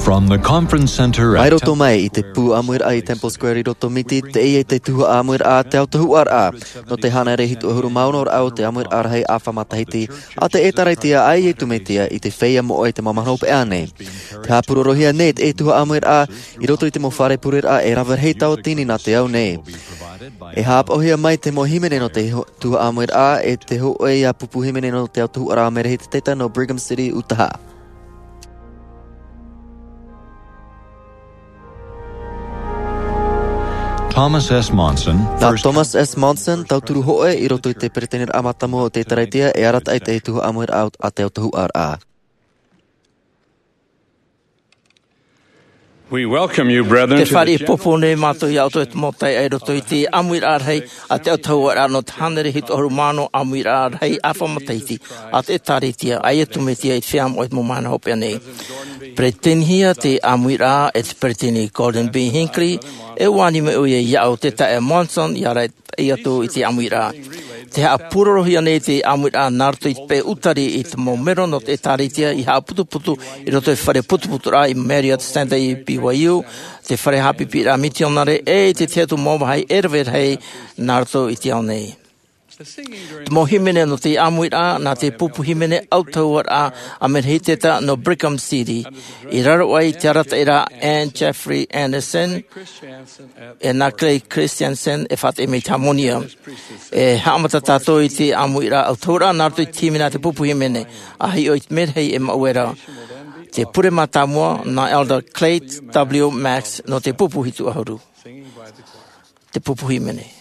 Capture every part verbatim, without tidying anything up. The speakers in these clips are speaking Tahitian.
From the conference center at Mai roto mai i te pū ʻāmuiraʻa i Temple Square i roto Miti, teie te tuhaʻa ʻāmuiraʻa a te autahuʻaraʻa. Nō te hānere hitu ʻahuru mā ono ra o te ʻāmuiraʻa rahi ʻāfa matahiti a te ʻĒtārētia a Iesu Mesia i te feiā moʻa i te mau mahana hopeʻa nei. Tē haʻapurorohia nei te tuhaʻa ʻāmuiraʻa i roto i te mau fare pureraʻa e rave rahi tauatini nā te ao nei. E haʻapaʻohia mai te mau hīmene nō te ho-, tuhaʻa ʻāmuiraʻa e te hōʻē ia pupu hīmene nō te autahuʻaraʻa Merehiteta nō Brigham City, Utaha. Thomas S. Monson, Nā first Thomas S. Monson, tauturu hōʻē i roto i te peresideni mātāmua o te ʻĒtārētia, e arataʻi i te tuhaʻa ʻāmuiraʻa a te autahuʻaraʻa. We welcome you, brethren, Te to the fāriʻi general popo nei mātou iā ʻoutou e te mau taiʻa i roto i te ʻāmuiraʻa rahi a te autahuʻaraʻa nō te hānere hitu ʻahuru mā ono ʻāmuiraʻa rahi ʻāfa matahiti a te ʻĒtārētia a Iesu Mesia i te feiā moʻa i te mau mahana hopeʻa nei. Peresideni hia te ʻāmuiraʻa e te peresideni Gordon B. Hinckley, e ʻua ani mai ʻoia iāʻu te taeaʻe Monson, ia rave atu i te ʻāmuiraʻa. Tē haʻapurorohia nei te ʻāmuiraʻa nā roto i te peu ʻutari i te mau melo nō te ʻĒtārētia i haʻaputuputu i roto i te fare putuputuraʻa i Marriott Center i B Y U, te fare haʻapiʻiraʻa mitionare, e i te tahi atu mau vāhi e rave rahi nā roto i te ao nei. Te mau hīmene nō te ʻāmuiraʻa, nā te pupu hīmene autahuʻaraʻa a Merehiteta nō Brigham City, i raro aʻe i te arataʻi ra a Ann Jeffrey Anderson, e nā Clay Christensen e faʻateʻa mai i te hāmani. E haʻamata tātou i te ʻāmuiraʻa autahuʻaraʻa nā roto i te hīmene a te pupu hīmene, a hiʻo i te merahi e maʻue ra. Te pure mātāmua, nā Elder Clayton W. Max nō te pupu hitu ʻahuru. Te pupu hīmene.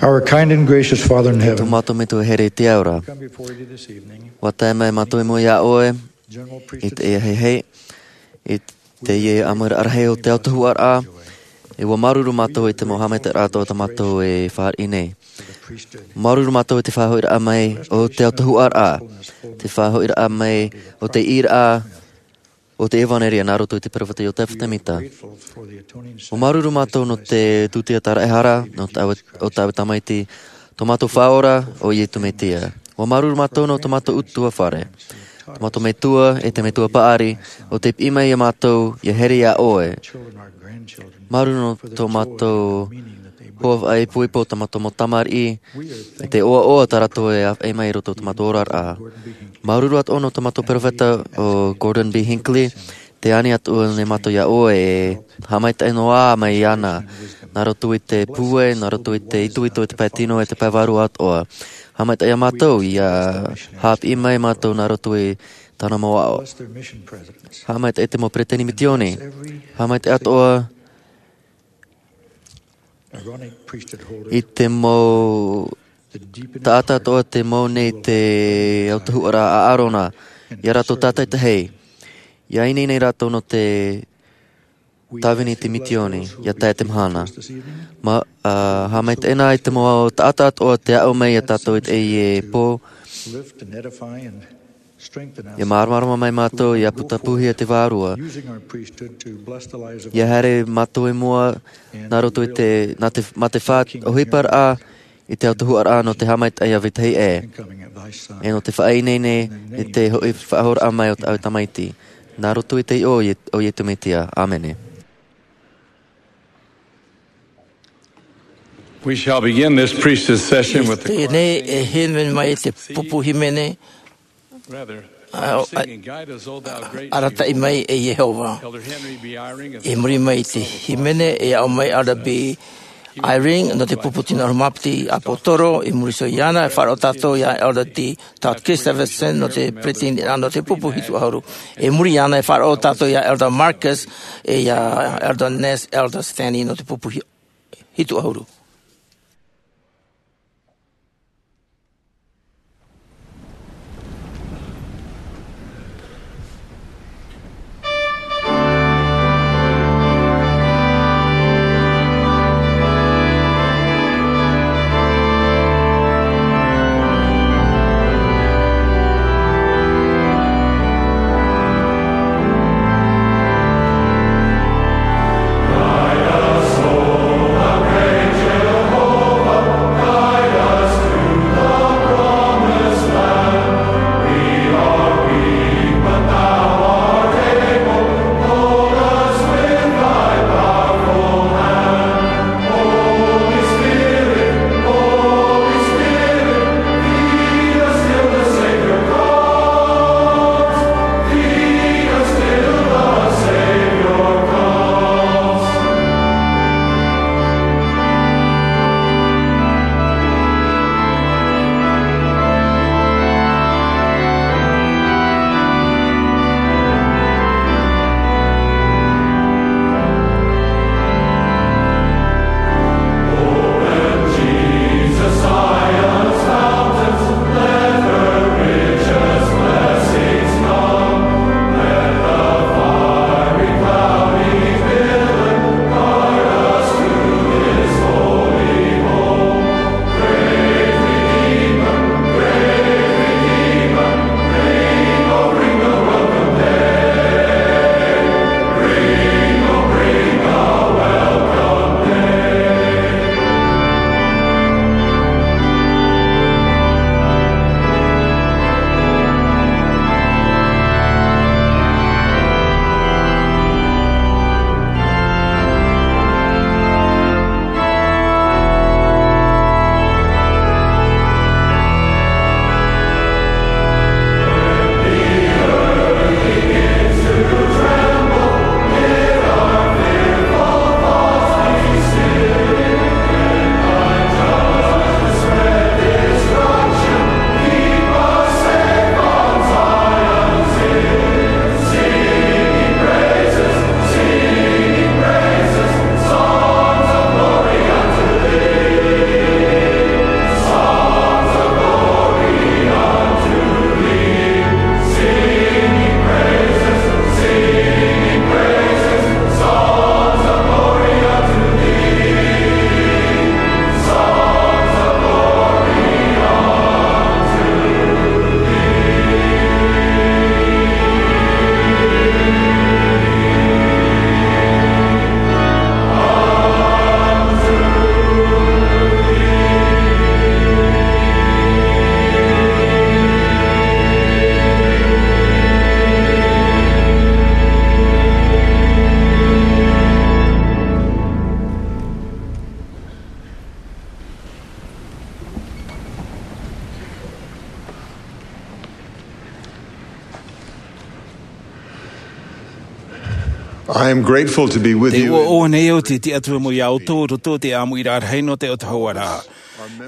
Our kind and gracious Father in heaven, tō mātou Metua here i te ao ra. Come before you this evening. ʻUa tae mai mātou i mua iā ʻoe, General i Priesthood te ia hei hei, i te ia ʻāmuiraʻa rahi o te autahuʻaraʻa, e ʻua māuruuru mātou i te mau haʻamaitaʻiraʻa atoʻa tā mātou e fāriʻi nei. Māuruuru mātou i te faʻahoʻiraʻa mai o te autahuʻaraʻa, te faʻahoʻiraʻa mai o te ʻīraʻa o te ʻevanelia nā roto i te peropheta Iotefa Semita. ʻUa māuruuru mātou nō te tūtia tāraʻehara, nō te ʻāue, o te ʻāue tamaiti, tō mātou Faʻaora, ʻo Iesu Mesia. ʻUa māuruuru mātou nō tō mātou ʻutuāfare, tō mātou Metua, e te Metua Paʻari, ʻo tei piʻi mai iā mātou, ʻia here iā ʻoe. Māuruuru nō tō mātou hoa faʻaipoipo, tā mātou mau tamariʻi, e te ʻoaʻoa tā rātou e ʻāfaʻi mai i roto i tō mātou oraraʻa. Māuruuru atoʻa nō tō mātou peropheta ʻo Gordon B. Hinckley, tē ani atu nei mātou iā ʻoe e haʻamaitaʻi noa mai iāna, nā roto i te pūai, nā roto i te itoito, i te pae tino, e te pae vārua atoʻa. Haʻamaitaʻi iā mātou, ʻia haʻapiʻi mai mātou nā roto i tāna mau aʻo. Haʻamaitaʻi i te mau peresideni misiōni. Haʻamaitaʻi atoʻa i te mau taʻata atoʻa tē mau nei i te autahuʻaraʻa a ʻĀrona, iā rātou tātaʻitahi. ʻIa ineine rātou nō te tāvini i te misiōni, ʻia tae te mahana. Ma, ā, haʻamaitaʻi na i te mau taʻata atoʻa tē aʻo mai iā tātou i teie pō, ʻia māramarama mai mātou, ʻia putapūhia te vārua. ʻIa haere mātou i mua, nā roto i te, nā te, mā te faʻaʻohiparaʻa i te autahuʻaraʻa nō te haʻamaitaʻi ʻāvaitahi ē. E nō te faʻaineine i te hoʻi faʻahouraʻa mai o te ʻāue tamaiti. Nā roto i te iʻoa o Ie-, o Iesu Mesia. ʻĀmene. We shall begin this priesthood session with the choir. Teie nei e hīmene mai te pupu hīmene. Rather, ā, ā, singing, "Guide us, O thou great Arataʻi Jehovah." Mai, e Iehova. Elder Henry B. Eyring of the I muri mai i te Apostolic hīmene, Choir e aʻo mai Elder B. Eyring, nō te pupu tino ʻahuru mā piti ʻāpōsetolo, i muri iho iāna, e faʻaroʻo tātou iā Elder T. Todd Christofferson, nō te peresideni nō te pupu hitu ʻahuru. I muri iāna, e faʻaroʻo tātou iā Elder Marcus, e iā Elder Ness, Elder Stanley, nō te pupu hi-, hitu ʻahuru. I am grateful to be with you. Te ʻoaʻoa nei au te tiʻaturi mai iā ʻoutou i roto i te ʻāmuiraʻa rahi nō te autahuʻaraʻa.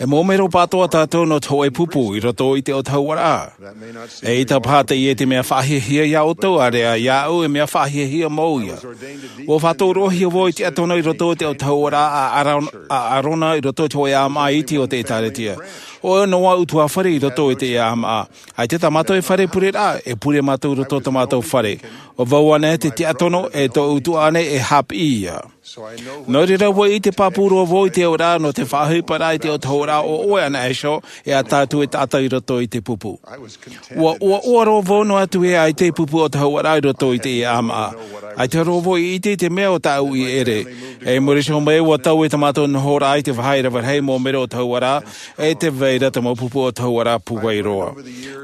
E mau mero pāʻatoʻa tātou nō te hōʻē pupu i roto i te autahuʻaraʻa. E ʻaita paha teie te mea faʻahiahia iā ʻoutou, ʻaore rā iāʻu e mea faʻahiahia mau ia. Ua faʻatauroʻohia vau i te tiʻaturi i roto i te autahuʻaraʻa a Aron-, a Arona i roto i te hōʻē ʻāmaʻa iti o te ʻĒtārētia. ʻO ʻoia noa ʻutuāfare i roto i te ʻāmaʻa. ʻAita tā mātou e fare pureraʻa, e pure mātou i roto i tō mātou fare. ʻO vau ānei te tiʻaturi, e tōʻu tuaʻana e haʻapiʻi ia. Nō reira ua ʻite pāpū roa vau i te auraʻa nō te faʻaʻohiparaʻa i te autahuʻaraʻa o ʻoe ʻana iho, e ā tātou e taʻata i roto i te pupu. Ua ʻoaʻoa roa vau noa atu e ʻaita e pupu autahuʻaraʻa i roto i te ʻāmaʻa. ʻAita roa vau i ʻite i te mea o tāʻu i ʻere. E muri iho mai ua tae tā mātou nohoraʻa i te vāhi rave rahi mau mero autahuʻaraʻa, e tē vai ra te mau pupu autahuʻaraʻa pūai roa.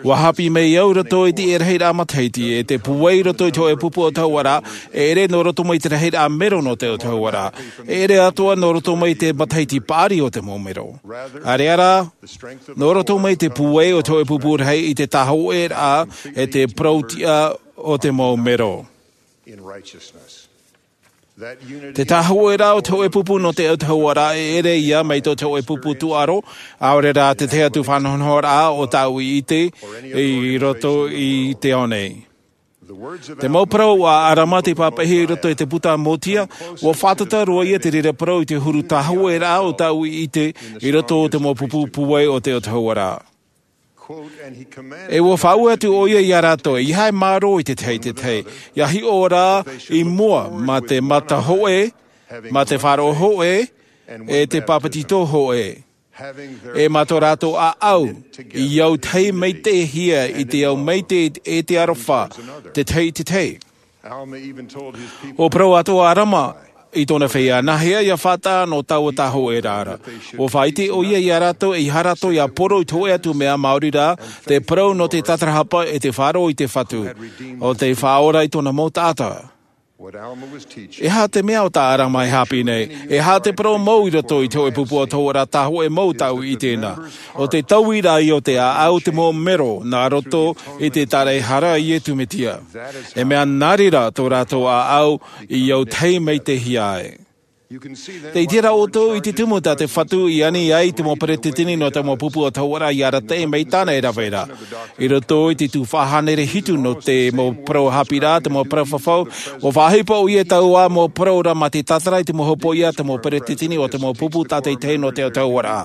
Ua haʻapiʻi mai au i roto i te rahiraʻa matahiti, e te pūai i roto i te hōʻē pupu autahuʻaraʻa, e ʻere nō roto mai te rahiraʻa mero nō te autahuʻaraʻa. E ʻere atoʻa nō roto mai te matahiti paʻari o te mau mero. ʻAore rā, nō roto mai te pūai o te hōʻē pupu rahi i te tāhōʻēraʻa, e te parau-tiʻa o te mau mero. Te tāhōʻēraʻa o te hōʻē pupu nō te autahuʻaraʻa e ʻere ia mai tō te hōʻē pupu tūʻaro, ʻaore rā te tahi atu faʻanahonahoraʻa o tāʻu i ʻite i roto i te ao nei. Te mau parau a Arama tei pāpaʻihia i roto i te puta a Mōtia, ua fātata roa ia te reira parau i te huru tāhōʻēraʻa o tāʻu i ʻite i roto i te mau pupu pūai o te autahuʻaraʻa. E ua faʻaue atu ʻoia iā rātou, ʻeiaha e mārō i te tahi i te tahi. ʻIa hiʻo rā i mua mā te mata hōʻē, mā te faʻaroʻo hōʻē, e te pāpetito hōʻē. E mā tō rātou ʻāʻau, i au tahi maitaʻihia i te au maitaʻi e te aroha, te tahi i te tahi. ʻUa parau atoʻa ʻo Arama i tōna feiā, nāhea ʻia faʻataʻa nō taua tāhōʻēraʻa ra. ʻUa faʻaʻite ʻoia iā rātou, ʻeiaha rātou ʻia poro i te hōʻē atu mea, maori rā, te parau nō te tatarahapa e te faʻaroʻo i te Fatu, ʻo tei faʻaora i tōna mau taʻata. E aha te mea ʻo tā Arama e haʻapiʻi nei? E aha te parau mau i roto i te hōʻē pupu autahuʻaraʻa tāhōʻē mau tāʻu i ʻite na? ʻO te taui rā ia o te ʻāʻau o te mau mero nā roto i te tāraʻehara a Iesu Mesia. E mea nā reira tō rātou ʻāʻau i au tahi maitaʻihia ai. Tē ʻite ra ʻoutou i te tumu tā te Fatu i ani ai i te mau peretiteni nō te mau pupu autahuʻaraʻa ʻia arataʻi mai tāna e rave ra. I roto i te tuhaʻa hānere hitu nō te mau parau haʻapiʻiraʻa, te mau parau fafau, ʻua faʻaʻohipa ʻoia i taua mau parau ra mā te tātara i te mau hopoiʻa a te mau peretiteni o te mau pupu tātaʻitahi nō te autahuʻaraʻa.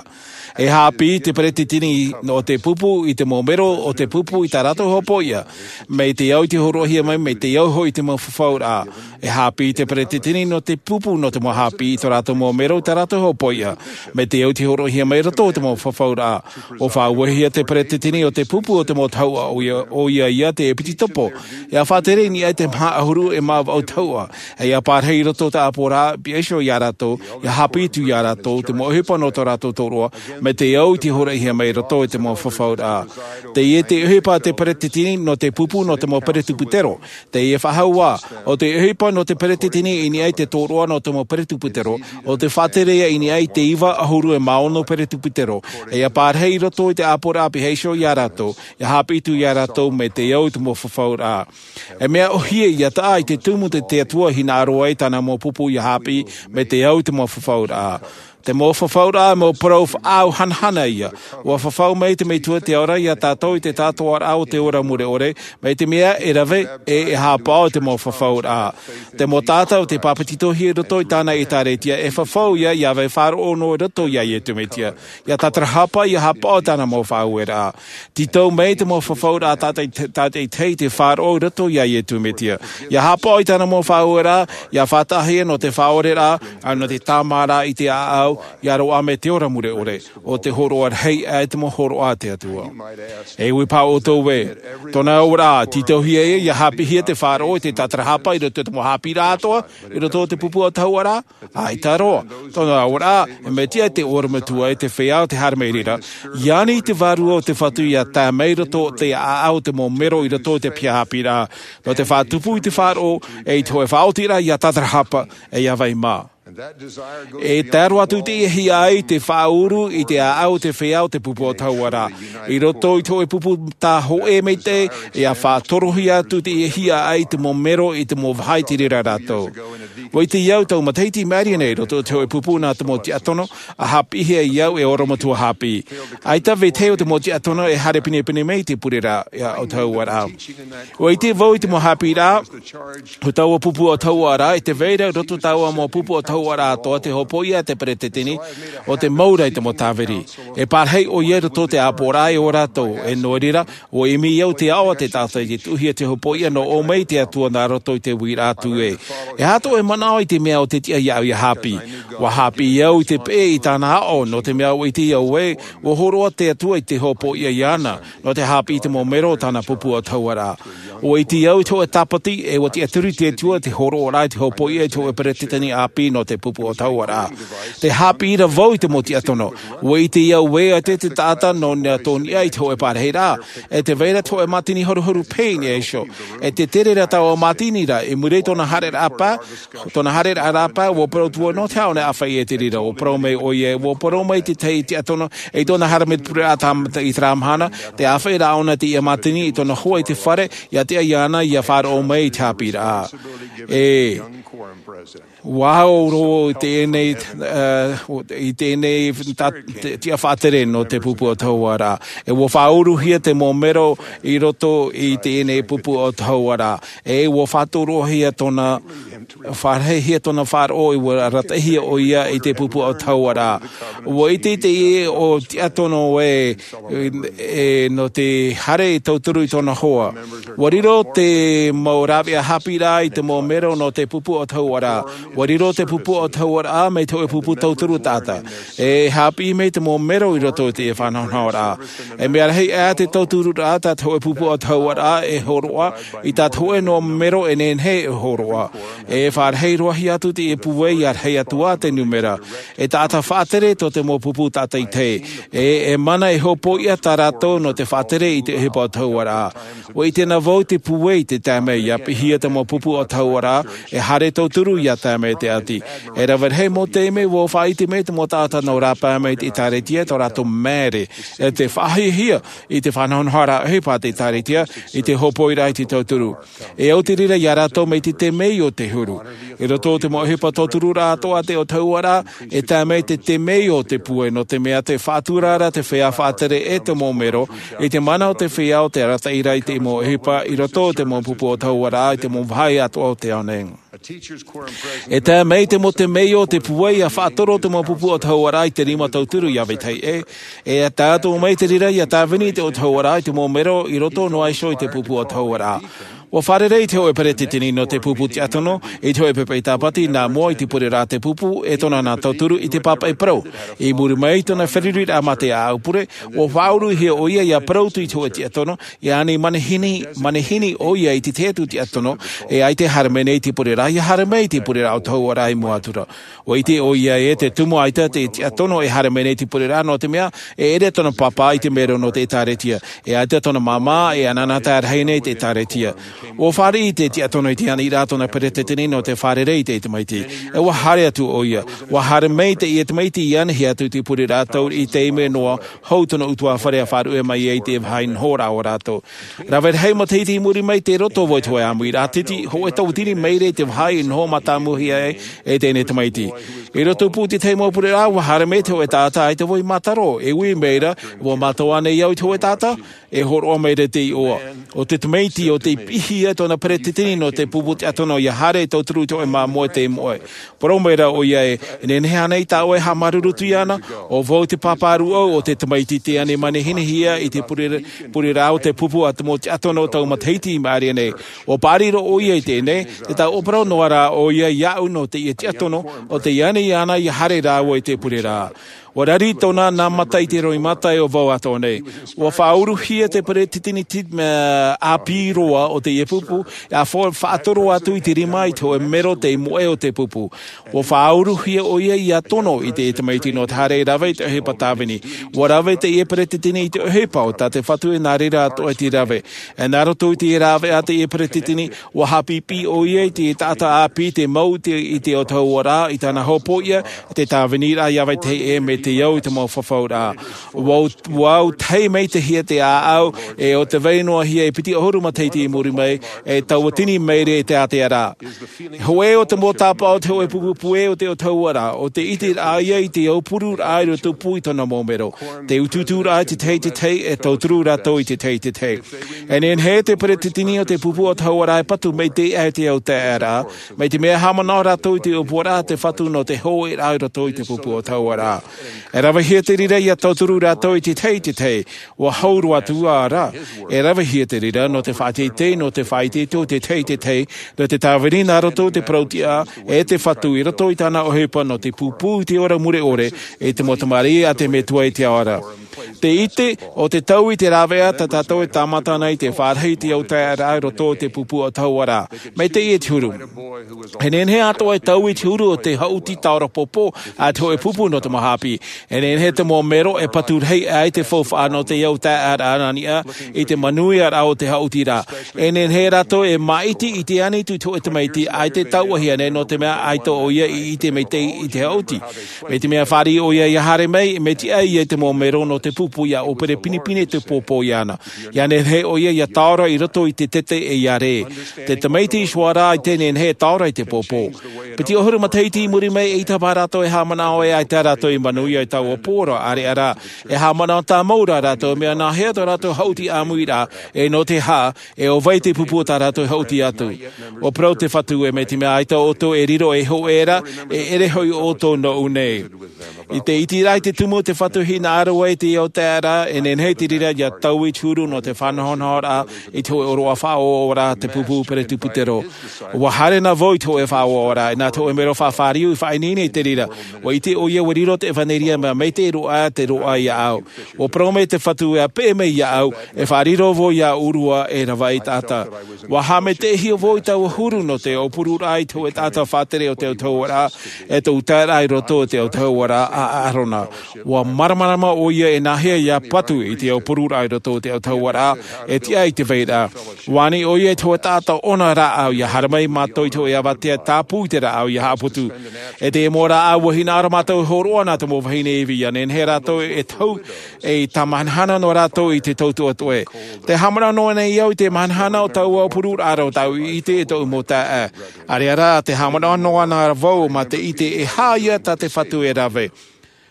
E haʻapiʻi te peretiteni o te pupu i te mau mero o te pupu i tā rātou hopoiʻa, mai te au i te hōroʻahia mai, mai te au hoʻi i te mau fafauraʻa. E haʻapiʻi te peretiteni nō te pupu nō te mau haʻapiʻi i tō rātou mau mero i tā rātou hopoiʻa, mai te au i te hōroʻahia mai i roto i te mau fafauraʻa. ʻUa faʻauehia te peretiteni o te pupu o te mau tahuʻa, ʻoia, ʻoia ia te ʻepitokopo. ʻIa faʻatere i niʻa i te maha ʻahuru e mā vaʻu tahuʻa. ʻE ʻia pārahi i roto i te ʻāpoʻoraʻa, pihaʻi iho iā rātou, ʻia haʻapiʻi atu iā rātou, te mau ʻohipa nō tō rātou tōroʻa, mai te au i te hōroʻahia mai i roto i te mau fafauraʻa. Teie te ʻohipa a te peretiteni nō te pupu nō te mau peretuputero. Teie faʻahou ā, ʻo te ʻohipa nō te peretiteni i niʻa i te tōroʻa nō te mau peretuputero, ʻo te faʻatere ia i niʻa i te iva ʻahuru e mā ono peretuputero, ʻe ʻia pārahi i roto i te ʻāpoʻoraʻa pihaʻi iho iā rātou, ʻia haʻapiʻi atu iā rātou mai te au i te mau fafauraʻa. E mea ʻōhie ʻia taʻa i te tumu te, te Atua e hinaʻaro ai tāna mau pupu ʻia haʻapiʻi mai te au i te mau fafauraʻa. Te mau fafauraʻa, mau parau faʻaau hanahana ia. ʻUa fafau mai te Metua i te ao ra iā tātou i te tātaraʻa o te ora mure ʻore, mai te mea e rave, ʻe e haʻapaʻo i te mau fafauraʻa. Te mau taʻata o tei pāpetitohia i roto i tāna ʻĒtārētia, e fafau ia, ʻia vai faʻaroʻo noa i roto iā Iesu Mesia. ʻIa tatarahapa, ʻia haʻapaʻo i tāna mau faʻaueraʻa. Tītau mai te mau fafauraʻa tātaʻi-, tātaʻitahi i te faʻaroʻo i roto iā Iesu Mesia. ʻIa haʻapaʻo i tāna mau faʻaueraʻa, ʻia faʻataʻahia nō te faʻaoreraʻa, ʻa nō te tāmāraʻa i te ʻāʻau, ʻia roaʻa mai te ora mure ʻore, ʻo te hōroʻa rahi ʻe te mau hōroʻa a te Atua. E ui paha ʻoutou ē, tōna auraʻa, tītauhia ia, ʻia haʻapiʻihia te faʻaroʻo i te tatarahapa i roto i te mau haʻapiʻiraʻa atoʻa, i roto i te pupu autahuʻaraʻa? ʻAita roa. Tōna auraʻa, e mea tiʻa i te ʻorometua ʻe te feiā o te haere mai reira, ʻia ani i te Vārua o te Fatu ʻia tae mai i roto i te ʻāʻau o te mau mero i roto i te piha haʻapiʻiraʻa, nō te faʻatupu i te faʻaroʻo, ʻe i te hōʻē faʻaotiraʻa ʻia tatarahapa, ʻe ʻia vai mā. E tae roa atu teie hiaʻai te faʻauru i te ʻāʻau o te feiā o te pupu o te hauaraʻa. I roto i te hoʻe pupu tā hoʻe maitaʻi, ia faʻatorohia atu teie hiaʻai i te mau mero, i te mau vaha i te reira rātou. ʻUa ʻite au tau matahiti i maʻiri nei i roto i te hoʻe pupu nā te mau tiatono, ʻa haʻapiʻihia au e oromatua haʻapiʻi. ʻAita vetahi o te mau tiatono e haere pinepine mai i te pureraʻa o te hauaraʻa. ʻUa ʻite vau i te mau haʻapiʻiraʻa o taua pupu o te hauaraʻa, i te vai ra i roto i taua mau pupu o te hauaraʻa atoʻa te hopoiʻa a te peretiteni, ʻo te mau ra i te mau tāviri. E parahi ʻoia i roto i te ʻāpoʻoraʻa e ʻo rātou, e nō reira, ʻua ʻimi au te aʻo a te taʻata i te tuʻuhia te hopoiʻa nō ʻō mai te Atua nā roto i te uiraʻa atu ē. E aha tō ʻoe manaʻo i te mea ʻo te tiʻa iāʻu ia haʻapiʻi? ʻUa haʻapiʻi au i te peʻe i tāna aʻo, nō te mea ʻua ʻite au ē, ʻua hōroʻa te Atua i te hopoiʻa iāna, nō te haʻapiʻi i te mau mero o tāna pupu o te hauaraʻa. ʻUa ʻite au i te hoʻe tāpati, e ʻua tiʻaturi te Atua i te hōroʻaraʻa i te hopoiʻa i te hoʻe peretiteni ʻāpī nō te pupu o te hauaraʻa. Tē haʻapiʻi ra vau i te mau tiatono. ʻUa ʻite au ē, ʻaita te taʻata nō nā tō niʻa i te hoʻe parahiraʻa. E tē vai ra te hoʻe mātini horuhoru pain e iho. E tē tere ra taua mātini ra, i muri i tōna haereraʻa paʻi, tōna haereraʻa paʻi, ʻua parau atu ʻoia nō te aha ʻōna e ʻāfaʻi i te reira, ʻua parau mai ʻoia, ʻua parau mai te tahi tiatono, i tōna haere mai te pureraʻa tā, i terā mahana, tē ʻāfaʻi ra ʻōna i teie mātini, i tōna hoa i te fare, ʻia tiʻa iāna, ʻia faʻaroʻo mai i te haʻapiʻiraʻa. E, ʻua au roa i teie nei, ā, i teie nei tā, te, tiʻa faʻatere nō te pupu o te hauaraʻa. E ʻua faʻauruhia te mau mero i roto i teie nei pupu o te hauaraʻa. E ʻua faʻatorohia tōna, fārahihia tōna faʻaroʻo, e ʻua arataʻihia ʻoia i te pupu o te hauaraʻa. ʻUa ʻite i teie ʻo tiatono ē, e, nō te haere e tauturu i tōna hoa. ʻUa riro te mau rāveʻa haʻapiʻiraʻa i te mau mero nō te pupu o te hauaraʻa. ʻUa riro te pupu o te hauaraʻa mai te hoʻe pupu tauturu taʻata. E haʻapiʻi mai te mau mero i roto i te faʻanahonahoraʻa. E mea rahi aʻe te tautururaʻa tā te hoʻe pupu o te hauaraʻa e hōroʻa, i tā te hoʻe noa mero e nehenehe e hōroʻa. E faʻarahi roa hia atu te pūai ʻia rahi atu ā te nūmera. E taʻata faʻatere tō te mau pupu tātaitahi. E, e mana e hopoiʻa tā rātou nō te faʻatere i te ʻohipa o te hauaraʻa. ʻUa ʻite na vau te pūai i te taime ʻia piʻihia te mau pupu o te hauaraʻa, e haere tauturu ʻia tae mai te ʻati. E rave rahi mau taime ʻua faʻaʻite mai te mau taʻata nō rāpae mai i te ʻĒtārētia tō rātou māere, e te faʻahiahia i te faʻanahonahoraʻa ʻohipa a te ʻĒtārētia, i te hopoiraʻa i te tauturu. E au te reira ia rātou mai te temeio o te huru. I roto i te mau ʻohipa tautururaʻa atoʻa a te ʻo te hauaraʻa, e tae mai te temeio o te pūai, nō te mea tē faʻatura ra te feiā faʻatere e te mau mero, i te mana o te feiā o te arataʻi ra i te mau ʻohipa i roto i te mau pupu o te hauaraʻa, i te mau vāhi atoʻa o te ao nei. E tae mai te mau temeio o te pūai ʻia faʻatoro te mau pupu o te hauaraʻa i te rima tauturu ʻia vetahi ʻē, e tae atu mai te reira ʻia tāvini te ʻo te hauaraʻa i te mau mero i roto noa iho i te pupu o te hauaraʻa. ʻUa fārerei te hoʻe peretiteni nō te pupu tiatono, i te hoʻe pepe tāpati nā mua i te pureraʻa a te pupu, e tōna nā tauturu i te pāpaʻi parau. I muri mai i tōna feruriraʻa mā te ʻāʻau pure, ʻua faʻauruhia ʻoia ʻia parau atu i te hoʻe tiatono, ʻia ani manihini, manihini ʻoia i te tahi atu tiatono, e ʻaita e haere mai nei i te pureraʻa, ʻia haere mai i te pureraʻa o te hauaraʻa i mua atu ra. ʻUa ʻite ʻoia ē te tumu ʻaita te tiatono e haere mai nei i te pureraʻa, nō te mea, e ʻere tōna pāpā i te mero nō te ʻĒtārētia. E ʻaita tōna māmā e anaanatae rahi nei i te ʻĒtārētia. ʻUa fāriʻi te tiatono i te aniraʻa tōna peretiteni nō te fārerei i te tamaiti. E ʻua haere atu ʻoia. ʻUa haere mai teie tamaiti ʻia anahi atu i te pureraʻa tauri i teie nei noa hou tōna ʻutuāfare ʻa faʻaruʻe mai ai i te vāhi nohoraʻa o rātou. Rave rahi matahiti i muri mai tei roto vau i te hōʻē ʻāmuiraʻa titi, hōʻē tauatini maira i te vāhi i noho mātāmuhia ai e teie tamaiti. I roto pū i te tahi mau pureraʻa, ʻua haere mai te hōʻē taʻata, ʻaita vau i mātaro, e ui maira, ʻua mātau ānei au i te hōʻē taʻata? E hōroʻa maira te iʻoa. ʻO te tamaiti, ʻo tei piʻihia tōna peretiteni nō te pupu tiatono ʻia haere e tauturu i te hōʻē māmoe tei moʻe. Parau maira ʻoia ē, e nehenehe ānei tā ʻoe e haʻamāuruuru atu iāna? ʻO vau te pāpā rūʻau o te tamaiti tei ani manihinihia i te pure-, pureraʻa o te pupu a te mau tiatono o tau matahiti i maʻiri nei. ʻUa paʻari roa ʻoia i teie nei, te tau ʻōparau noa rā ʻoia iāʻu nō teie tiatono, ʻo tei ani iāna ʻia haere rāua i te pureraʻa. ʻUa rari tōna nā mata i te roimata e ʻo vau atoʻa nei. ʻUa faʻauruhia te peretiteni ʻāpī roa o teie pupu, ʻa faʻa-, faʻatoro atu i te rima i te hōʻē mero tei moʻe o te pupu. ʻUa faʻauruhia ʻoia ʻia tono i te tamaiti nō te haere e rave i te ʻohipa tāvini. ʻUa rave teie peretiteni i te ʻohipa o tā te Fatu e nā reira atoʻa i te rave. E nā roto i te rāveʻa a teie peretiteni, ʻua haʻapiʻipiʻi ʻoia i te taʻata ʻāpī te mau te, i te autahuʻaraʻa, i tāna hopoiʻa, i te tāviniraʻa i ʻāvae tahi ʻē, mai te au i te mau fafauraʻa. ʻUa, ʻua au tahi maitaʻihia te ʻāʻau, e ʻo te vai noa hia e piti ʻahuru matahiti i muri mai, e tauatini maere i te ātea ra. Hōʻē o te mau tāpaʻo o te hōʻē pupu puē o te autahuʻaraʻa, ʻo te ʻiteraʻa ïa i te aupururaʻa i roto pū i tōna mau mero. Te utuuturaʻa i te tahi i te tahi, e tauturu rātou i te tahi i te tahi. E nehenehe te peretiteni o te pupu autahuʻaraʻa e patu maitaʻi i te autahuʻaraʻa, mai te mea haʻamanaʻo rātou i te ʻōpuaraʻa a te Fatu nō te hōʻēraʻa i roto i te pupu autahuʻaraʻa. E ravehia te reira ʻia tauturu rātou i te tahi i te tahi, ʻua hau roa atu ā rā. E ravehia te reira nō te faʻateitei, nō te faʻaitoito i te tahi i te tahi, nō te tāvini nā roto i te parautiʻa, e te Fatu i roto i tāna ʻohipa nō te pūpū i te ora mure ʻore, e te mau tamariʻi a te Metua i te ao ra. Te ʻite, ʻo te taui i te rāveʻa tā tātou e tāmata nei te fāriʻi i te autahuʻaraʻa i roto i te pupu autahuʻaraʻa. Mai teie te huru. E nehenehe atoʻa e taui i te huru o te haʻuti tāora pōpō, a te hōʻē pupu nō te mau ʻāpī. E nehenehe te mau mero e patu rahi ai te faufaʻa nō te autahuʻaraʻa a niʻa i te manuiaraʻa o te haʻuti ra. E nehenehe rātou e māʻiti i te ani atu i te hōʻē tamaiti, ʻaita e tauʻahia nei nō te mea ʻaita ʻoia i ʻite maitaʻi i te haʻuti. Mai te mea fāriʻi ʻoia ʻia haere mai, mai te ʻai i te mau mero nō te pupu ʻia ʻōpere pinepine te pōpō iāna. ʻIa nehenehe ʻoia ʻia tāora i roto i te tete e ʻia rē. Te tamaiti i Suara ʻaita e nehenehe e tāora i te pōpō. Piti ʻahuru matahiti i muri mai, ʻeita paha rātou e haʻamanaʻo ē ʻaita rātou i manuia i taua pō ra, ʻāreʻa rā. E haʻamanaʻo tāmau rā rātou, mea nāhea tō rātou haʻuti ʻāmui ra, e nō te aha, e ʻo vai te pupu o tā rātou haʻuti atu. ʻUa parau te Fatu ē, mai te mea ʻaita ʻoutou e riro ei hōʻē ra, e ʻere hoʻi ʻoutou nōʻu nei. I te ʻiteraʻa i te tumu o te Fatu e hinaʻaro ai i te autahuʻaraʻa, e nehenehe te reira ʻia taui i te huru nō te faʻanahonahoraʻa i te hōʻē ʻōroʻa faʻaoaoaraʻa a te pupu peretiputero. ʻUa haere na vau i te hōʻē faʻaoaoraʻa, e nā te hōʻē mero faʻafāriu i faʻaineine i te reira. ʻUa ʻite ʻoia ʻua riro te ʻevaneria mea maitaʻi roa te roaʻa iāʻu. ʻUa parau mai te Fatu ē, ʻa peʻe mai iāʻu, e faʻariro vau iā ʻōrua e rave taʻata. ʻUa haʻamaitaʻihia vau i taua huru nō te aupururaʻa i te hōʻē taʻata faʻatere o te autahuʻaraʻa, e tō ʻutaeraʻa i roto i te autahuʻaraʻa a ʻĀrona. ʻUa māramarama ʻoia e nāhea ʻia patu i te aupururaʻa i roto i te autahuʻaraʻa, e tiʻa i te vairaʻa. ʻUa ani ʻoia i te hōʻē taʻata ʻona rāʻau ʻia haere mai mātou i te hōʻē avatea tāpū i te rāʻau ʻia haʻaputu. E te mau rāʻau ʻua hinaʻaro mātou e hōroʻa nā te mau vahine ivi, ʻia nehenehe rātou e tau, e tāmahanahana noa rātou i te tautoʻatoʻe. Tē haʻamanaʻo noa nei au i te mahanahana o taua aupururaʻa ra ʻo tāʻu i ʻite e tōʻu mau taeaʻe. ʻAreʻa rā, tē haʻamanaʻo noa na vau mā te ʻite e aha ïa tā te Fatu e rave.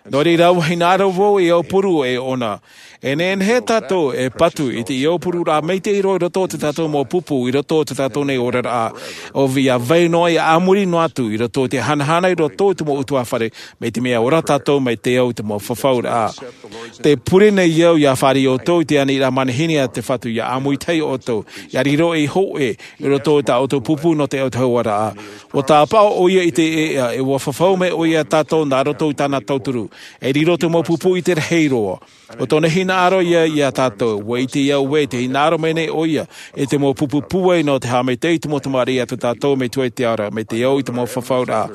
Nō reira, ʻua hinaʻaro vau e aupuru e ʻona. E nehenehe tātou e patu i te aupururaʻa maitaʻi roa i roto i tō tātou mau pupu, i roto i tō tātou nei oraraʻa. ʻO ʻia vai noa ʻia ʻāmui noa atu i roto i te hanahana i roto i te mau ʻutuāfare, mai te mea ora tātou mai te ao i te mau fafauraʻa. Tē pure nei au ʻia fāriʻi ʻoutou i te aniraʻa manihini a te Fatu ʻia ʻāmui tahi ʻoutou, ʻia riro ei hōʻē i roto i tā ʻoutou pupu nō te autahuʻaraʻa. ʻUa tāpaʻo ʻoia i te ʻēʻa, e ʻua fafau mai ʻoia iā tātou nā roto i tāna tauturu. E riro te mau pupu i te rahi roa. ʻO tōna hinaʻaro ïa iā tātou, ʻua ʻite au ē tē hinaʻaro mai nei ʻoia i te mau pupu pūai nō te haʻamaitaʻi i te mau tamariʻi a tō tātou Metua i te ao ra, mai te ao i te mau fafauraʻa.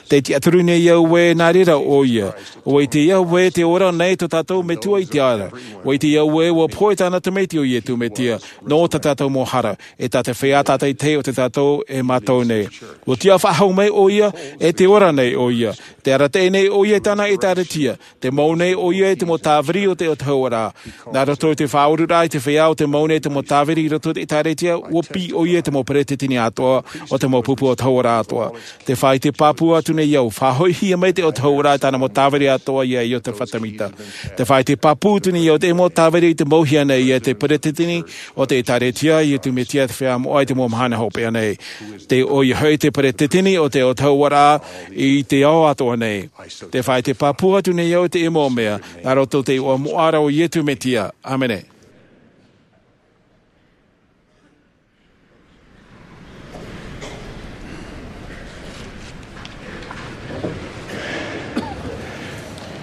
Tē tiʻaturi nei au ē nā reira ʻoia. ʻUa ʻite au ē tē ora nei tō tātou Metua i te ao ra. ʻUa ʻite au ē ʻua pohe tāna Tamaiti ʻo Iesu Mesia, nō tā tātou mau hara, e tā te feiā tātaʻitahi o tō tātou e mātau nei. ʻUa tiʻa faʻahou mai ʻoia, e tē ora nei ʻoia. Tē arataʻi nei ʻoia i tāna ʻĒtārētia, tē mau nei ʻoia i te mau tāviri o te autahuʻaraʻa. Nā roto i te faʻaururaʻa i te feiā ʻo tē mau nei te mau tāviri i roto i te ʻĒtārētia, ʻua piʻi ʻoia i te mau peretiteni atoʻa o te mau pupu autahuʻaraʻa atoʻa. Tē faʻaʻite pāpū atu nei au, faʻahoʻihia mai te autahuʻaraʻa i tāna mau tāviri atoʻa iā Iosepha Semita. Tē faʻaʻite pāpū atu nei au te mau tāviri i te mauhia nei e te peretiteni o te ʻĒtārētia, Iesu Mesia te Feiā Moʻa i te mau mahana hopeʻa nei. Tē ʻoia hoʻi te peretiteni o te autahuʻaraʻa i te ao atoʻa nei. Tē faʻaʻite pāpū atu nei au i te mau mea, nā roto i te iʻoa moʻa ra ʻo Iesu Mesia. ʻĀmene.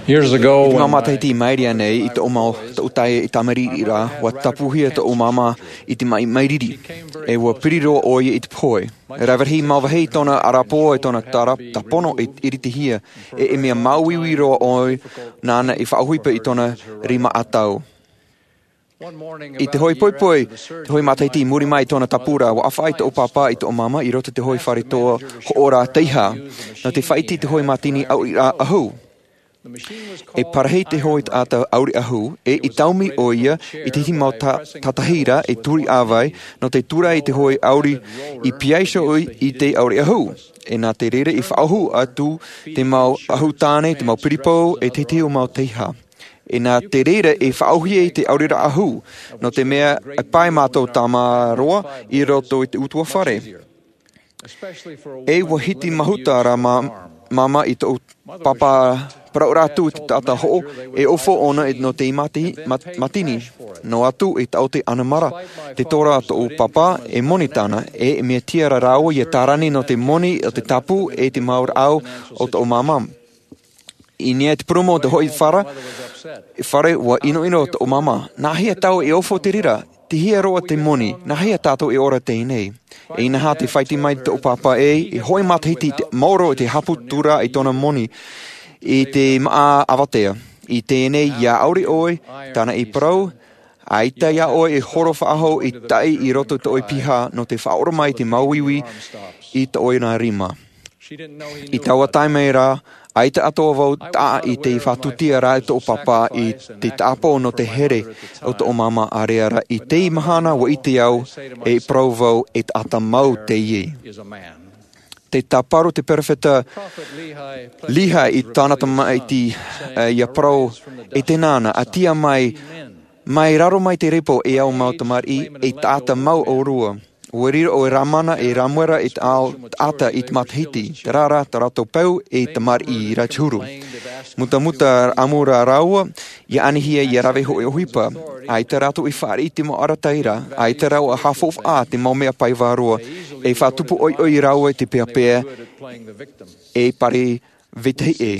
Years ago, I te mau matahiti i maʻiri aʻe nei, i tōʻu mau, tōʻu taime i tamariʻi ra, ua tāpūhia tōʻu māmā i te maʻi mairiri, ʻe ua piri roa ʻoia i te pohe. Rave rahi mau vāhi tōna ʻarapoʻa, ʻe tōna tara-, tāpono e iritihia, ʻe, e mea māuiui roa ʻoia nāna i faʻaʻohipa i tōna rima ʻatau. I te hoʻi poipoi, te hoʻi matahiti i muri mai i tōna tāpū ra, ua ʻāfaʻi tōʻu pāpā ʻe tōʻu māmā i roto i te hoʻi fare toa hoʻo ra teiaha, nō te faʻaʻite i te hoʻi mātini ʻauriraʻa ʻahu. E parahi te hoʻi taʻata ʻauri ʻahu, ʻe i taumi ʻoia i te hiti mau ta-, tātahi ra e turi ʻāvae, nō te tura i te hoʻi ʻauri i piha iho i, i te ʻauri ʻahu. ʻE nā te reira i faʻaʻohu atu te mau ʻahu tāne, te mau piripou, ʻe te hiti mau teiaha. ʻE nā te reira i faʻaʻohie i te ʻauriraʻa ʻahu, nō te mea e pae mātou tāmāroa i roto i te ʻutuāfare. ʻE ua hiti mahuta ra mā-, māmā ʻe tōʻu pāpā parau ra atu i te taʻata hoʻo, e ʻōfau ʻōna nō te mati-, mat-, mātini. Noa atu e taʻote ʻanamara te tora a tōʻu pāpā, e moni tāna, ʻe mea tiʻa ra rāua ʻia tārani nō te moni o te tāpū ʻe te mau rāʻau o tōʻu māmā. I niʻa i te purūmu o te hoʻi fare, fare ua ʻinoʻino tōʻu māmā. Nā hea tātou e ʻōfau i te reira? Tei hea roa te moni? Nā hea tātou e ora teie nei? ʻE inaha tē faʻaʻite mai tōʻu pāpā ē, i te hoʻi matahiti i te maoro i te haʻaputuraʻa i tōna moni i te māʻa avatea. I teie nei ʻia ʻauri ʻoe, tāna i parau, ʻaita iā ʻoe e horo faʻahou i taʻi i roto i tō ʻoe piha nō te faʻaora mai i te māuiui i tō ʻoe rima. I taua taime ra, ʻaita atoʻa vau taʻa i te faʻatūtia ra e tōʻu pāpā i te tāpō nō te here o tōʻu māmā, ʻaore ra i teie mahana ua ʻite au, e parau vau e taʻata mau teie. Tē tāparu te perofeta Līhai i tāna tamaiti, ʻe, ʻia parau, e tēnā na, ʻaita mai, mai raro mai te repo e au mau tamariʻi, e taʻata mau ʻōrua. Ua riro ʻo Lamana ʻe Ramuela i te ao taʻata i te matahiti, terā rā tā rātou peu e tamariʻi ra te huru. Mutamuta ʻāmui rāua, ʻia anihia ʻia rave hoʻi ʻohipa. ʻAita rātou i fāriʻi i te mau arataʻi ra, ʻaita rāua e haʻafaufaʻa i te mau mea pae vārua, e faʻatupu ʻoiʻoi rāua i te peapea, e pari vetahi ʻē.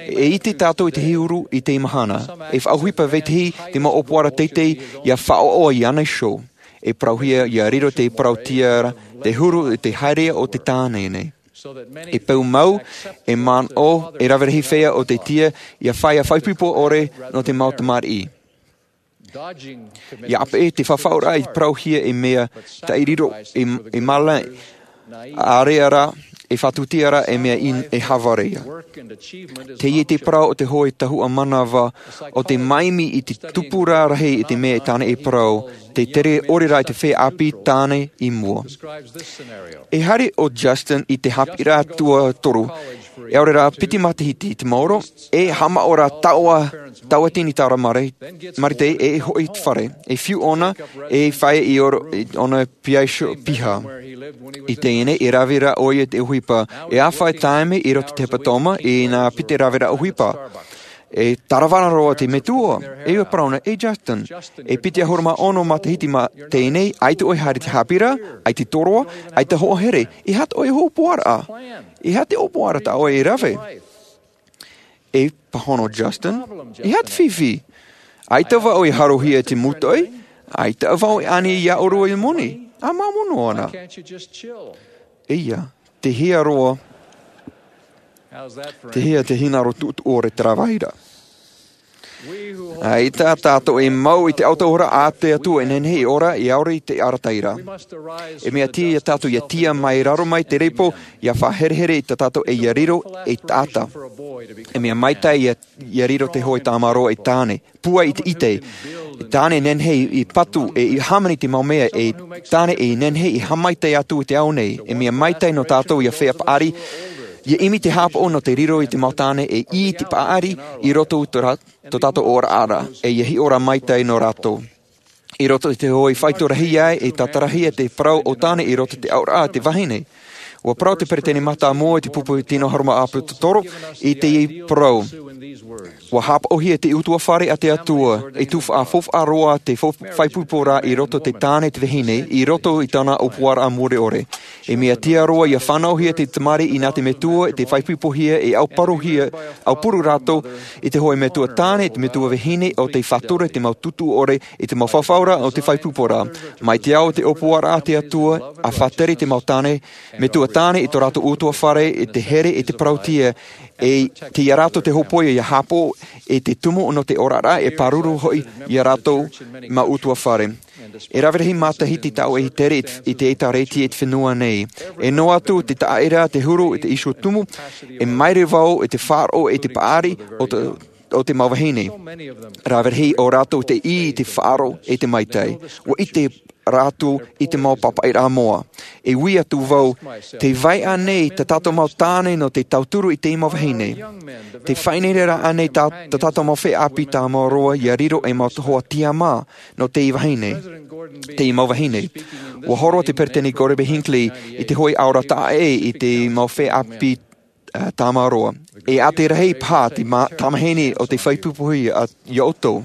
E ʻite tātou i te huru i teie mahana, e faʻaʻohipa vetahi te mau ʻōpuaraʻa teitei ʻia faʻaʻoʻo iāna iho. E parauhia ʻia riro te parauʻtiʻa ra te huru i te haereʻa o te tāne nei. E peu mau, e manaʻo, e rave rahi feiā o te tiʻa ʻia fai ā faʻaipoipo ʻore nō te mau tamariʻi. ʻIa ʻāpeʻe te faʻaʻohipa i parauhia e mea taʻiriro, e, e mālai, ʻaore rā, e faʻatūtia ra e mea in-, e hāvarea. Teie te parau o te hoʻi tahuʻa manava, o te maimi i te tupu rarahi i te mea e tāna e parau, tē tere ʻore ra i te feiā ʻāpī tāne i mua. E haere ʻo Justin i te haʻapiʻiraʻa tuatoru, e ʻaore rā piti matahiti te maoro, e haʻamāuruuru taua, taua tini taura mare-, marite e hoʻi i te fare, e fiu ʻōna, e fāʻi i ʻō-, i ʻōna piha iho, piha. I teie nei, e rave ra ʻoia i te ʻohipa, e āfaʻi taime i roto i te hepetoma, i nā piti rave ra ʻohipa. E tarava roa te metua, e ʻua parau na, e Justin, e piti ʻahuru mā ono matahiti mā teie nei, ʻaita ʻoe haere i te haʻapiʻiraʻa, ʻaita tōroʻa, ʻaita hoʻo here, e aha tō ʻoe ʻōpuaraʻa? E aha te ʻōpuaraʻa tā ʻoe e rave? E pāhono Justin, e aha te fifi? ʻAita vau e harohia i te mūtoʻi, ʻaita vau e ani iā ʻōrua i moni, ʻa māmā noa ana. ʻEia, tei hea roa, tei hea te hinaʻaro tuʻutuʻu ʻore terā vai ra. ʻAita tātou e mau i te autahuʻaraʻa a te Atua e nehenehe e ora, e ʻaore i te arataʻi ra. E mea tiʻa iā tātou ʻia tiʻa mai raro mai te repo, ʻia faʻaherehere i tā tātou e ʻia riro ei taʻata. E mea maitaʻi ʻia, ʻia riro te hoʻi tāmāroa ei tāne. Pūai i te ʻite. E tāne e nehenehe i patu, e i hāmani i te mau mea, e tāne e nehenehe e haʻamaitaʻi atu i te ao nei. E mea maitaʻi nō tātou ʻia feiā paʻari, ʻia ʻimi te haʻapaʻo nō te riro i te mau tāne e ʻī i te paʻari i roto i tō rā-, tō tātou oraraʻa, e ʻia hiʻo ra maitaʻi nō rātou. I roto i te hoʻi faito rahi ai, e tātarahia te parau o tāne i roto i te auraʻa a te vahine. ʻUa parau te peresideni mātāmua i te pupu tino ʻahuru mā ʻāpōsetolo i teie parau. ʻUa haʻapaʻohia te ʻutuāfare a te Atua, e tufaʻa faufaʻa roa te fau-, faʻaipoiporaʻa i roto i te tāne te vahine, i roto i tāna ʻōpuaraʻa mure ʻore. E mea tiʻa roa ia fānauhia te tamariʻi nā te metua i te faʻaipoipohia e aupuru rātou i te hoʻe metua tāne i te metua vahine o te faʻatura i te mau tūtū ʻore i te mau fafauraʻa o te faʻaipoiporaʻa mai te ao o te ʻōpuaraʻa a te atua. A faʻatere i te mau tāne metua tāne i tō rātou utuafare i te here i te parautia e te ia rātou te hōpoiʻa ia hāpaʻo i te tumu nō te oraraʻa e pāruru hoʻi ia rātou mau utuafare. E rave rahi matahiti tāʻu e tere i te ʻētārētia i te fenua nei. E noa atu te taʻaʻera te huru i te iho tumu e maere vau i te faʻaroʻo i te paʻari o te mau vahine. Rave rahi o rātou te ʻī i te faʻaroʻo i te maitai ua ʻite rātou i te mau pāpaʻiraʻa moa. E ui atu vau, te vai ʻānei tā tātou mau tāne nō te tauturu i te mau vahine? Te faʻaineineraʻa ʻānei tā tātou mau feiā ʻāpī tāmāroa ia riro ei mau hoa tiamā nō te vahine, te mau vahine? Ua horo te peresideni Gordon B Hinckley i te hoʻe aroha taʻa ʻē i te mau feiā ʻāpī tāmāroa. E ʻātiraʻa paha te tamahine o te faʻaipoipohia ia ʻoutou.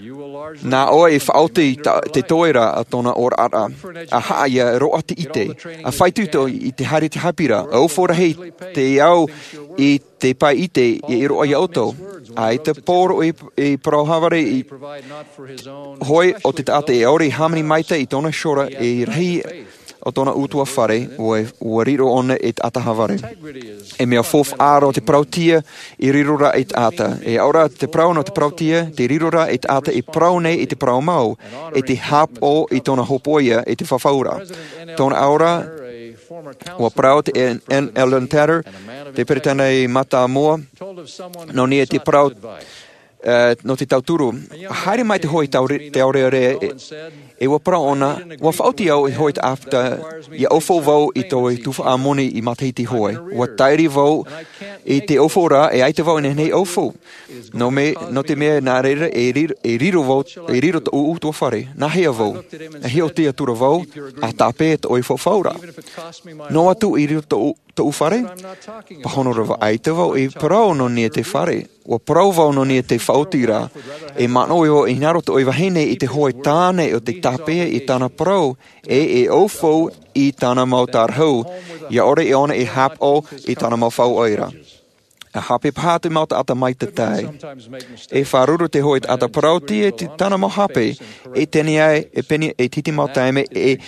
Nā ʻoe e faʻaoti te toera a tōna oraraʻa, a haʻa ia roaʻa te ʻite, a faʻaitoito i te haere i te haʻapiʻiraʻa, a ofo rahi te ao i te pae ʻite i roaʻa ia ʻoutou. A i te poro e parau hāvare i hoʻi o te taʻata e ʻaore i hāmani maitaʻi i tōna iho ra e rahi o tōna utuafare ua riro ʻōna e taʻata hāvare. E mea faufaʻa roa te parautia i riro rā i taʻata e ʻaore rā te parau nō te parautia te riro rā i taʻata e parau nei i te parau mau e te hāpaʻo i tōna hōpoiʻa i te fafauraʻa. Tōna aroha ua parau te n l tanner te peresideni mātāmua nō niʻa i te parau nō te tauturu. Haere mai te hoʻe taurearea e ua parau ʻōna, ua faʻaoti au i te hoʻe taʻata ia ofo vau i tō tuhaʻa moni i matahiti hoʻi. Ua taere vau i te ofo ra e ʻaita vau i nehenehe e ofo nō te mea nā reira e riro vau e riro tōʻu utuafare. Nā hea vau? E hiʻo tiʻa atu ra vau a tāpeʻa tōʻu fafauraʻa. Noa atu i riro tōʻu fare? Pāhono ra vau ʻaita vau i parau nō niʻa i te fare. Ua parau vau nō niʻa i te faʻaotiraʻa. E manaʻo vau e hinaʻaro tōʻu vahine i te hoʻe tāne o te tāpeʻa i tāna parau e e ofo i tāna mau tārahu ia ʻore ʻōna e hāpaʻo i tāna mau fauʻaʻiraʻa. A hape paha te mau taʻata maitaʻi e faʻaruru te hoʻe taʻata parautia i tāna mau hape e tini ai e peni e titi mau taime e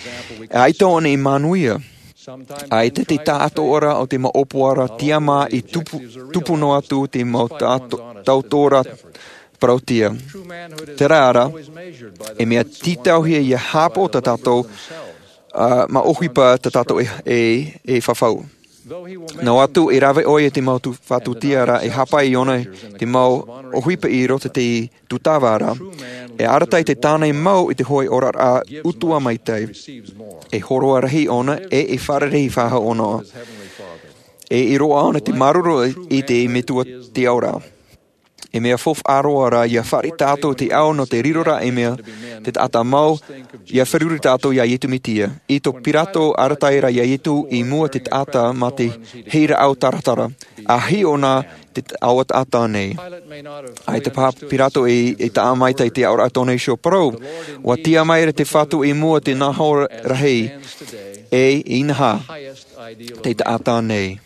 ʻaita ʻōna i manuia. ʻAita te taʻatoʻaraʻa o te mau ʻōpuaraʻa tiamā i tupu noa atu te mau taʻatoʻaraʻa parautia. Terā rā e mea tītauhia ia hāpaʻo tā tātou mau ʻohipa tā tātou e fafau. Noa atu e rave ʻoia i te mau faʻatūtiaraʻa e hāpaʻo iāna te mau ʻohipa i roto i te tūtava ra, e arataʻi te tāne mau i te hoʻe oraraʻa utuafare maitaʻi. E hōroʻa rahi ʻōna e e fārerei faʻahou ʻōna e i roaʻa ʻōna te māuruuru i te metua tiʻa ora. E mea faufaʻa roa rā ia fāriʻi tātou te ao nō te riro ra e mea te taʻata mau ia feruri tātou iā iesu mesia. I tō pirato arataʻi ra iā iesu i mua te taʻata mā te heiraʻau taratara a hiʻo nā te aua taʻata nei. ʻAita paha pirato e taʻa maitaʻi i te aʻoraʻa tōna iho parau. Ua tiʻa mai ra te fatu i mua te naho rahi e inaha te taʻata nei.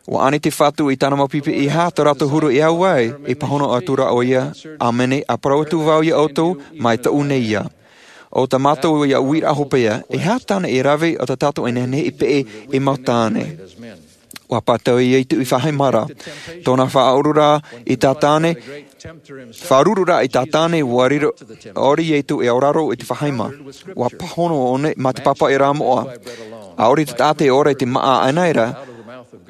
Ua ani te fatu i tāna mau pipi i hā tā rātou huru e au ai e pāhono atu rā ʻoia, ʻāmene a parau atu vau iā ʻoutou mai tōʻu nei ia. O tā mātou ia uiraʻa hopeʻa e hā tāna e rave o tā tātou e nehenehe e peʻe e mau tāne. Ua pātau iā iesu i faʻahaimara tōna faʻaʻuru rā i tā tāne faʻaruru rā i tā tāne ua riro ʻori iesu e auraro i te faʻahaima. Ua pāhono ʻōna mā te pāpaʻi rā moʻa. ʻAore te taʻata e ora i te maʻa ʻanaʻe ra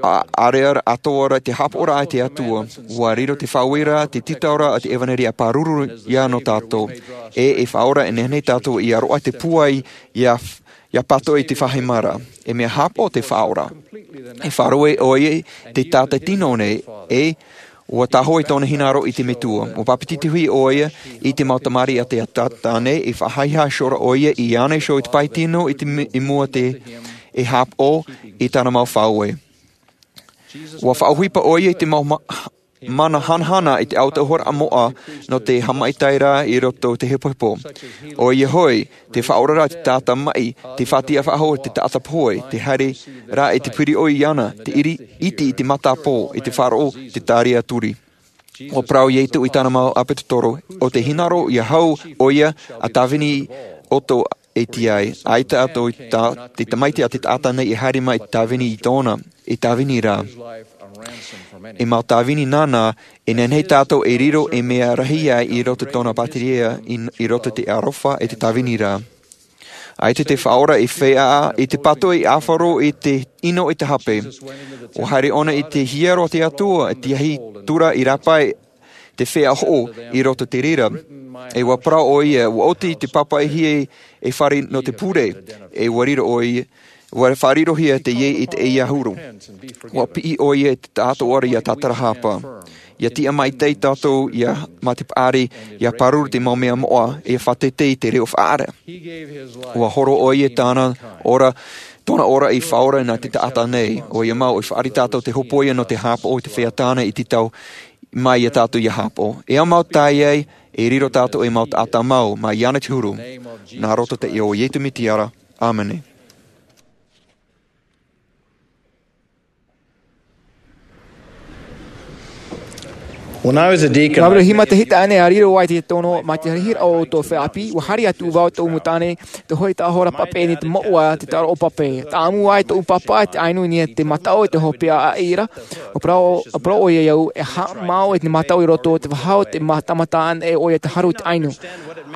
ʻareʻa atoʻa ra te hāpaʻoraʻa i te atua. Ua riro te faʻaueraʻa te titauraʻa o te evanelia e pāruru iā nō tātou e e faʻaora e nehenehe tātou ia roaʻa te pūai ia pātoʻi i te faʻahaimara. E mea hāpaʻo te faʻaora e faʻaroʻo ʻoia i te taʻata tino nei e ua tāhoʻi tōna hinaʻaro i te metua ua pāpetitohia ʻoia i te mau tamariʻi a te taʻata nei e faʻahaʻehaʻa iho ra ʻoia i ana iho i te pae tino i mua te e hāpaʻo i tāna mau faʻaue. Ua faʻaʻohipa ʻoia i te mau mana hanahana i te autahuʻaraʻa moʻa nō te haʻamaitaʻiraʻa i roto i te hepohepo. ʻOia hoʻi, te faʻaoraraʻa i te taʻata maʻi, te faʻatiʻa faʻahou i te taʻata pohe, te haere ra i te piri ʻoe iāna, te ʻiri, ʻite i te matapō, i te faʻaroʻo, te tāria turi. ʻUa parau Ietu i tāna mau ʻāpōsetolo, ʻo tē hinaʻaro ʻia hau ʻoia, ʻa tāvini ʻoutou e tīaʻi. ʻAita atoʻa i tā, te tamaiti a te taʻata nei e haere mai i te tāvini i tōna, e tāvini ra. E mau tāvini nāna, e nehenehe tātou e riro ei mea rahi ai i roto i tōna pātireia, i, i roto i te aroha e te tāvini ra. ʻAita te Faʻaora i feiā i te pātoʻi ʻāfaro i te ʻino i te hape. ʻUa haere ʻōna i te hiero a te Atua, i te ahi tura i rāpae te feiā hoʻo i roto i te reira. E ʻua parau ʻoia, ʻua oti te pāpaʻihia e fare nō te pure, e ʻua riro ʻoia, ʻua faʻarirohia teie i te ʻeiaha huru. ʻUa piʻi ʻoia i te taʻatoʻaraʻa tātarahapa. ʻIa tiʻa maitaʻi tātou, ʻia, mā te paʻari, ʻia pāruru te mau mea moʻa, ʻia faʻateitei i te reo faʻaara. ʻUa horo ʻoia i tāna ora, tōna ora i faʻaora nā te taʻata nei. ʻOia mau, e fāriʻi tātou te hōpoiʻa nō te haʻapaʻo i te feiā tāna i te tau mai ia tātou ʻia haʻapaʻo. E ʻaita mau tae ai, e riro tātou ei mau taʻata mau, mai iāna te huru. Nā roto i te iʻoa o Ietu Mesia ra. ʻĀmene. When I was a deacon, Nā reira hima te hita ane a riro ai te tono, mai te rahiraʻa o tō feiā ʻāpī, ʻua haere atu vau tōʻu mau tāne, te hoʻi tāhora pape nei te moʻa, te taraʻo pape. Tāʻamu ai tōʻu pāpā, te ʻainu nei te mataʻu, te hopeʻa ʻaʻira. ʻUa parau, ʻua parau ʻoia iāʻu, e haʻamau e te mataʻu i roto te vaha o te ma-, tāmata anaʻe ʻoia te haru te ʻainu.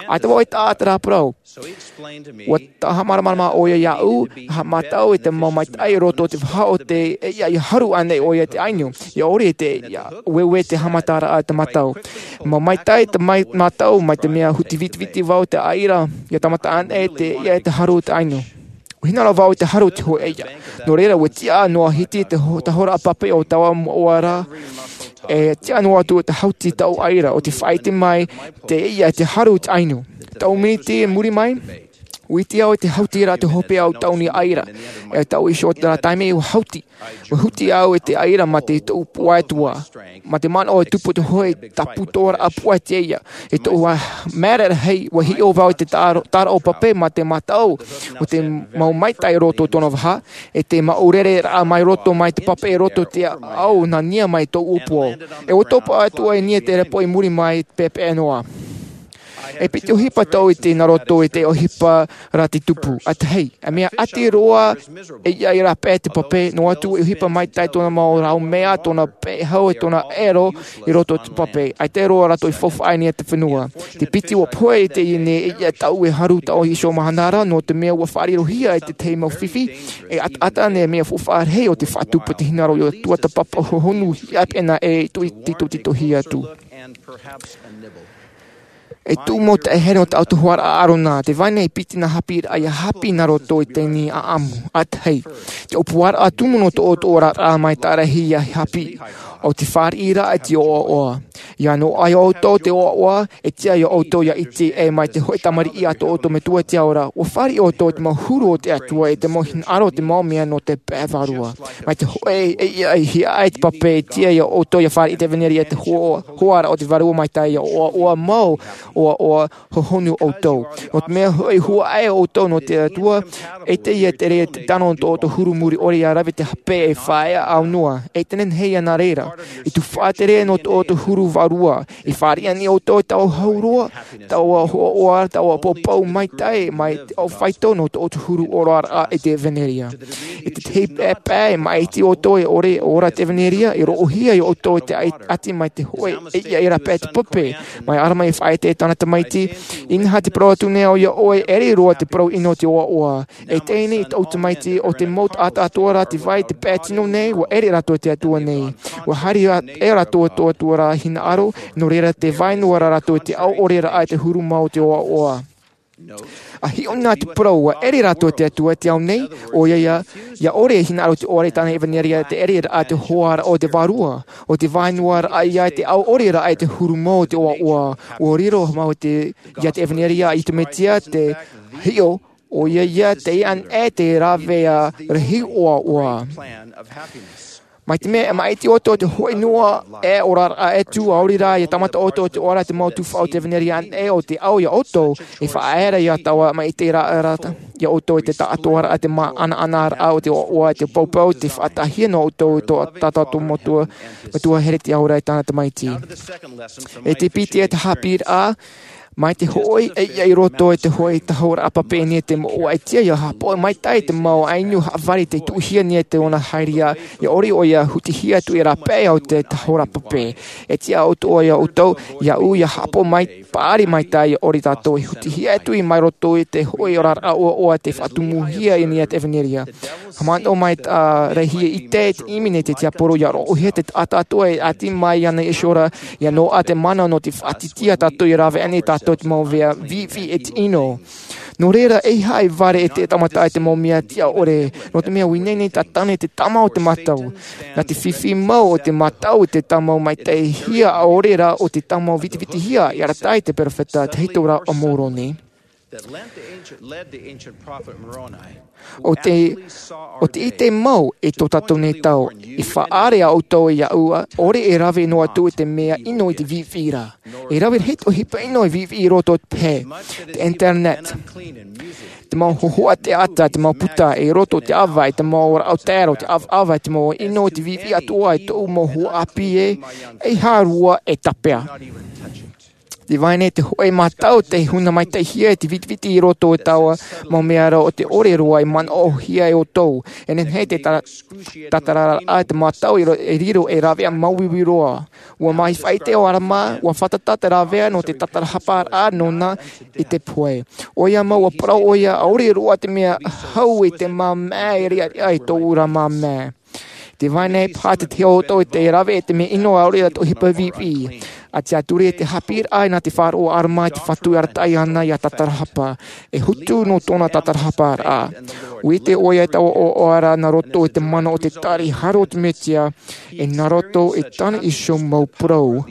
ʻAita vau e taʻa terā parau. ʻUa haʻamāramarama ʻoia iāʻu, haʻamātau e te mau maitaʻi i roto te vaha o te, e, ʻia, ʻia haru anaʻe ʻoia te ʻainu. ʻIa ʻore te, ʻia, ʻueue te haʻamataraʻa te mataʻu. Mau maitaʻi te mai-, mataʻu, mai te mea huti vitiviti vau te ʻaʻira, ʻia tāmata anaʻe te, ʻia, te haru te ʻainu. ʻUa hinaʻaro vau i te haru te hōʻē ʻia. Nō reira, ʻua tiʻa noa hiti te ho-, tāhora pape o taua moʻa ra, e tiʻa noa atu te hauti tōʻu ʻaʻira, ʻo tē faʻaʻite mai te, ʻia, te haru te ʻainu. Tau miniti i muri mai, ʻua ʻite au i te hauti ra te hopeʻa o tōʻu nei ʻaʻira. E tau iho terā taime ʻua hauti. ʻUa huti au i te ʻaʻira mā te tōʻu puai atoʻa. Mā te manaʻo e tupu te hōʻē tāpū tōraʻa puai teie. E tōʻu, ā, mea rahi, ʻua hiʻo vau i te taro-, taraʻo pape mā te mataʻu, ʻo te mau maitaʻi i roto tōna vaha, e te mau rere raʻa mai roto mai te pape i roto te ao nā niʻa mai tōʻu ʻōpua. E ʻua topa atu ai niʻa te repo i muri mai pepeʻe noa. E piti ʻohipa tōʻu i te nā roto i te ʻohipa ra te tupu. ʻA tahi, e mea ʻati roa, e ʻia, ʻia rāpae te pape, noa atu e ʻohipa maitaʻi tōna mau rau mea, tōna pehau e tōna ʻero i roto te pape. ʻAita roa rātou i faufaʻa i niʻa te fenua. Te piti ʻua pohe i teie nei, e ʻia, tau e haru tau iho mahana ra, nō te mea ʻua faʻarirohia e te tahi mau fifi, e ataata nei mea faufaʻa rahi ʻo te faʻatupu te hinaʻaro ʻia tuatāpapa hohonu hiʻapaʻo anaʻe e tū-, titotitohia atu. E tū mau taʻehere nō te autahuʻaraʻa a ʻĀrona, tē vai nei e piti nā haʻapiʻiraʻa ʻia haʻapiʻi nā roto i teie nei ʻāʻamu. ʻA tahi, te ʻōpuaraʻa tumu nō tō ʻoutou oraraʻa maitaʻi rahi ʻia haʻapiʻi, ʻo te fāriʻiraʻa i te ʻoaʻoa. ʻIa noaʻa ʻoutou i te ʻoaʻoa, e tiʻa ia ʻoutou ʻia ʻite ē mai te hōʻē tamariʻi a tō ʻoutou Metua i te ao ra, ʻua fāriʻi ʻoutou i te mau huru o te Atua e te mau hinaʻaro o te mau mea nō te pae vārua. Mai te hōʻē, e, e, e, e hiaʻai te pape, e tiʻa ia ʻoutou ʻia fāriʻi te ʻevanelia i te hoa-, hoaraʻa o te Vārua Maitaʻi, ʻia ʻoaʻoa mau, ʻoaʻoa hohonu ʻoutou. Nō te mea hoʻi huaʻai ʻoutou nō te Atua, ʻeita ia tere te tano nō tō ʻoutou huru muri ʻore ʻia rave te hape e faʻaea aunoa. ʻEita nehenehe ia nā reira. I te faʻatere nō tō ʻoutou huru vārua. I fāriʻi anaʻe ʻoutou i taua hau roa, taua ʻoaʻoa, taua poupou maitaʻi, mai te ʻaufaitou nō tō ʻoutou huru oraraʻa i te ʻevanelia. I te tahi pae, pae, maʻiti ʻoutou e ʻore e ora i te ʻevanelia, e roʻohia ia ʻoutou i te ʻati mai te hōʻē, e ʻia, ʻia rāpae te pape, mai ʻArama i faʻaʻite i tāna tamaiti, inaha te parau atu nei au ia ʻoe, ʻere roa te parau ʻino o te ʻoaʻoa. E teie nei tōʻu tamaiti, ʻo te mau taʻata atoʻa rā tē vai i te pae tino nei, ʻua ʻere rātou i te Atua nei. ʻUa haere ā, e rātou atoʻa atoʻa rā hinaʻaro, nō reira tē vai noa ra rātou i te ao ʻoreraʻa i te huru mau o te ʻoaʻoa. ʻA hiʻo na te parau, ʻua ʻere rātou i te Atua i te ao nei, ʻoia ia, ʻia ʻore e hinaʻaro te ʻoaʻoa i tāna ʻevanelia i te ʻereraʻa i te hoaraʻa o te Vārua, ʻo tē vai noa ra ia i te ao ʻoreraʻa i te huru mau o te ʻoaʻoa. ʻUa riro mau te, ia te ʻevanelia a Iesu Mesia te hiʻo, ʻoia ia te ʻanaʻe te rāveʻa rahi ʻoaʻoa. Mai te mea e māʻiti ʻoutou i te hoʻi noa e oraraʻa atu, ʻaore rā ia tāmata ʻoutou i te ʻoaʻoa te mau tuhaʻa o te ʻevanelia, ʻe ʻo te ʻau ia ʻoutou e faʻaea ra ia taua māʻitiraʻa ra ia ʻoutou i te taʻatoʻaraʻa, te māʻanaʻanaraʻa o te ʻoaʻoa, te poupou, te faʻataʻahia nō ʻoutou i tō tātou Metua, Metua here te aura e tāna tamaiti. E te piti e te haʻapiʻiraʻa, mai te hoʻi e ia i roto i te hoʻi tahoraʻa pape nei te moʻa, e tiʻa ia haʻapaʻo maitaʻi te mau inu haʻavare tei tuʻuhia nei te ʻona haereʻa, ia ʻore ʻoia hutihia atu i rāpae o te tahoraʻa pape. E tiʻa atu ia ʻoutou, ia ʻu ia haʻapaʻo mai, paʻari maitaʻi ia ʻore tātou e hutihia atu i mai roto i te hoʻi oraraʻa ʻoaʻoa tei faʻatumuhia nei te ʻevanelia. Haʻamanaʻo mai tā Lehi e ʻite te ʻimi nei te tiaporo ia roʻohia te taʻata atoʻa e ʻati mai ana Iēsu ra, ia noaʻa te mana nō te faʻatītīʻa tātou ia rave anaʻe tātou te mau mea viʻiviʻi e te ʻino. Nō reira, e haʻavare e te tāmata i te mau mea tiʻa ʻore, nō te mea ʻua ineine tātou nei te tama o te mātau. Nā te fifi mau o te mātau i te tāmau maitaʻihia ʻaore rā o te tāmau vitivitihia, i arataʻi te peropheta, te hītoʻa o Moroni. ʻO te, ʻo te ʻite mau i tō tātou nei tau, i faʻaʻere ʻoutou ia ʻu, ʻaore e rave noa atu i te mea ʻino i te viʻiviʻi ra. E rave rahi te ʻohipa ʻino e viʻiviʻi i roto i te pehe, te internet, te mau hōhoʻa teata, te mau puta, i roto i te ʻāvaʻe, te mau rāʻau taero, te ʻavaʻava, te mau ʻino i te viʻiviʻi atoʻa i tōʻu mau huaʻāpī ē, e hārua e tāpeʻa. Tē vai nei te hoʻi mātau tei huna maitaʻihia i te vitiviti i roto i taua mau mea ra ʻo te ʻore roa e manaʻohia e ʻoutou. E nehenehe te ta-, tātararaʻa te mātau i ro-, e riro ei rāveʻa māuiui roa. ʻUa mai faʻaʻite ʻo ʻArama, ʻua fātata te rāveʻa nō te tātarahaparaʻa nōna i te pohe. ʻOia mau ʻua parau ʻoia, ʻaore roa te mea hau i te māmā e riʻariʻa i tōʻu ra māmā. Tē vai nei paha te tahi o ʻoutou e tē rave i te mea ʻino ʻaore rā te ʻohipa viʻiviʻi. ʻA tiʻaturi e te haʻapiʻiraʻa nā te faʻaroʻo o ʻArama i te Fatu e arataʻi ana ia tātarahapa. E hotu nō tōna tātarahaparaʻa. ʻUa ʻite ʻoia i taua ʻoaʻoa ra nā roto i te mana o te tari haro o te Mesia, e nā roto i tāna iho mau parau.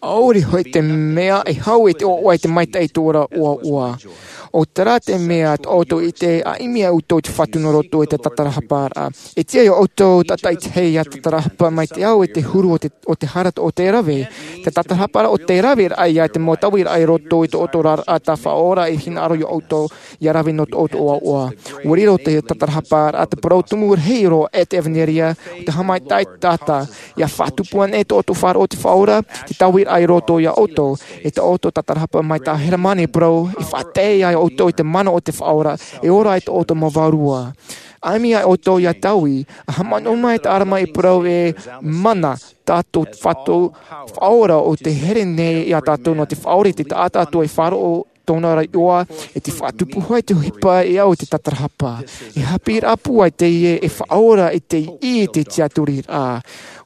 ʻAore hoʻi te mea e hau i te ʻoaʻoa i te maitaʻi i tō rātou ʻoaʻoa. ʻO terā te mea tā ʻoutou e ʻite, ʻa ʻimi ia ʻoutou i te Fatu nā roto i te tātarahaparaʻa. E tiʻa ia ʻoutou tātaʻitahi ia tātarahapa mai te au e te huru o te, o te hara o te rave. Te tātarahaparaʻa ʻo te raveraʻa ia te mau tauiraʻa i roto i tō ʻoutou oraraʻa tāfaʻaora e hinaʻaro ia ʻoutou ia rave nō tō ʻoutou ʻoaʻoa. ʻUa riro te tātarahaparaʻa te parau tumu rahi roa e te ʻevanelia, ʻo te haʻamaitaʻi i te taʻata. ʻIa faʻatupu anaʻe tō ʻoutou faʻaroʻo i te Faʻaora, te tauiraʻa i roto ia ʻoutou, e tō ʻoutou tātarahapa mai tā Heremani e parau, e faʻatae ia ʻoutou i te mana o te Faʻaora, e ora ai tō ʻoutou mau vārua. ʻA ʻimi ia ʻoutou ia taui, ʻa haʻamanaʻo mai tā ʻArama e parau ē, mana, tā tō Fatu Faʻaora ʻo tē here nei ia tātou nō te faʻaora i te taʻata atoʻa e faʻaroʻo tōna ra iʻoa, e te faʻatupu hoʻi te ʻohipa e au i te tātarahapa. E haʻapiʻiraʻa pūai teie e faʻaora i te ʻī i te tiʻaturiraʻa.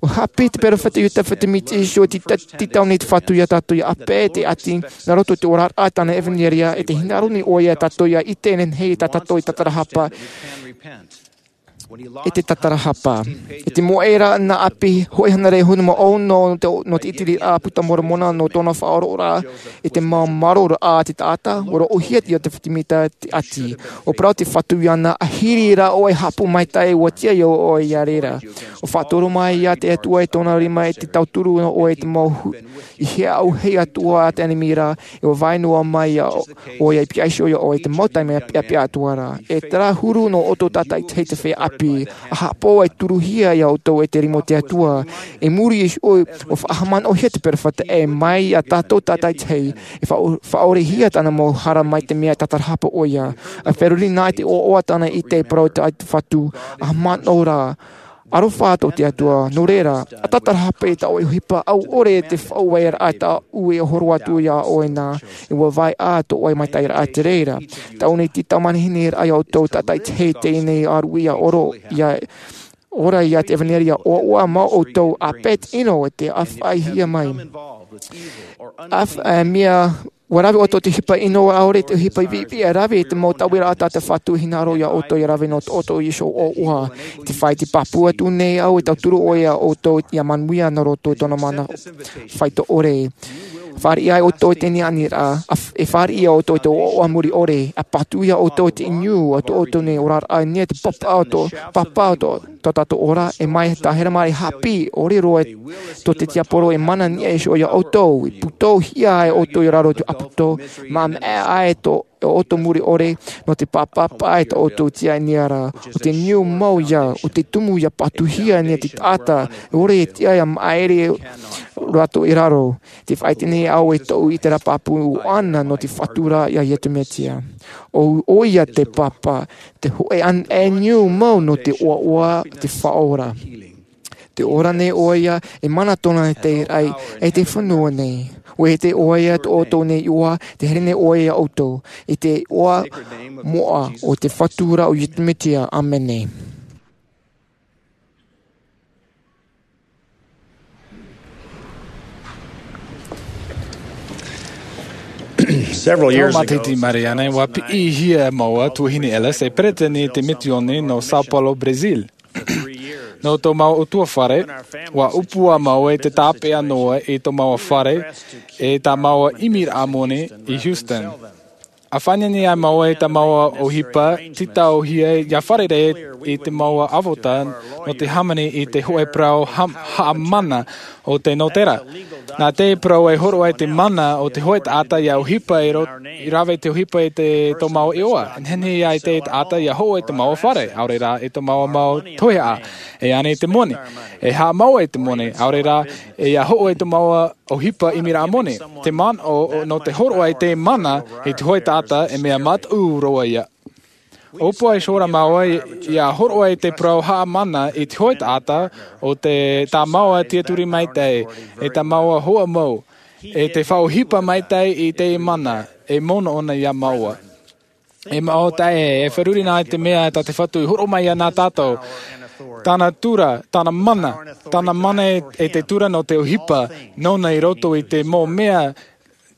ʻUa haʻapiʻi te peropheta Iosepha Sāmita i te tita-, tītau nei te Fatu ia tātou ʻia ʻāpeʻe te ʻati, nā roto i te oraraʻa tāna ʻevanelia, e tē hinaʻaro nei ʻoia ia tātou ʻia ʻite e nehenehe tā tātou e tātarahapa. E te tātarahapa. E te moʻe ra nā ʻapi, hōʻē hānere hōʻē mā ono nō te, nō te ʻitiriraʻa a Puta Moromona nō tōna faʻaroʻoraʻa i te mau mārōraʻa a te taʻata, ʻua roʻohia te Iosepha Sāmita te ʻati. ʻUa parau te Fatu iāna, ʻahiri rā ʻoe e haʻapaʻo maitaʻi, ʻua tiʻa ia ʻoe ia reira. ʻUa faʻatoro mai ia te Atua e tōna rima i te tauturu nō ʻoe i te mau hu-, i hea au hei atua a te ʻenemi ra, e ʻua vai noa mai ia ʻo-, ʻoia i piha iho ia ʻoe i te mau taime peʻapeʻa atoʻa ra. E terā huru nō ʻoutou tātaʻitahi te feiā ʻāpī, ʻa haʻapaʻo e turuhia ia ʻoutou e te rima o te Atua. I muri iho, ʻua faʻahaʻamanaʻohia te peropheta ē, mai ia tātou tātaʻitahi, e faʻa-, faʻaorehia tāna mau hara mai te mea tātarahapa ʻoia. ʻA feruri na i te ʻoaʻoa tāna i te parau tā te Fatu, ʻa haʻamanaʻo rā. Aroha tō te Atua, nō reira, ʻa tātarahapa i tā ʻoe ʻohipa, ʻaore te faʻaueraʻa tāʻu e horo atu ia ʻoe na, e ʻua vai ā tō ʻoe maitaʻiraʻa i te reira. Tau nei te tau manihini ra ia ʻoutou tātaʻitahi teie nei ʻāruʻi ʻia ʻoro, ʻia ora ia te ʻevanelia ʻoaʻoa mau ʻoutou ʻāpeʻe te ʻino e te ʻāfaʻihia mai. ʻĀf-, ā, mea ʻUa rave ʻoutou i te ʻohipa ʻino ʻaore i te ʻohipa viʻiviʻi, ʻa rave i te mau tauiraʻa tā te Fatu e hinaʻaro ia ʻoutou ʻia rave nō tō ʻoutou iho ʻoaʻoa. Tē fāʻi pāpū atu nei au e tauturu ʻoe ia ʻoutou ʻia manuia nā roto i tōna mana faito ʻore. Fāriʻi ai ʻoutou i te niʻa ʻaniraʻa, e fāriʻi ia ʻoutou i te ʻoaʻoa muri ʻore, e patu ia ʻoutou i te inu a tō ʻoutou nei oraraʻa, e nia te papa o tō, papa o tō, tō tātou ora, e mai tā hera mai haʻapiʻi, ʻore roa tō te tiaporo e mana niʻa iho ia ʻoutou, e pūtouhia ai ʻoutou i raro i te ʻāpōsetolo, mā meʻa ai tō ʻoutou muri ʻore, nō te pāpapa ai tā ʻoutou tiaʻi ʻaniraʻa, ʻo te niu mau ia, ʻo te tumu ia patuhia nia te taʻata, e ʻore e tiʻa ia maʻiri rātou i raro. Te faʻaite nei au e tōʻu ʻite pāpū ʻana nō te Fatu ra ia Iesu Mesia. ʻO, ʻo ia te papa, te hōʻē ʻana e niu mau nō te ʻoaʻoa te Faʻaora. Te ora nei ʻo ia, e mana tōna te raʻi, e te fenua nei. ʻUa ʻite ʻo ia tō ʻoutou nei iʻoa, te here nei ʻo ia ia ʻoutou, i te iʻoa moʻa o te Fatu ra ʻo Iesu Mesia. ʻĀmene. Several years Tau ago, matahiti mai nei, ua piʻihia māua, Tuahine Ellis, e peretiteni i te misiōni nō Sao Paulo, Brazil. Nō tō māua ʻutuāfare, ua ʻōpua māua i te tāpeʻa noa i tō māua fare, e tā māua ʻimiraʻa moni i Houston. ʻA faʻaineine ai māua i tā māua ʻohipa, tītauhia ʻia fārerei i te māua ʻāfata, nō te hāmani i te hōʻē parau ha-, haʻamana o te nōtera. Nā te parau e hōroʻa i te mana o te hōʻē taʻata ʻia ʻohipa i ro-, ʻia rave i te ʻohipa i te tō māua iʻoa. Nehenehe ʻia ʻite te taʻata ʻia hoʻo i tō māua fare, ʻaore rā i tō māua mau toihaʻa. E ani i te moni. E haʻamau i te moni, ʻaore rā, ʻia hoʻo i tō māua ʻohipa ʻimiraʻa moni. Te manaʻo, nō te hōroʻa i te mana i te hōʻē taʻata, e mea mataʻu roa ia. ʻOpua i hora māua i, ʻia hōroʻa i te parau haʻamana i te hōʻē taʻata, ʻo te tā māua tiaturi maitaʻi, e tā māua hoa mau, e te faʻaʻohipa maitaʻi i te mana, e mono ʻōna ia māua. E māua taeaʻe, e feruri na i te mea tā te Fatu i hōroʻa mai ia nā tātou. Tāna tura, tāna mana, tāna mana e, e te tura nō te ʻohipa, nōna i roto i te mau mea,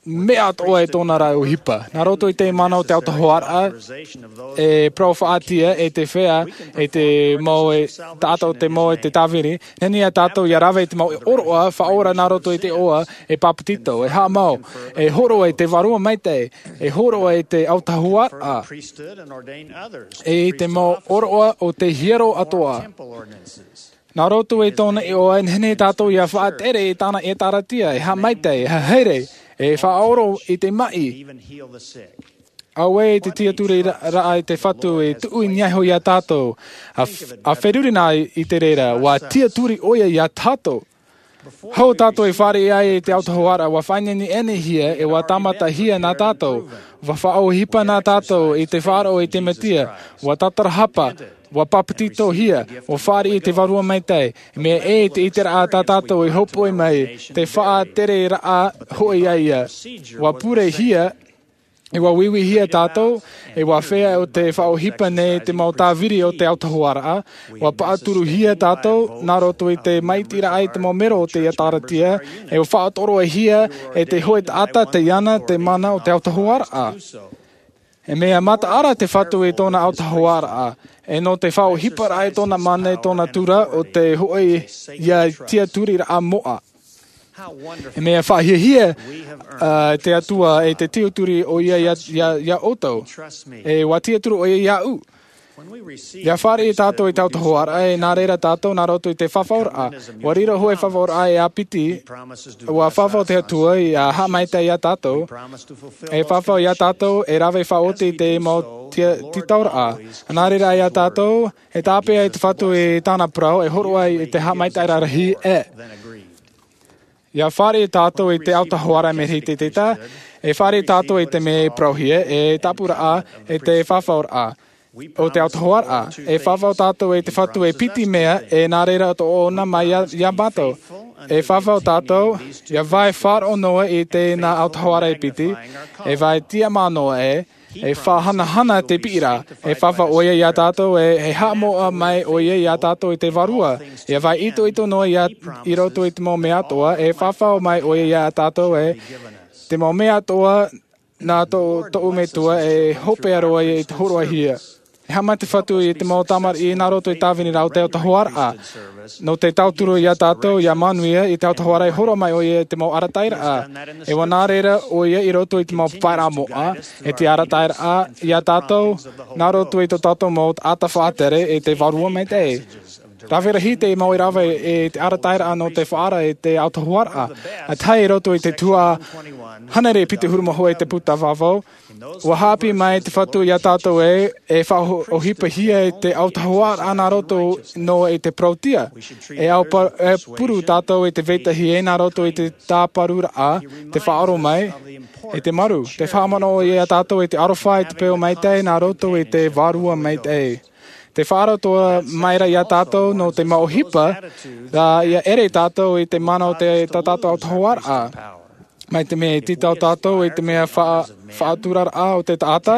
mea atoʻa e tōna ra ʻohipa. Nā roto i te mana o te autahuʻaraʻa, e parau faʻatia, e te fea, e te mau e, taʻata o te mau e te tāviri, nehenehe ia tātou ʻia rave i te mau ʻōroʻa, faʻaora nā roto i te iʻoa, e papetito, e haʻamau, e hōroʻa i te vārua maitaʻi, e hōroʻa i te autahuʻaraʻa, e i te mau ʻōroʻa o te hiero atoʻa. Nā roto i tōna iʻoa, e nehenehe tātou ʻia faʻatere i tāna ʻĒtārētia, e haʻamaitaʻi, e haere, e faʻaʻoro i te maʻi. Auē i te tiaturi ra-, raʻa i te Fatu e tuʻu i niʻa iho ia tātou, ʻa f-, ʻa feruri na i te reira, ʻua tiaturi ʻo ia ia tātou. Hou tātou e fāriʻi ai i te autahuʻaraʻa, ʻua faʻaineine-, ineinehia, e ʻua tāmatahia nā tātou, ʻua faʻaʻohipa nā tātou i te faʻaroʻo i te Mesia, ʻua tatarahapa, ʻua papetitohia, ʻua fāriʻi i te vārua maitaʻi, mea ʻē i te ʻiteraʻa tā tātou i hōpoi mai, te faʻatereraʻa hoʻi ia ia. ʻUa purehia, e ʻua uiuihia tātou, e ʻua fea ʻo te faʻaʻohipa nei te mau tāviri o te autahuʻaraʻa, ʻua paʻaturuhia tātou, nā roto i te maitiraʻa i te mau mero o te ʻĒtārētia, e ʻua faʻatoroʻahia e te hōʻē taʻata te ana, te mana o te autahuʻaraʻa. E mea mataʻara te Fatu i tōna autahuʻaraʻa, e nō te faʻaʻohiparaʻa i tōna mana i tōna tura ʻo te hoʻi ia tiaturiraʻa moʻa. E mea faʻahiahia, ā, te Atua e te tiaturi ʻo ia ia, ia, ia ʻoutou. E ʻua tiaturi ʻo ia iāʻu. ʻIa fāriʻi tātou i te autahuʻaraʻa, e nā reira tātou nā roto i te fafauraʻa. ʻUa riro hoʻi fafauraʻa e ʻāpiti, ʻua fafau te Atua ʻia haʻamaitaʻi ia tātou. E fafau ia tātou, e rave faʻaoti i te mau tia-, tītauraʻa. Nā reira ia tātou, e tāpeʻa i te Fatu i tāna parau, e hōroʻa i te haʻamaitaʻiraʻa rahi, e. ʻIa fāriʻi tātou i te autahuʻaraʻa mea hitiʻitiraʻa, e fāriʻi tātou i te mea e parauhia, e tāpuraʻa, e te fafauraʻa. ʻO te autahuʻaraʻa, e fafau tātou i te Fatu e piti mea, e nā reira tō ʻōna mai ia, ia mātou. E fafau tātou, ʻia vai faʻaroʻo noa i tēnā autahuʻaraʻa e piti, e vai tiʻamā noa e, e faʻahanahana te piʻiraʻa, e fafau ʻo ia ia tātou, e, e haʻamoʻa mai ʻo ia ia tātou i te vārua, ʻia vai itoito noa ia, i roto i te mau mea atoʻa, e fafau mai ʻo ia ia tātou, e, te mau mea atoʻa, nā tō, tōʻu Metua, e hopeʻa roa ia i te hōroʻahia. E haʻamata te Fatu i te mau tamariʻi nā roto i tāviniraʻa o te autahuʻaraʻa. Nō te tauturu iā tātou ia manuia i te autahuaraʻa, e hōroʻa mai ʻoia i te mau arataʻiraʻa. E ua nā reira ʻoia i roto i te mau papaʻiraʻa moʻa, e te arataʻiraʻa iā tātou nā roto i tō tātou mau taʻata faʻatere e te Vārua Maitaʻi. Rave rahi te mau e rave i te arataʻiraʻa nō te faʻaara i te autahuaraʻa, ʻa tahi i roto i te tuhaʻa hānere piti ʻahuru mā hōʻē i te puta vāvau. Ua haʻapiʻi mai te Fatu iā tātou ē, e faʻaʻohipahia i te autahuaraʻa nā roto noa i te parauʻtiʻa. E au pa-, e puru tātou i te vetahi ē nā roto i te tāparuraʻa, te faʻaʻoro mai, e te maru. Te faʻamanaʻo iā tātou i te aroha i te peu maitaʻi nā roto i te Vārua Maitaʻi. Te faʻaroto mai ra iā tātou nō te mau ʻohipa, rā ia ʻere tātou i te mana o te, tā tātou autahuaraʻa. Mai te mea e tītau tātou i te mea fa-, faʻaturaraʻa o te taʻata,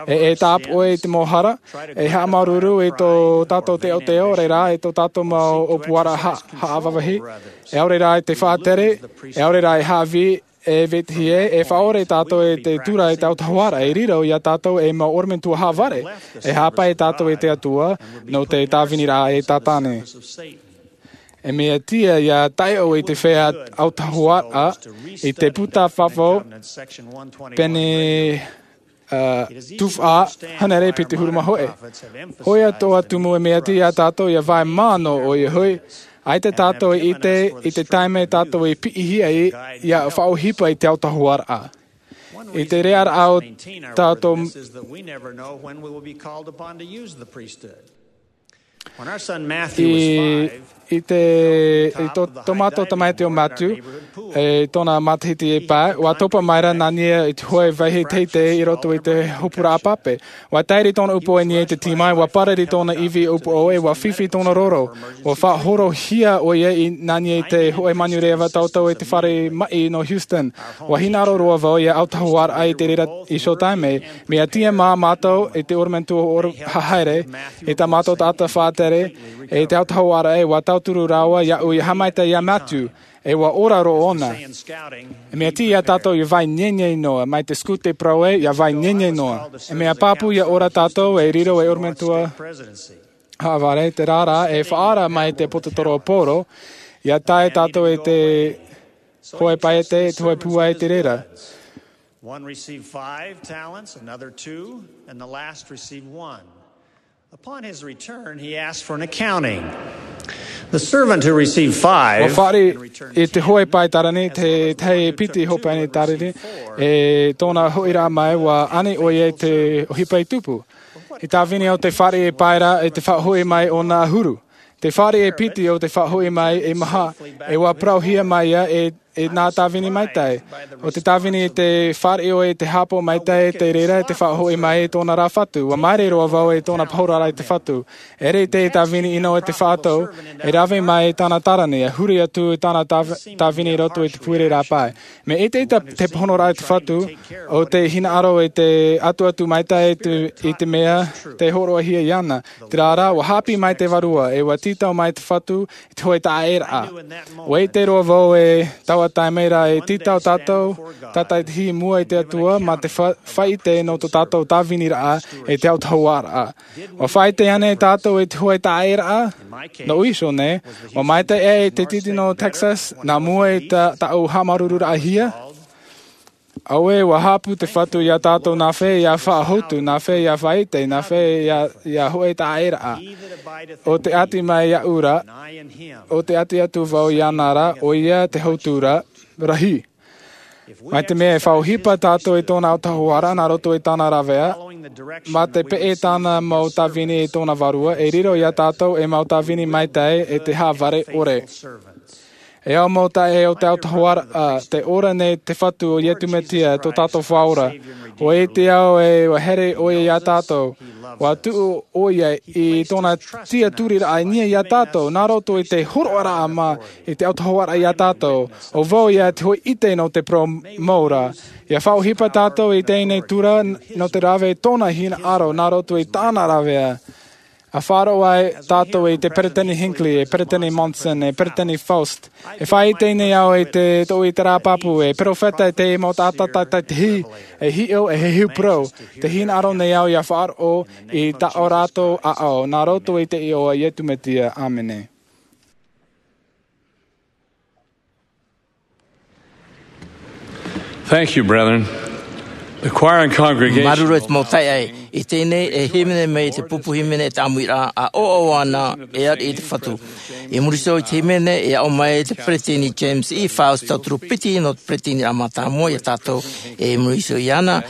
e, e tāpoʻi i te mau hara, e haʻamāuruuru i tō tātou teoteo, reira i tō tātou mau ʻōpuaraʻa ha-, haʻavāvahi, e ʻaore rā i te faʻatere, e ʻaore rā i haʻavī, e vetahi ē, e faʻaʻore tātou i te tura i te autahuaraʻa, e riro iā tātou ei mau ʻorometua haʻavare, e haʻapaʻo tātou i te Atua, nō te tāviniraʻa e Tātane. E mea tiʻa ia taiʻo i te feiā autahuaraʻa i te puta vāvau pene, ā, tuhaʻa hānere piti ʻahuru mā hōʻē. ʻOia atoʻa tumu e mea tiʻa iā tātou ia vai mā noa ʻoia hoʻi, ʻaita tātou e ʻite i te taime tātou e piʻihia ai, ia faʻaʻohipa i te autahuaraʻa. I te reira ʻo tātou I, i te, i tō, tō mātou tamaiti ʻo Matthew, e tōna matahiti e pae, ʻua topa mai ra nā niʻa i te hōʻē vāhi teitei i roto i te hopuraʻa pape. ʻUa tairi tōna upoʻo i niʻa i te tīmai, ʻua parari tōna ivi upoʻo, e ʻua fifi tōna roro. ʻUa faʻahorohia ʻoia i nā niʻa i te hōʻē manureʻa vātauatau i te fare maʻi nō Houston. ʻUa hinaʻaro roa vau ia autahuaraʻa i te reira iho taime. Mea tiʻa mā mātou i te ʻorometua ʻore haere, i tā mātou taʻata faʻatere, e te autahuaraʻa, e ʻua tauturu rāua iāʻu ia haʻamaitaʻi iā Matthew, e ʻua ora roa ʻōna. E mea tiʻa iā tātou ia vai nienien noa, mai te Scout des Proués, ia vai nienien noa. E mea pāpū ia ora tātou, e riro ei ʻorometua haʻavare, terā rā, e faʻaara mai te ʻaposetolo ʻo Paulo, ia tae tātou i te hōʻē paʻete, i te hōʻē pūai i te reira. One received five talents, another two, and the last received one. Upon his return, he asked for an accounting. The servant who received five, ʻUa fāriʻi i te hōʻē pae tārini, te tahi e piti hōʻē pae tārini, e tōna hoʻiraʻa mai, ʻua ani ʻoia i te ʻohipa i tupu. I te tāvini o te fāriʻi e pae ra, i te faʻahoʻi mai ʻōna ʻahuru. Te fāriʻi e piti ʻo te faʻahoʻi mai e maha, e ʻua parauhia mai ia e, e nā tāvini maitaʻi. ʻO te tāvini i te fāriʻi ʻoe i te hāpaʻo maitaʻi, te reira i te faʻahoʻi mai i tōna rā fatu. ʻUa māere roa vau i tōna pahora ra i te Fatu. ʻEre i te tāvini ʻino i te faʻatau, e rave mai i tāna tārini, e huri atu i tāna tāv-, tāvini i roto i te puereraʻa pae. Mea ʻite i te, te pāhonoraʻa i te Fatu, ʻo te hinaʻaro i te atuatu maitaʻi i te, i te mea tē hōroʻahia iāna. Terā rā, ʻua haʻapiʻi mai te Vārua, e ʻua tītau mai te Fatu i te hōʻē taʻaʻēraʻa. ʻUa ʻite roa vau e taua taime ra e tītau tātou, tātaʻitahi i mua i te Atua, mā te fa-, faʻaʻite nō tō tātou tāviniraʻa e te autahuaraʻa. ʻUa faʻaʻite ānei tātou i te hōʻē taʻaʻēraʻa? Nōʻu iho nei, ʻua maitaʻi aʻe i te tītino o Texas, nā mua i tā, tāʻu haʻamāuruururaʻahia? Auē, ʻua haʻapū te Fatu iā tātou nā fea ia faʻahotu, nā fea ia faʻaʻite, nā fea ia, ia hōʻē taʻaʻēraʻa. ʻO te ʻati mai iāʻu ra, ʻo te ʻati atu vau iāna ra, ʻoia te hotu ra, rahi. Mai te mea e faʻaʻohipa tātou i tōna autahuaraʻa nā roto i tāna rāveʻa, mā te peʻe tāna mau tāvini i tōna Vārua, e riro iā tātou ei mau tāvini maitaʻi e te haʻavare ʻore. E au mau taeaʻe o te autahuaraʻa, tē ora nei te Fatu ʻo Iesu Mesia, tō tātou Faʻaora. ʻUa ʻite au ē ʻua here ʻoia iā tātou. ʻUa tuʻu ʻoia i tōna tiʻaturiraʻa i niʻa iā tātou, nā roto i te hōroʻaraʻa mā i te autahuaraʻa iā tātou. ʻO vau ia te hōʻē ʻite nō te parau mau ra. ʻIa faʻaʻohipa tātou i teie nei tura nō te rave i tōna hinaʻaro, nā roto i tāna rāveʻa. ʻA faʻaroʻo ai tātou i te Peresideni Hinckley, e Peresideni Monson, e Peresideni Faust. E faʻaʻite nei au i te, tōʻu ʻiteraʻa pāpū, e perofeta, e te mau taʻata tātaʻitahi, e hiʻo, e heheu parau. Tē hinaʻaro nei au ʻia faʻaroʻo i tā ʻo rātou ʻāʻau, nā roto i te iʻoa o Iesu Mesia. ʻĀmene. Thank you, brethren. The choir and congregation. Māuruuru e te mau taeaʻe. I teie nei e hīmene mai te pupu hīmene e te ʻāmuiraʻa, ʻa ʻoaʻoa ana e ariʻi i te Fatu. I muri iho i te hīmene, e aʻo mai te peresideni James E. Faust, tauturu piti nō te peresideniraʻa mātāmua ia tātou, e i muri iho iāna,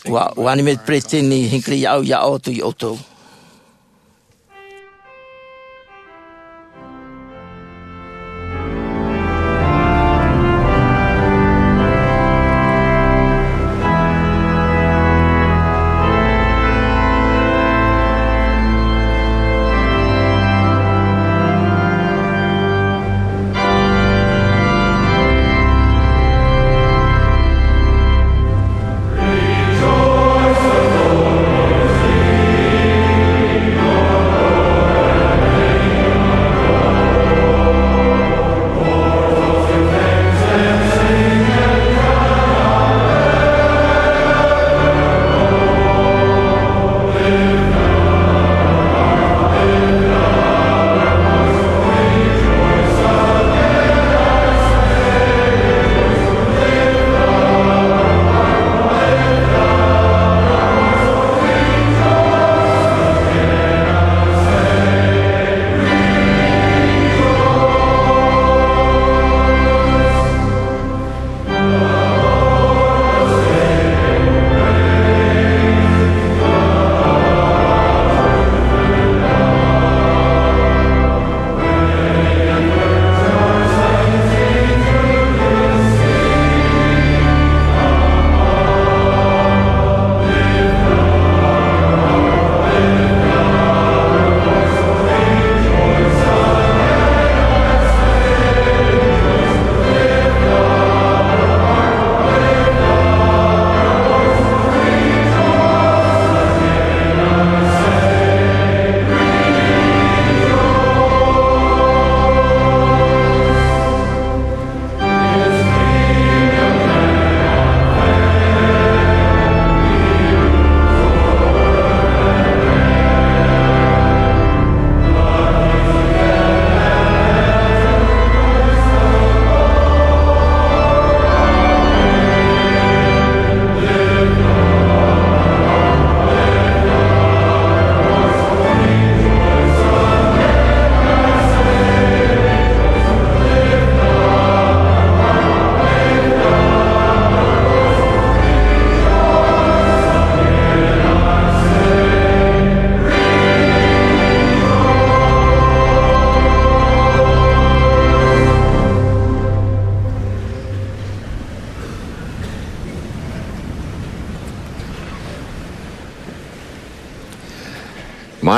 ʻua, ʻua ani mai te peresideni Hinckley iāʻu, ia aʻo atu ia ʻoutou.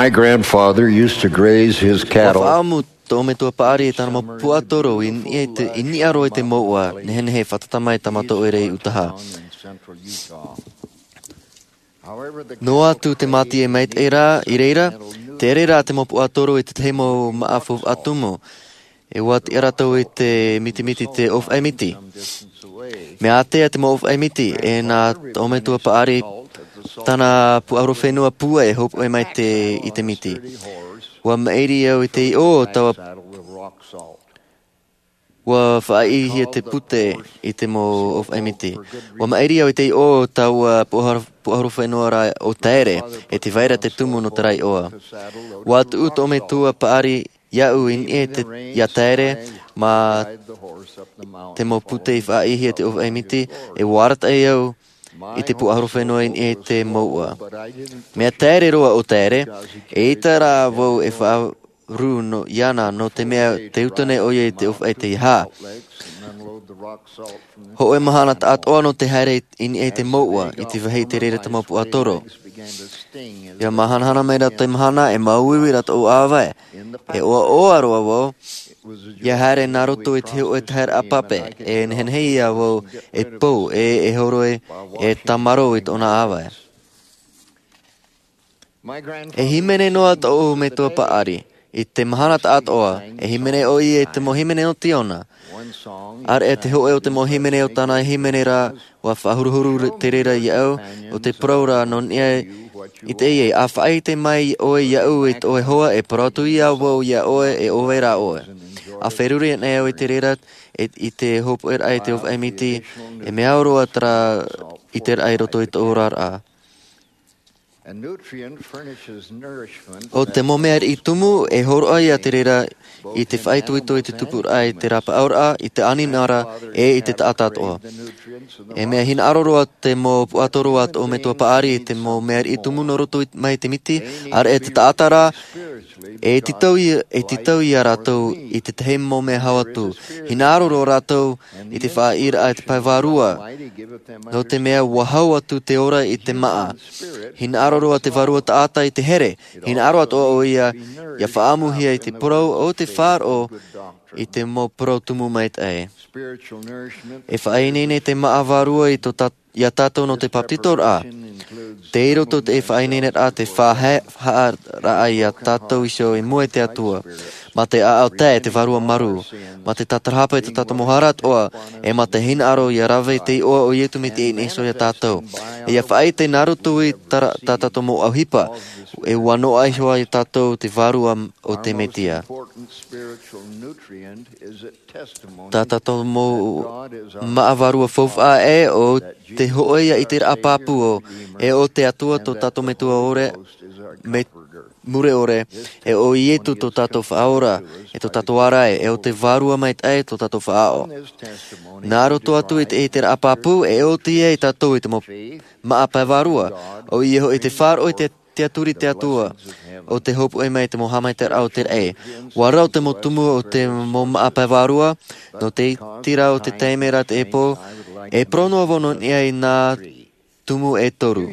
My grandfather used to graze his cattle. Ua faʻaʻamu tō metua paʻari e tāna mau puaʻatoro i niʻa i te, i niʻa roa i te mouʻa nehenehe e fātata mai tā mātou ʻoire i Utaha. Noa atu te mātie maitaʻi rā i reira, tere rā te mau puaʻatoro i te tahi mau māʻa faufaʻa tumu. E ʻua tiʻa rātou i te mitimiti, te ʻōfaʻi miti. Mea ātea te mau ʻōfaʻi miti, e nā tō metua paʻari tāna puaʻahuru fenua pūai e hopoʻi mai te, i te miti. ʻUa maʻiri au i te iʻo o taua, ʻua faʻaʻihia te pute i te mau ʻōfaʻi miti. ʻUa maʻiri au i te iʻo o taua puaʻahuru, puaʻahuru fenua ra ʻo Taere, e tē vai ra te tumu nō terā iʻoa. ʻUa tuʻu tō metua paʻari iāʻu i niʻa i te, iā Taere, mā te mau pute i faʻaʻihia te ʻōfaʻi miti, e ʻua arataʻi au i te puaʻahuru fenua i niʻa i te mouʻa. Mea taere roa ʻo Taere, eʻita rā vau e faʻarū nō, iāna, nō te mea tē uta nei ʻoia i te ʻōfaʻi tei hā. Hōʻē mahana taʻatoʻa nō te haere i niʻa i te mouʻa, i te vāhi tei reira te mau puaʻatoro. ʻIa māhanahana mai rā te mahana, e māuiui rā tōʻu ʻāvae. E ʻoaʻoa roa vau, ʻia haere nā roto i te hōʻē taheraʻa pape, e nehenehe ia vau e pou, e, e horoi, e tāmarō i tōna ʻāvae. E hīmene noa tōʻu metua paʻari, i te mahana taʻatoʻa, e hīmene ʻoia i te mau hīmene nō Tiona. ʻĀreʻa te hōʻē o te mau hīmene o tāna hīmene ra, ʻua faʻahuruhuru te reira iāʻu, ʻo te parau ra nō niʻa i teie, ʻa faʻaʻite mai ʻoe iāʻu i tō ʻoe hoa, e parau atu ia vau iā ʻoe, e ʻo vai rā ʻoe. ʻA feruri anaʻe au i te reira, i te hōpoʻeraʻa i te ʻōfaʻi miti, e mea au roa terā i te raʻa i roto i tō oraraʻa. ʻO te mau mea riʻi tumu e hōroʻa ia te reira i te faʻaitoito i te tupuraʻa i te rapaʻauraʻa i te ʻānimara, e i te taʻata atoʻa. E mea hinaʻaro roa te mau puaʻatoro a tō metua paʻari i te mau mea riʻi tumu nō roto mai te miti, ʻareʻa te taʻata rā, e tītau ia rātou i tētahi mau mea hau atu. Hinaʻaro roa rātou i te faʻaʻīraʻa i te pae vārua, nō te mea ua hau atu te ora i te māʻa. Hinaʻaro roa te vārua taʻata i te here. Hinaʻaro atoʻa ʻoia ia faʻaʻamuhia i te parau o te faʻaroʻo i te mau parau tumu maitaʻi. E faʻaineine te māʻa vārua i tō tā ia tātou nō te papetitoraʻa. Tei roto te faʻaineineraʻa te faʻahaʻaraʻa ia tātou iho i mua i te atua, mā te ʻaʻau tae te vārua marū, mā te tātarahapa i tō tātou mau hara atoʻa, e mā te hinaʻaro ia rave te iʻoa o iesu mesia i niʻa iho ia tātou. E ia faʻaite nā roto i tā tātou mau ʻohipa, e ua noaʻa iho ai tātou te vārua o te mesia. Tā tātou mau māʻa vārua faufaʻa ʻe ʻo te hoʻe ia i te raʻa pāpū, e ʻo te atua tō tātou metua ʻore, mure ʻore, e ʻo iesu tō tātou faʻaora, e tō tātou ārai, e ʻo te vārua maitaʻi tō tātou faʻaʻo. Nā roto atu i te raʻa pāpū e oti ai tātou i te mau māʻa pae vārua. ʻO ia hoʻi te faʻaroʻo i te tiaturi te atua o te hōpoʻe mai te mau haʻamaitaʻiraʻa o te raʻi. Ua rau te mau tumu o te mau māʻa pae vārua, nō te iti rā o te taime rā te ʻēpō, e parau noa vau nō niʻa i nā tumu e toru.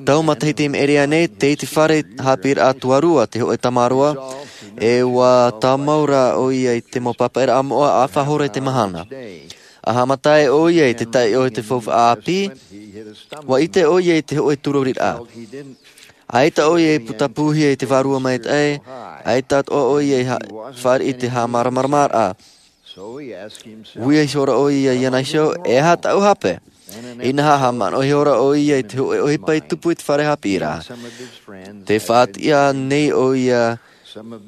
Tau matahiti i maʻiri aʻe nei, tei te fare haʻapiʻiraʻa tuarua te hoʻe tamaroa, e ua tāmau rā ʻoia i te mau papaʻiraʻa moʻa ʻāfaʻi hora i te mahana. A haʻamata ai ʻoia i te taiʻo i te faufaʻa ʻāpī, ua ʻite ʻoia i te hoʻe turoriraʻa. ʻAita ʻoia i putapūhia i te vārua maitaʻi, ʻaita atoʻa ʻoia i fāriʻi i te haʻamāramaramaraʻa. Ui iho ra ʻoia iāna iho, e aha tāʻu hape? Inaha, haʻamanaʻo iho ra ʻoia i te hoʻe ʻohipa i tupu i te fare haʻapiʻiraʻa. Tē faʻatiʻa nei ʻoia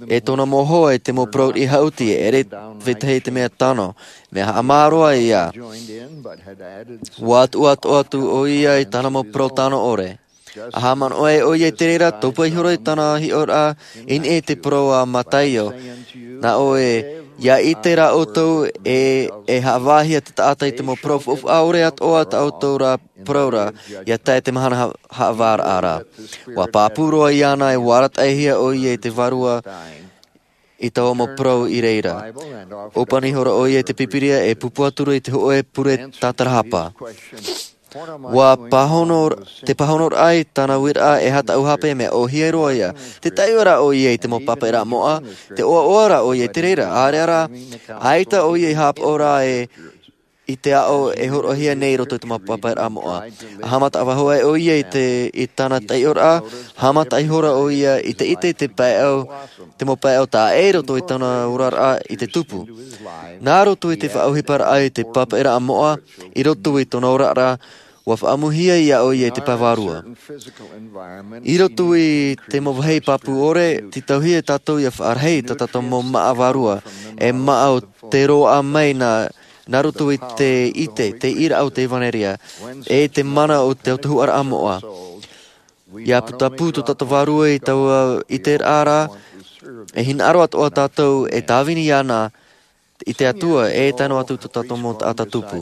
e tōna mau hoa i te mau parau riʻi haʻuti, e ʻere vetahi te mea tano, mea haʻamāroa ia. Ua tuʻu atu ʻoia i tāna mau parau tano ʻore. A haʻamanaʻo ai ʻoia i te reira, tōpua iho ra i tāna hiʻoraʻa i niʻa i te parau a Mataio. Nā ʻoe, ia ʻite rā ʻoutou e, e haʻavāhia te taʻata i te mau parau faufaʻa ʻore atoʻa tā ʻoutou rā parau ra, ia tae te mahana ha-, haʻavāraʻa ra. Ua pāpū roa iāna e ua arataʻihia ʻoia i te vārua i taua mau parau i reira. ʻŌpani iho ra ʻoia i te Pīpīria e pupu atu ra i te hoʻe pure tātarahapa. Ua pāhono, tē pāhono ra i tāna uiraʻa e aha tāʻu hape, mea ʻōhie roa ia. Tē taiʻo ra ʻoia i te mau papaʻiraʻa moʻa, tē ʻoaʻoa ra ʻoia i te reira, ʻaore rā, ʻaita ʻoia i haʻapaʻo ra e i te aʻo e hōroʻahia nei i roto i te mau papaʻiraʻa moʻa. A haʻamata faʻahou ai ʻoia i te, i tāna taiʻoraʻa, haʻamata iho ra ʻoia i te ʻite i te paeʻau, te mau paeʻau taʻa ʻē i roto i tōna oraraʻa i te tupu. Nā roto i te faʻaʻohiparaʻa i te papaʻiraʻa moʻa, i roto i tōna oraraʻa, ua faʻaʻamuhia ia ʻoia i te pae vārua. I roto i te mau vāhi pāpū ʻore, tītauhia tātou ia faʻarahi tā tātou mau māʻa vārua, e māʻa o te roaʻa mai nā, nā roto i te ʻite, te ʻīraʻa o te ʻevanelia, e te mana o te autahuʻaraʻa moʻa. Ia putapū tō tātou vārua i taua ʻiteraʻa ra, e hinaʻaro atoʻa tātou e tāvini iāna, i te Atua, e tae noa atu tō tātou mau taʻata tupu.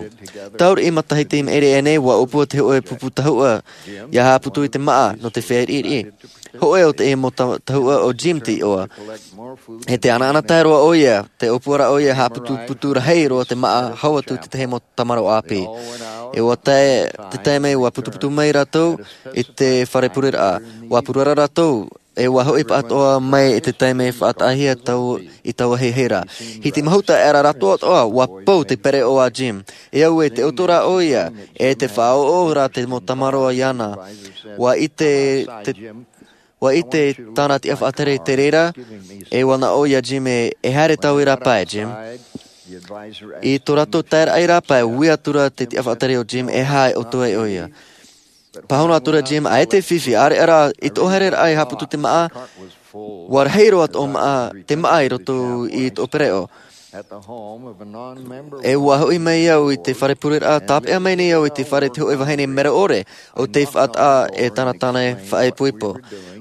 Taureʻi matahiti i maʻiri aʻe nei, ua ʻōpua te hoʻe pupu tahuʻa, ia haʻaputu i te māʻa, nō te fēriʻiriʻi. Hōʻē o te mau ta-, tahuʻa ʻo Jim te iʻoa. E tē ʻanaʻanatae roa ʻoia, tē ʻōpua ra ʻoia e haʻaputuputu rahi roa te māʻa, hau atu i te tahi mau tamaroa ʻāpī. E ua tae, te taime ua putuputu mai rātou i te fare pureraʻa. Ua purara rātou, e ua hoʻi pāʻatoʻa mai i te taime faʻataʻahia tau, i taua hiahia ra. Hiti mahuta aʻera rātou atoʻa, ua pau te pereʻoʻo a Jim. E au ē, tē ʻoto ra ʻoia, e tē faʻaʻoʻo ra te mau tamaroa iāna. Ua ʻite te, ua ʻite tāna tiʻa faʻatere i te reira, e ua naʻo ia Jim ē, e haere tāu i rāpae, Jim. I tō rātou taeraʻa i rāpae, ui atu ra te tiʻa faʻatere o Jim, e aha e ʻoto ai ʻoia. Pāhono atu ra Jim, ʻaita e fifi, ʻaore rā, i tō haereraʻa i haʻaputu te māʻa, ua rahi roa tō māʻa, te māʻa i roto i tō pereʻoʻo. E ua hoʻi mai au i te fare pureraʻa, tāpeʻa mai nei au i te fare te hoʻe vahine mero ʻore o te faʻataʻa e tana tane faʻaipoipo.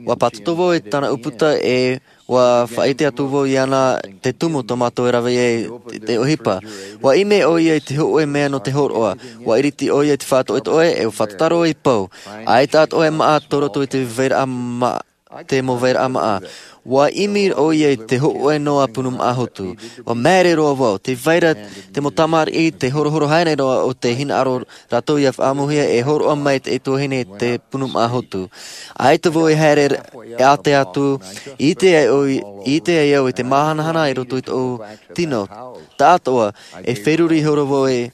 Ua pātoto vau i tana ʻūputa e ua faʻaʻite atu vau iāna te tumu tō mātou e rave ai te ʻohipa. Ua ʻimi ʻo ia i te hoʻe mea nō te hōroʻa. Ua iriti ʻo ia i te faʻatoʻetoʻe e ua faʻatataro i pou. ʻAita atoʻa e maʻa tō roto i te vairaʻa maʻa, te mau vairaʻa maʻa. Ua ʻimi ʻo ia i te hoʻe noa punu maʻa hotu. Ua maere roa vau. Te vaira te mau tamariʻi te horohoro haere roa o te hinaʻaro rātou ia faʻaʻamuhia e hōroʻa mai te tuahine te punu maʻa hotu. ʻAita vau e haere e ʻate atu, i ʻite ai au i te māhanahana i roto i tōʻu tino. Taʻatoʻa e feruri horo vau e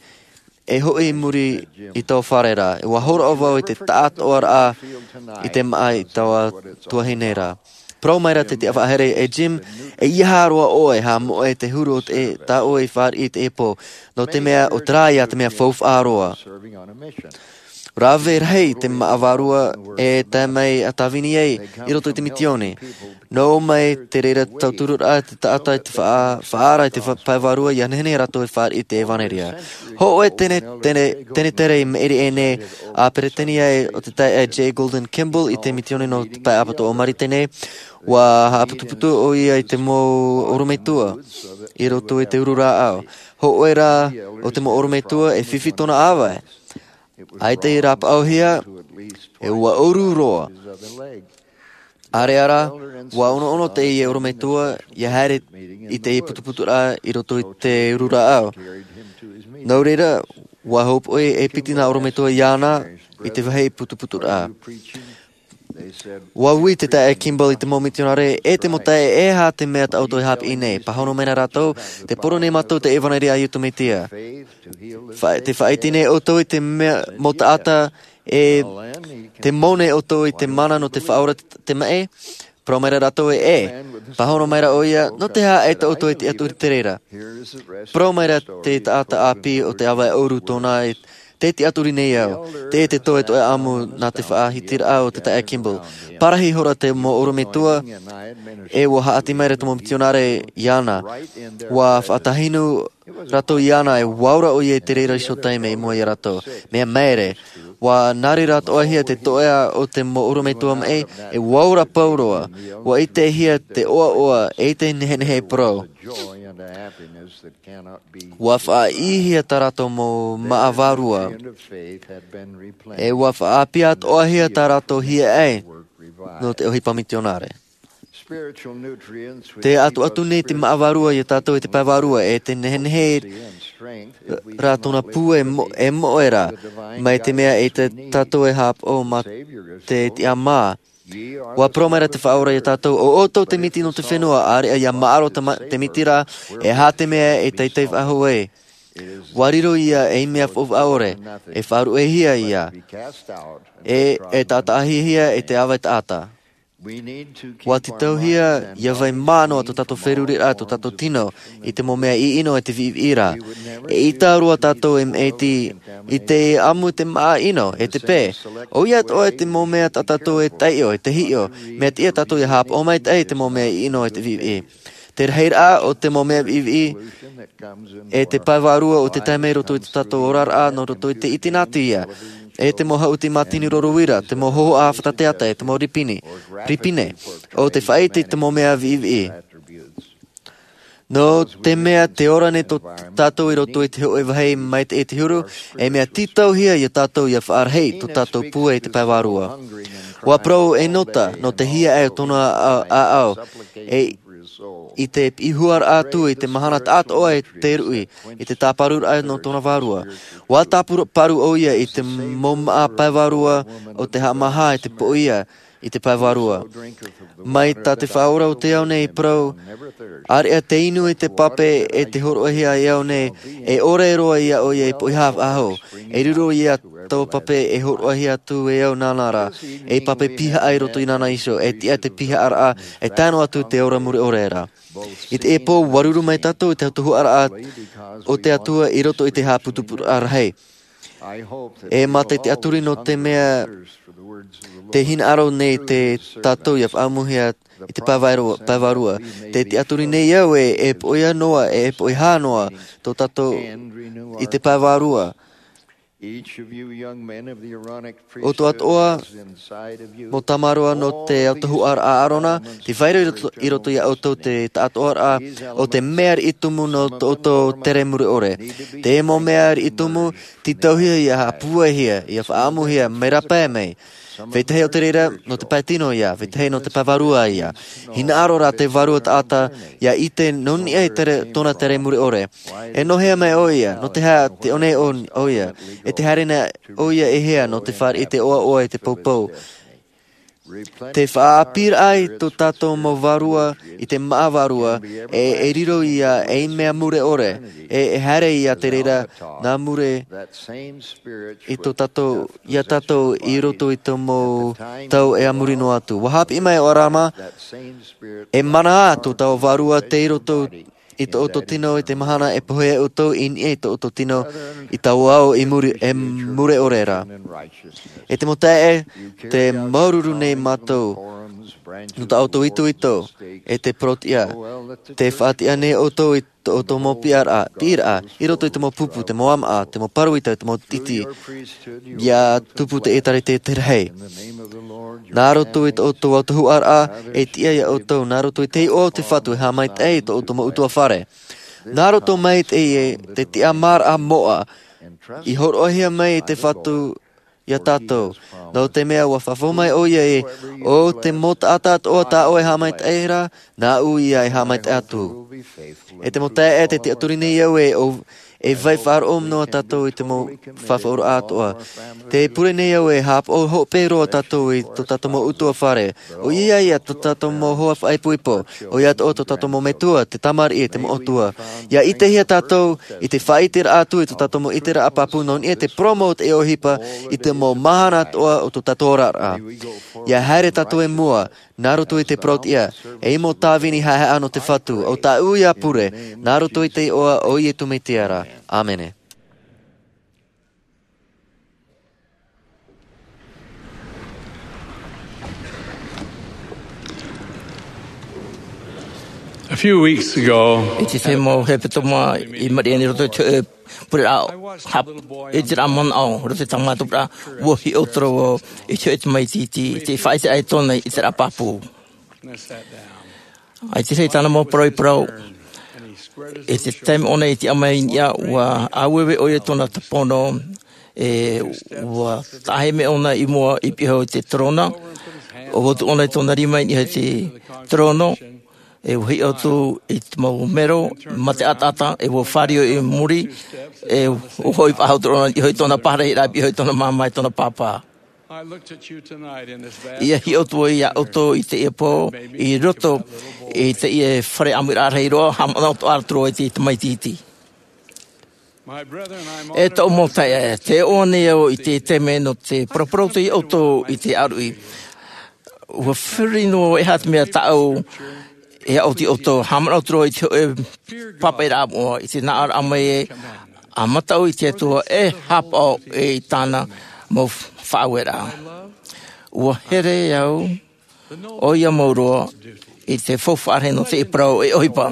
e hoʻi i muri i taua fare ra. Ua hōroʻa vau i te taʻatoʻaraʻa i te maʻa i taua tuahine ra. Parau mai ra te tiʻa faʻahere, e Jim, e ʻeiaha roa ʻoe, haʻamoʻe te huru o te tā ʻoe i fāriʻi i te pō, nō te mea ʻo te rā ia te mea faufaʻa roa. Rave rahi te maʻa vārua e tae mai a tāvini ai i roto i te mitioni. Nō mai te reira tauturu raʻa te taʻata i te faʻaara i te pae vārua ia nehenehe rātou e fāriʻi i te ʻevanelia. Hoʻe tene tere i maʻiri ʻēnei a peretania ai o te taeaʻe j golden kimball i te mitioni nō te pae ʻapatoʻa o marite nei. Ua haʻaputuputu ʻo ia i te mau orometua i roto i te uru rāʻau. Hoʻe rā o te mau orometua e fifi tōna ʻāvae. ʻAita i rāpaʻohia e ua ʻoru roa. ʻAreʻa rā, ua ʻonoʻono teie orometua ia haere i te putuputuraʻa i roto i te uru rāʻau. Nō reira, ua hōpoʻi e piti nā orometua iāna i te vāhi putuputuraʻa. Ua ui te taeaʻe kimball i te mau mitionare e te mau taeaʻe, e aha te mea tā ʻoutou e hāpiʻi nei? Pāhono mai na rātou, te poro nei mātou te ʻevanelia a iesu mesia. Te faʻaʻite nei ʻoutou i te mau taʻata e te mau nei ʻoutou i te mana nō te faʻaora te maʻi? Parau mai ra rātou e ʻē. Pāhono mai ra ʻo ia, nō te aha ʻaita ʻoutou e tiʻaturi te reira? Parau mai ra te taʻata ʻāpī o te ʻāvae ʻoru tōna, te tiʻaturi nei au. Te ʻē te toetoe ʻamu nā te faʻahitiraʻa o te taeaʻe kimball. Parahi hora te mau orometua e ua haʻati mai ra te mau mitionare iāna. Ua faʻatahinu rātou iāna e ua ora ʻo ia i te reira iho taime i mua ia rātou. Mea maere, ua nā reira atoʻahia te toeʻa o te mau orometua maʻi e ua ora pauroa. Ua ʻitehia te ʻoaʻoa e te nehenehe e parau. Ua faʻaʻīhia tā rātou mau maʻa vārua e ua faʻaʻāpī atoʻahia tā rātou hiaʻai nō te ʻohipa mitionare. Te atuatu nei te maʻa vārua ia tātou i te pae vārua e te nehenehe rā tōna pū e moʻe rā, mai te mea e tātou e hāpaʻo mā te tiʻamā. Ua parau mai ra te faʻaora ia tātou, ʻo ʻoutou te miti nō te fenua, ʻāreʻa ia maʻaro te miti rā e aha te mea e teitei faʻahou ai. Ua riro ia ei mea faufaʻa ʻore e faʻaruʻehia ia e e taʻataʻahia e te ʻāvae taʻata. Ua tītauhia ia vai mā noa tō tātou feruriraʻa, tō tātou tino i te mau mea ʻino e te viʻiviʻi ra. E ʻita roa tātou e maʻiti i te ʻamu i te maʻa ʻino e te pē. ʻOia atoʻa te mau mea tā tātou e taiʻo e te hiʻo, mea tiʻa tātou ia hāpaʻo maitaʻi i te mau mea ʻino e te viʻiviʻi. Te rahiraʻa o te mau mea viʻiviʻi e te pae vārua o te taime i roto i tō tātou oraraʻa nō roto i te ʻitena atu ia e te mau haʻuti mātini roro uira, te mau hohoʻa fatateata e te mau ripine o te faʻaʻite i te mau mea viʻiviʻi. Nō te mea te ora nei tō tātou i roto i te hoʻe vāhi mai te huru, e mea tītauhia ia tātou ia faʻarahi tō tātou pūai i te pae vārua. Ua parau e nota nō te hiaʻai o tōna ʻaʻau e i te piʻihuaraʻa atu i te mahana taʻatoʻa e te ruʻi i te tāparuraʻa nō tōna vārua. Ua tāparu ʻo ia i te mau maʻa pae vārua o te haʻamāha i te poʻia i te pae vārua. Mai tā te faʻaora o te ao nei i parau, ʻāreʻa te inu i te pape e te horoʻahia e au nei, e ʻore roa ia ʻo ia i poʻihā faʻahou. E riro ia taua pape e horoʻahia atu e au nāna rā, e pape pihaʻa i roto i nāna iho e tiʻa te pihaʻaraʻa e tae noa atu te ora mure ʻore ra. I te pō ua ruru mai tātou i te tuhaʻaraʻa o te atua i roto i te haʻaputuputuraʻa rahi. E mā te tiʻaturi nō te mea te hinaʻaro nei te tātou ia faʻaʻamuhia i te pae vārua. Te tiʻaturi nei au e e poʻihā noa e e poʻihā noa tō tātou i te pae vārua. ʻO tō atoʻa mau tamaroa nō te autahuʻaraʻa a ʻarona, te vai ra i roto iā ʻoutou te taʻatoʻaraʻa o te mea riʻi tumu nō tō ʻoutou tere mure ʻore. Te mau mea riʻi tumu tītauhia ia haʻapūaihia ia faʻaʻamuhia mai rāpae mai. Vetahi o te reira nō te pae tino ia, vetahi nō te pae vārua ia. Hinaʻaro rā te vārua taʻata ia ʻite nō niʻa i tōna tere mure ʻore. E nō hea mai ʻoia? Nō te aha te ʻō nei ʻoia? E te haere nei ʻoia e hea nō te fāriʻi i te ʻoaʻoa i te poupou? Te faʻaʻāpīraʻa i tō tātou mau vārua i te māʻa vārua, e e riro ia ei mea mure ʻore, e e haere ia te reira nā mure i tō tātou iā tātou i roto i te mau tau e a muri noa atu. Ua hāpiʻi mai ʻo ʻarama, e mana ā tō tāua vārua tei roto i tō ʻoutou tino i te mahana e pohe ai ʻoutou i niʻa i tō ʻoutou tino i taua ao i muri e mure ʻore ra. E te mau taeaʻe, te māuruuru nei mātou nō tā ʻoutou itoito e te parauʻtiʻa. Te faʻatiʻa nei ʻoutou i tō ʻoutou mau piʻiraʻa i roto i te mau pupu, te mau ʻamaʻa, te mau pāroita, te mau tītī, ia tupu te ʻēkālesia te rahi. Nā roto i tō ʻoutou autahuʻaraʻa e tiʻa iā ʻoutou, nā roto i te iʻoa o te Fatu e haʻamaitaʻi i tō ʻoutou mau ʻutuāfare. Nā roto mai te tiʻamāraʻa moʻa i hōroʻahia mai e te Fatu iā tātou, nō te mea ua fafau mai ʻoia ē, ʻo te mau taʻata atoʻa tā ʻoe e haʻamaitaʻi ra, nāʻu ia e haʻamaitaʻi atu. E te mau taeaʻe, te tiʻaturi nei au ē, e vai faʻaroʻo noa tātou i te mau fafauraʻa atoʻa. Te pure nei au ē, haʻapaʻo hope roa tātou i tō tātou mau ʻutuāfare. ʻOia ia tō tātou mau hoa faʻaipoipo, ʻoia atoʻa tō tātou mau metua, te tamariʻi, te mau ʻatua. Ia ʻitehia tātou i te faʻaʻiteraʻa atu i tō tātou mau ʻiteraʻa pāpū nō niʻa i te parau mau o te ʻohipa i te mau mahana atoʻa o tō tātou oraraʻa. Ia haere tātou i mua, nā roto i te parauʻtiʻa, ei mau tāvini haʻehaʻa nō te Fatu, ʻo tāʻu ia pure, nā roto i te iʻoa o Iesu Mesia ra. ʻĀmene. A few weeks ago, I te tahi mau hepetoma i Mariana i roto i te pureraʻa, hap-, i te rā manaʻo, roto i tā mātou pureraʻa, ua hiʻo atu ra vau i te hoʻi tamaiti iti, i te faʻaʻiteraʻa i tōna ʻiteraʻa pāpū. ʻAita rā tāna mau parau i parau. I te taime ʻōna i tiʻa mai i niʻa, ua ʻāueue ʻoia i tōna tapono, e ua taʻahi mai ʻōna i mua i pihaʻi i te terona, ʻua ʻotu ʻōna i tōna rima i niʻa i te terona, e ua hiʻo atu i te mau mero, mā te ʻataʻata, e ua fāriu i muri, e ua hoʻi faʻahou terona i niʻa i tōna pārahiraʻa, i pihaʻi i tōna māmā, i tōna pāpā. Ia hiʻo atu vau iā ʻoutou i teie pō, i roto i teie fare ʻāmuiraʻa rahi roa, haʻamanaʻo atoʻa atu ra vau i te tamaiti iti. E tōʻu mau taeaʻe, tē ʻoaʻoa nei au i te taime nō te paraparau atu iā ʻoutou i te ʻāruʻi. Ua feruri noa vau e aha te mea tāʻu e aʻo atu iā ʻoutou, haʻamanaʻo atu ra vau i te hoʻē pāpaʻiraʻa moʻa, i te nā ʻō ra mai ē, ʻa mataʻu i te Atua e haʻapaʻo i tāna mau faʻaueraʻa. Ua here au ʻoia mau roa i te faufaʻa rahi nō te parau e ʻohipa.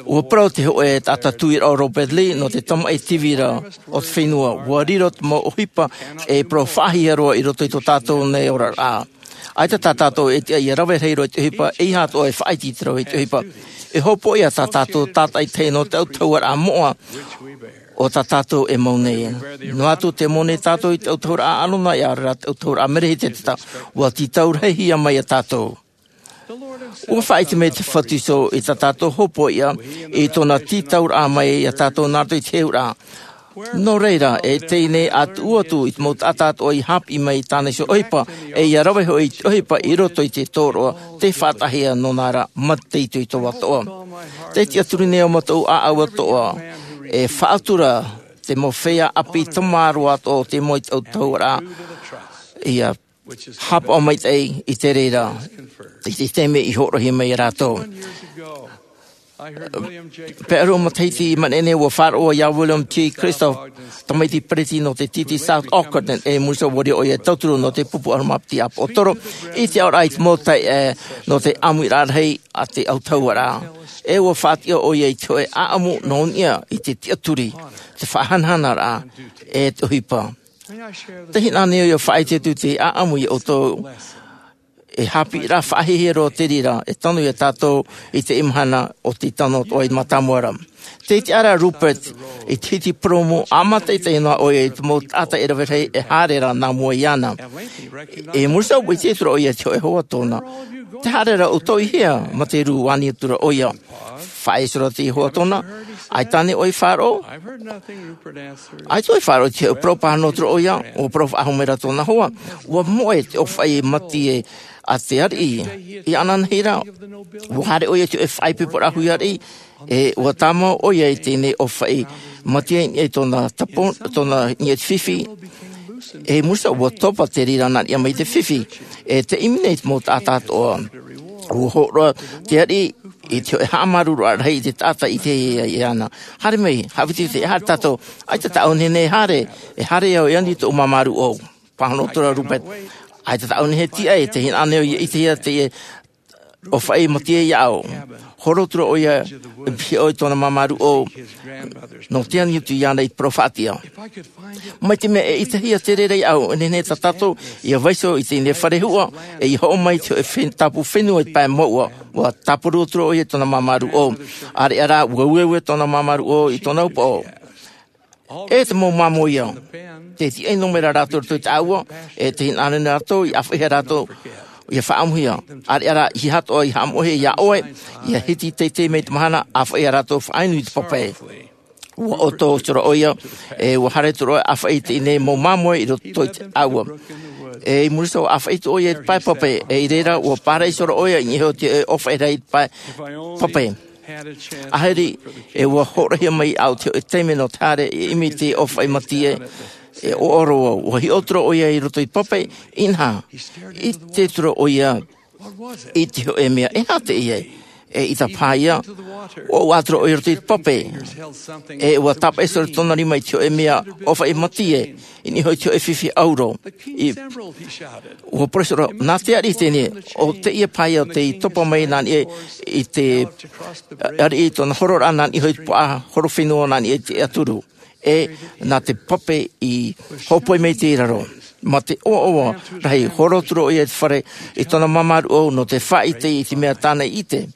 Ua parau te hōʻē taʻata tuiraʻa ʻo Robert Lee nō te tamaʻi tīvira o te fenua, ua riro te mau ʻohipa e parau faʻahiahia roa i roto i tō tātou nei oraraʻa. ʻAita tā tātou e tiʻa ia rave rahi roa i te ʻohipa, ʻeiaha atoʻa e faʻaʻite i te rave i te ʻohipa. E hopoiʻa tā tātou tātaʻitahi nō te autahuʻaraʻa moʻa o tā tātou e mau nei. Noa atu tē mau nei tātou i te autahuʻaraʻa ʻĀrona, ʻia ʻore rā te autahuʻaraʻa Merehiteseteta, ua tītau rahihia mai iā tātou. Ua faʻaʻite mai te Fatu Iso i tā tātou hopoiʻa i tōna tītauraʻa mai iā tātou nā roto i te hehuraʻa. Nō reira, e teie nei ʻa tuʻu atu i te mau taʻata atoʻa i haʻapiʻi mai i tāna iho ʻohipa, e ʻia rave hoʻi i te ʻohipa i roto i te tōroʻa, tē faʻataʻahia nōna ra, mā te itoito atoʻa. Te tiʻaturi nei au mā tōʻu ʻāʻau atoʻa, e faʻatura te mau feiā ʻāpī tamaroa atoʻa o te mau i te autahuʻaraʻa, ʻia haʻapaʻo maitaʻi i te reira, i te taime i hōroʻahia mai iā rātou. Pae ʻahuru matahiti i maʻiri nei, ua faʻaroʻo iā William T. Christoph, tamaiti peresideni nō te T T South Auckland, e muri iho ua riro ʻoia e tauturu nō te pupu ʻaroha maʻa piti ʻāpoʻotoro, i te aʻoraʻa i te mau taeaʻe nō te ʻāmuiraʻa rahi a te autahuʻaraʻa. E ua faʻatiʻa ʻoia i te hōʻē ʻāʻamu nō niʻa i te tiʻaturi, te faʻahanahanaraʻa, e te ʻohipa. Tē hinaʻaro nei au ʻia faʻaʻite atu te ʻāʻamu iā ʻoutou, e haʻapiʻiraʻa faʻahiahia roa te reira e tano iā tātou i teie mahana o te tano atoʻa i te mātāmua ra. Tē ʻite ra Rupert i te hiti purōmu, ʻa mātaʻitaʻi noa ʻoia i te mau taʻata e rave rahi e haere ra nā mua iāna. E muri iho ua ʻite atu ra ʻoia i te hōʻē hoa tōna. Tē haere ra ʻoutou i hea, mā te rū ani atu ra ʻoia. Faʻaʻite ra te hoa tōna, ʻaita ānei ʻoe i faʻaroʻo? ʻAita ʻoe i faʻaroʻo i te hōʻē parau, pāhono atu ra ʻoia. Ua parau faʻahou mai ra tōna hoa, ua moʻe te ʻōfaʻi matie a te ariʻi. I ʻananahi ra, ua haere ʻoia i te hōʻē faʻaipoiporaʻa hui ariʻi, e ua tāmau ʻoia i teie nei ʻōfaʻi matie i niʻa i tōna tapo, tōna niʻa i te fifi. E muri iho ua topa te reira nā niʻa mai i te fifi. E tē ʻimi nei te mau taʻata atoʻa. Ua hōroʻa te ariʻi i te hōʻē haʻamāuruururaʻa rahi i te taʻata i ʻitehia iāna. Haere mai, haʻaviti, haere tātou. ʻAita tāʻu nehenehe e haere, e haere au e ani i tōʻu māmā rūʻau. Pāhono atu ra Rupert, ʻaita tāʻu nehenehe e tiʻa, e tē hinaʻaro nei au ʻia ʻitehia te ʻōfaʻi matie iāʻu. Horo atu ra ʻoia i pihaʻi i tōna māmā rūʻau nō te ani atu iāna i te parau faʻatiʻa. Mai te mea e ʻitehia te reira iāʻu, e nehenehe tā tātou ʻia vaiiho i teie nei fare huʻa, e ʻia hoʻo mai i te hōʻē fen-, tāpū fenua i te pae mouʻa. Ua tāparu atu ra ʻoia i tōna māmā rūʻau. ʻĀreʻa rā, ua ueue tōna māmā rūʻau i tōna upoʻo. E te mau māmoe ia, tē tiaʻi noa mai ra rātou i roto i te ʻāua, e tē hinaʻaro nei rātou ʻia ʻāfaʻihia rātou ʻia faʻaʻamuhia. ʻĀreʻa rā, ʻeiaha atoʻa i haʻamoʻehia iā ʻoe, ʻia hiti teitei mai te mahana, ʻāfaʻi ia rātou faʻainu i te pape. Ua ʻoto atu ra ʻoia, e ua haere atu ra ʻoia ʻāfaʻi i teie nei mau māmoe i roto i te ʻāua. E i muri iho ʻāfaʻi atu ʻoia i te pae pape, e i reira ua pāraiso ra ʻoia i niʻa iho i te ʻōfaʻi rahi i te pae pape. ʻAhiri, e ua hōroʻahia mai iāʻu te hōʻē taime nō te haere e ʻimi i te ʻōfaʻi matie, e ʻoaʻoa roa au. Ua hiʻo atu ra ʻoia i roto i te pape, inaha, ʻite atu ra ʻoia i te hōʻē mea, e aha teie? E ʻita paha ïa, ua ʻoaʻoa atu ra ʻoia i roto i te pape. E ua tāpaʻo iho ra tōna rima i te hōʻē mea ʻōfaʻi matie, i niʻa iho i te hōʻē fifi ʻauro. I, ua parau iho ra, nā te ariʻi teie, ʻo teie paha ïa tei topa mai nā niʻa i te, ariʻi i tōna hororaʻa nā niʻa iho i te puaʻa horofenua nā niʻa i te ʻaturu. E nā te pape i hōpoi mai i te raro. Mā te ʻoaʻoa rahi, horo atu ra ʻoia i te fare i tōna māmā rūʻau nō te faʻaʻite i te mea tāna i ʻite.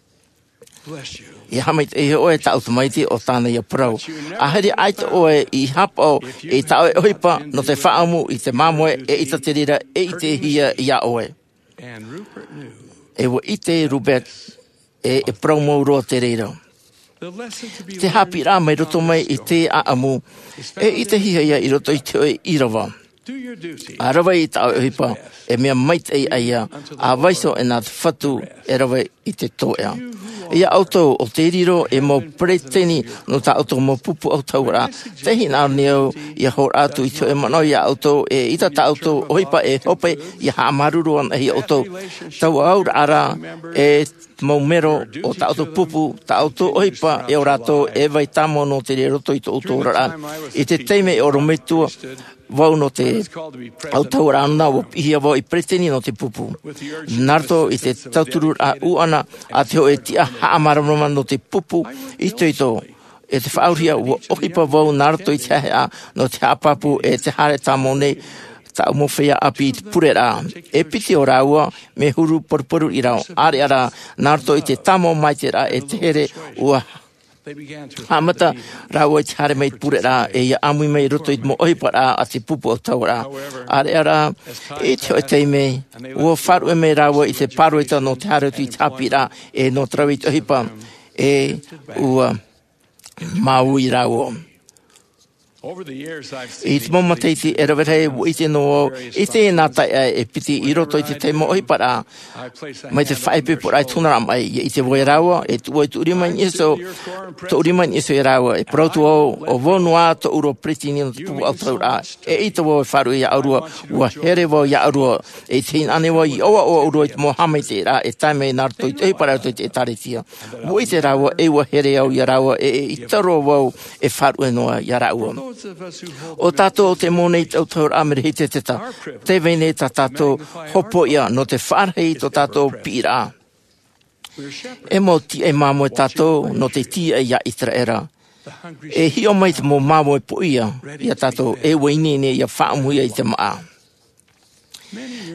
E haʻamaitaʻihia ʻoe, tāʻu tamaiti, ʻo tāna ïa parau. ʻAhiri, ʻaita ʻoe i haʻapaʻo i tā ʻoe ʻohipa nō te faʻaʻamu i te māmoe, eʻita te reira e ʻitehia iā ʻoe. E ua ʻite Rupert, e, e parau mau roa te reira. Te haʻapiʻiraʻa mai roto mai i te ʻāʻamu, e ʻitehia ïa i roto i te hōʻē ʻīrava. ʻA rave i tā ʻoe ʻohipa, e mea maitaʻi ïa, ʻa vaiiho e nā te Fatu e rave i te toeʻa. Iā ʻoutou, ʻo tē riro ei mau peresideni nō tā ʻoutou mau pupu autahuʻaraʻa, tē hinaʻaro nei au ʻia hōroʻa atu i te hōʻē manaʻo iā ʻoutou, eʻita tā ʻoutou ʻohipa e hope ʻia haʻamāuruuru anaʻe iā ʻoutou. Taua auraʻa ra, e mau mero o tā ʻoutou pupu, tā ʻoutou ʻohipa, e ʻo rātou e vai tāmau noa te reira i roto i tō ʻoutou oraraʻa. I te taime e ʻorometua vau nō te autahuʻaraʻa nā, ua piʻihia vau ei peresideni nō te pupu. Nā roto i te tautururaʻa ʻuʻana a te hōʻē tiʻa haʻamāramarama nō te pupu itoito, e te faʻaurahia, ua ʻohipa vau nā roto i te haʻehaʻa nō te haʻapāpū e te haere tāmau nei tāʻu mau feiā ʻāpī i te pureraʻa. E piti o rāua, mea huru paruparu i raro, ʻāreʻa rā, nā roto i te tāmau maitaʻiraʻa e te here, ua haʻamata rāua i te haere mai i te pureraʻa, e ʻia ʻāmui mai i roto i te mau ʻohiparaʻa a te pupu autahuʻaraʻa. ʻĀreʻa rā, i te hōʻē taime, ua faʻaruʻe mai rāua i te pāroita nō te haere atu i te haʻapiʻiraʻa, e nō te rave i te ʻohipa, e ua māuiui rāua. I te mau matahiti e rave rahi, ua ʻite noa au i te nā taʻa e piti i roto i te tahi mau ʻohiparaʻa mai te faʻaipoiporaʻa i te hunaraʻa maʻi. Ia ʻite vau ia rāua, e tuʻu i tuʻu rima i niʻa iho, tuʻu rima i niʻa iho ia rāua. E parau atu vau, ʻo vau noa tōʻu peretiteni nō te pupu ʻautahuʻaraʻa. E ʻaita vau e faʻaruʻe ia ʻōrua, ua here vau ia ʻōrua. E ʻite hinaʻaro nei vau i ʻoaʻoa ʻōrua i te mau haʻamaitaʻiraʻa e tae mai nā roto i te ʻohiparaʻa i roto i te ʻēkālesia. Ua ʻite rāua, e ua here au ia rāua, e, e ʻaita roa vau e faʻaruʻe noa ia rāua. ʻO tātou ʻo te mau nei i te ʻautahuʻaraʻa Merehiteseteta, tē vai nei tā tātou hopoiʻa nō te faʻarahi i tō tātou piʻiraʻa. E mau tīaʻi māmoe tātou nō te tīaʻi ia ʻĪteraʻera. E hiʻo mai te mau māmoe poʻia ia tātou, e ua ineine ia faʻaʻamuhia i te māʻa.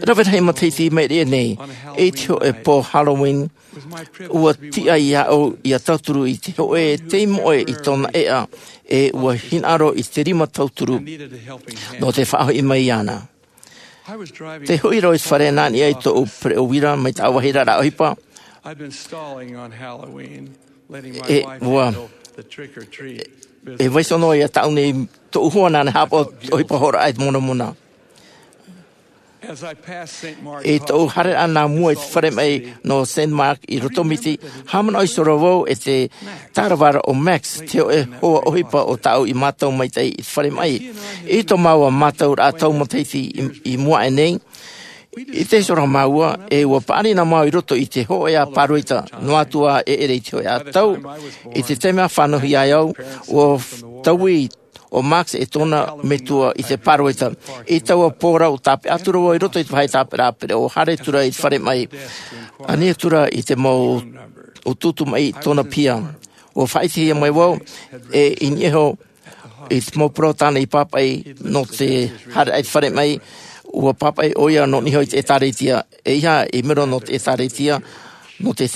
Rave rahi matahiti i maʻiri aʻe nei, i te hōʻē pō Halloween, ua tiʻa iāʻu ia tauturu i te hōʻē tei moʻe i tōna ʻēʻa, e ua hinaʻaro i te rima tauturu nō te faʻahoʻi mai iāna. Tē hoʻi ra au i te fare nā niʻa i tōʻu pereʻoʻo uira mai taua vāhi ra ʻohipa. E ua, e vaiiho noa ia tāʻu nei tōʻu hoa nāna e haʻapaʻo ʻohipa hoʻoraʻa i te monamona. I tōʻu haereraʻa nā mua i te fare maʻi nō Saint Mark i Rotomiti, haʻamanaʻo iho roa vau e te tāravaraʻa o Max, te hōʻē hoa ʻohipa o tāʻu i mātau maitaʻi i te fare maʻi. I tō māua mātauraʻa tau matahiti i, i mua aʻe nei, i te hora māua, e ua paʻari na māua i roto i te hōʻē ʻā pāroita, noa atu ā e ʻere i te hōʻē ʻā tau. I te taime a fānauhia ai au, ua taui ʻo Max e tōna metua i te pāroita. I taua pō ra ʻua tāpeʻa atu ra vau i roto i te vāhi tāpeʻaraʻa pereʻoʻo, haere atu ra i te fare maʻi. Ani atu ra i te mau ʻutuʻutu maʻi i tōna piha. Ua faʻaʻitehia mai vau, e i niʻa iho i te mau parau tāna i pāpaʻi nō te haereraʻa i te fare maʻi, ua pāpaʻi ʻoia nō niʻa iho i te ʻĒtārētia. ʻEiaha i mero nō te ʻĒtārētia, nō te,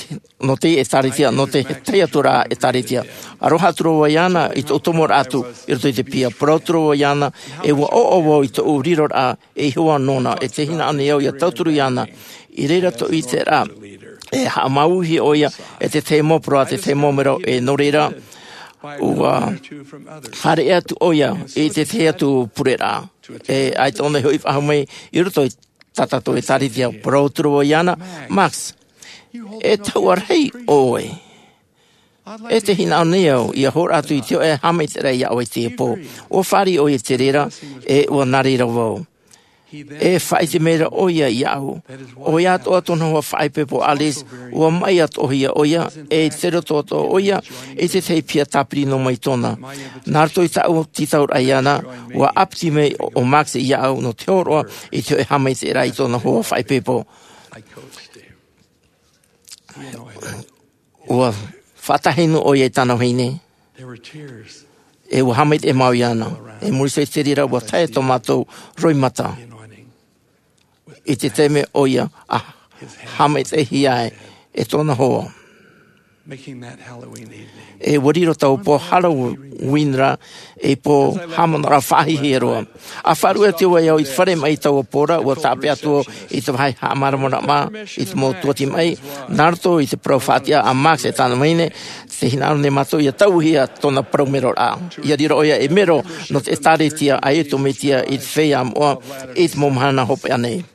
nō te ʻĒtārētia, nō te tahi atu ra ʻĒtārētia. Aroha atu ra vau iāna i tōʻu tomoraʻa atu i roto i te piha. Parau atu ra vau iāna, e ua ʻoaʻoa vau i tōʻu riroraʻa ei hoa nōna, e tē hinaʻaro nei au ia tauturu iāna. I reira tōʻu ʻiteraʻa, e haʻamāuiui ʻoia e te tahi mau parau a te tahi mau mero, e nō reira, ua fāriʻi atu ʻoia i te tahi atu pureraʻa. E ʻaita ʻōna i hoʻi faʻahou mai i roto i tā tātou ʻĒtārētia. Parau atu ra vau iāna, Max, e tahuʻa rahi ʻoe. E tē hinaʻaro nei au ia hōroʻa atu i te hōʻē haʻamaitaʻiraʻa iā ʻoe i teie pō. Ua fāriʻi ʻoia i te reira, e ua nā reira vau. E faʻaʻite mai ra ʻoia iāʻu, ʻoia atoʻa tōna hoa faʻaipoipo Alice, ua maʻi atoʻahia ʻoia, e tei roto atoʻa ʻoia i te tahi piha tāpiri noa mai tōna. Nā roto i tāʻu tītauraʻa iāna, ua ʻāpiti mai ʻo Max iāʻu nō te hōroʻa i te hōʻē haʻamaitaʻiraʻa i tōna hoa faʻaipoipo. Ua faʻatahi noa ʻoia i tāna vahine. E ua haʻamaitaʻi māua iāna. E muri iho i te reira, ua tae tō mātou roimata i te taime ʻoia a haʻamaitaʻihia ai e tōna hoa. E ua riro taua pō Halloween ra ei pō haʻamanaʻoraʻa faʻahiahia roa. A faʻaruʻe atu vau i te fare maʻi i taua pō ra, ua tāpeʻa atu vau i te vāhi haʻamāramarama i te mau tuati maʻi, nā roto i te parau faʻatiʻa a Max e tāna vahine, tē hinaʻaro nei mātou ia tauihia tōna parau meroraʻa. Ia riro ʻoia ei mero nō te ʻĒtārētia a Iesu Mesia i te feiā moʻa i te mau mahana hopeʻa nei.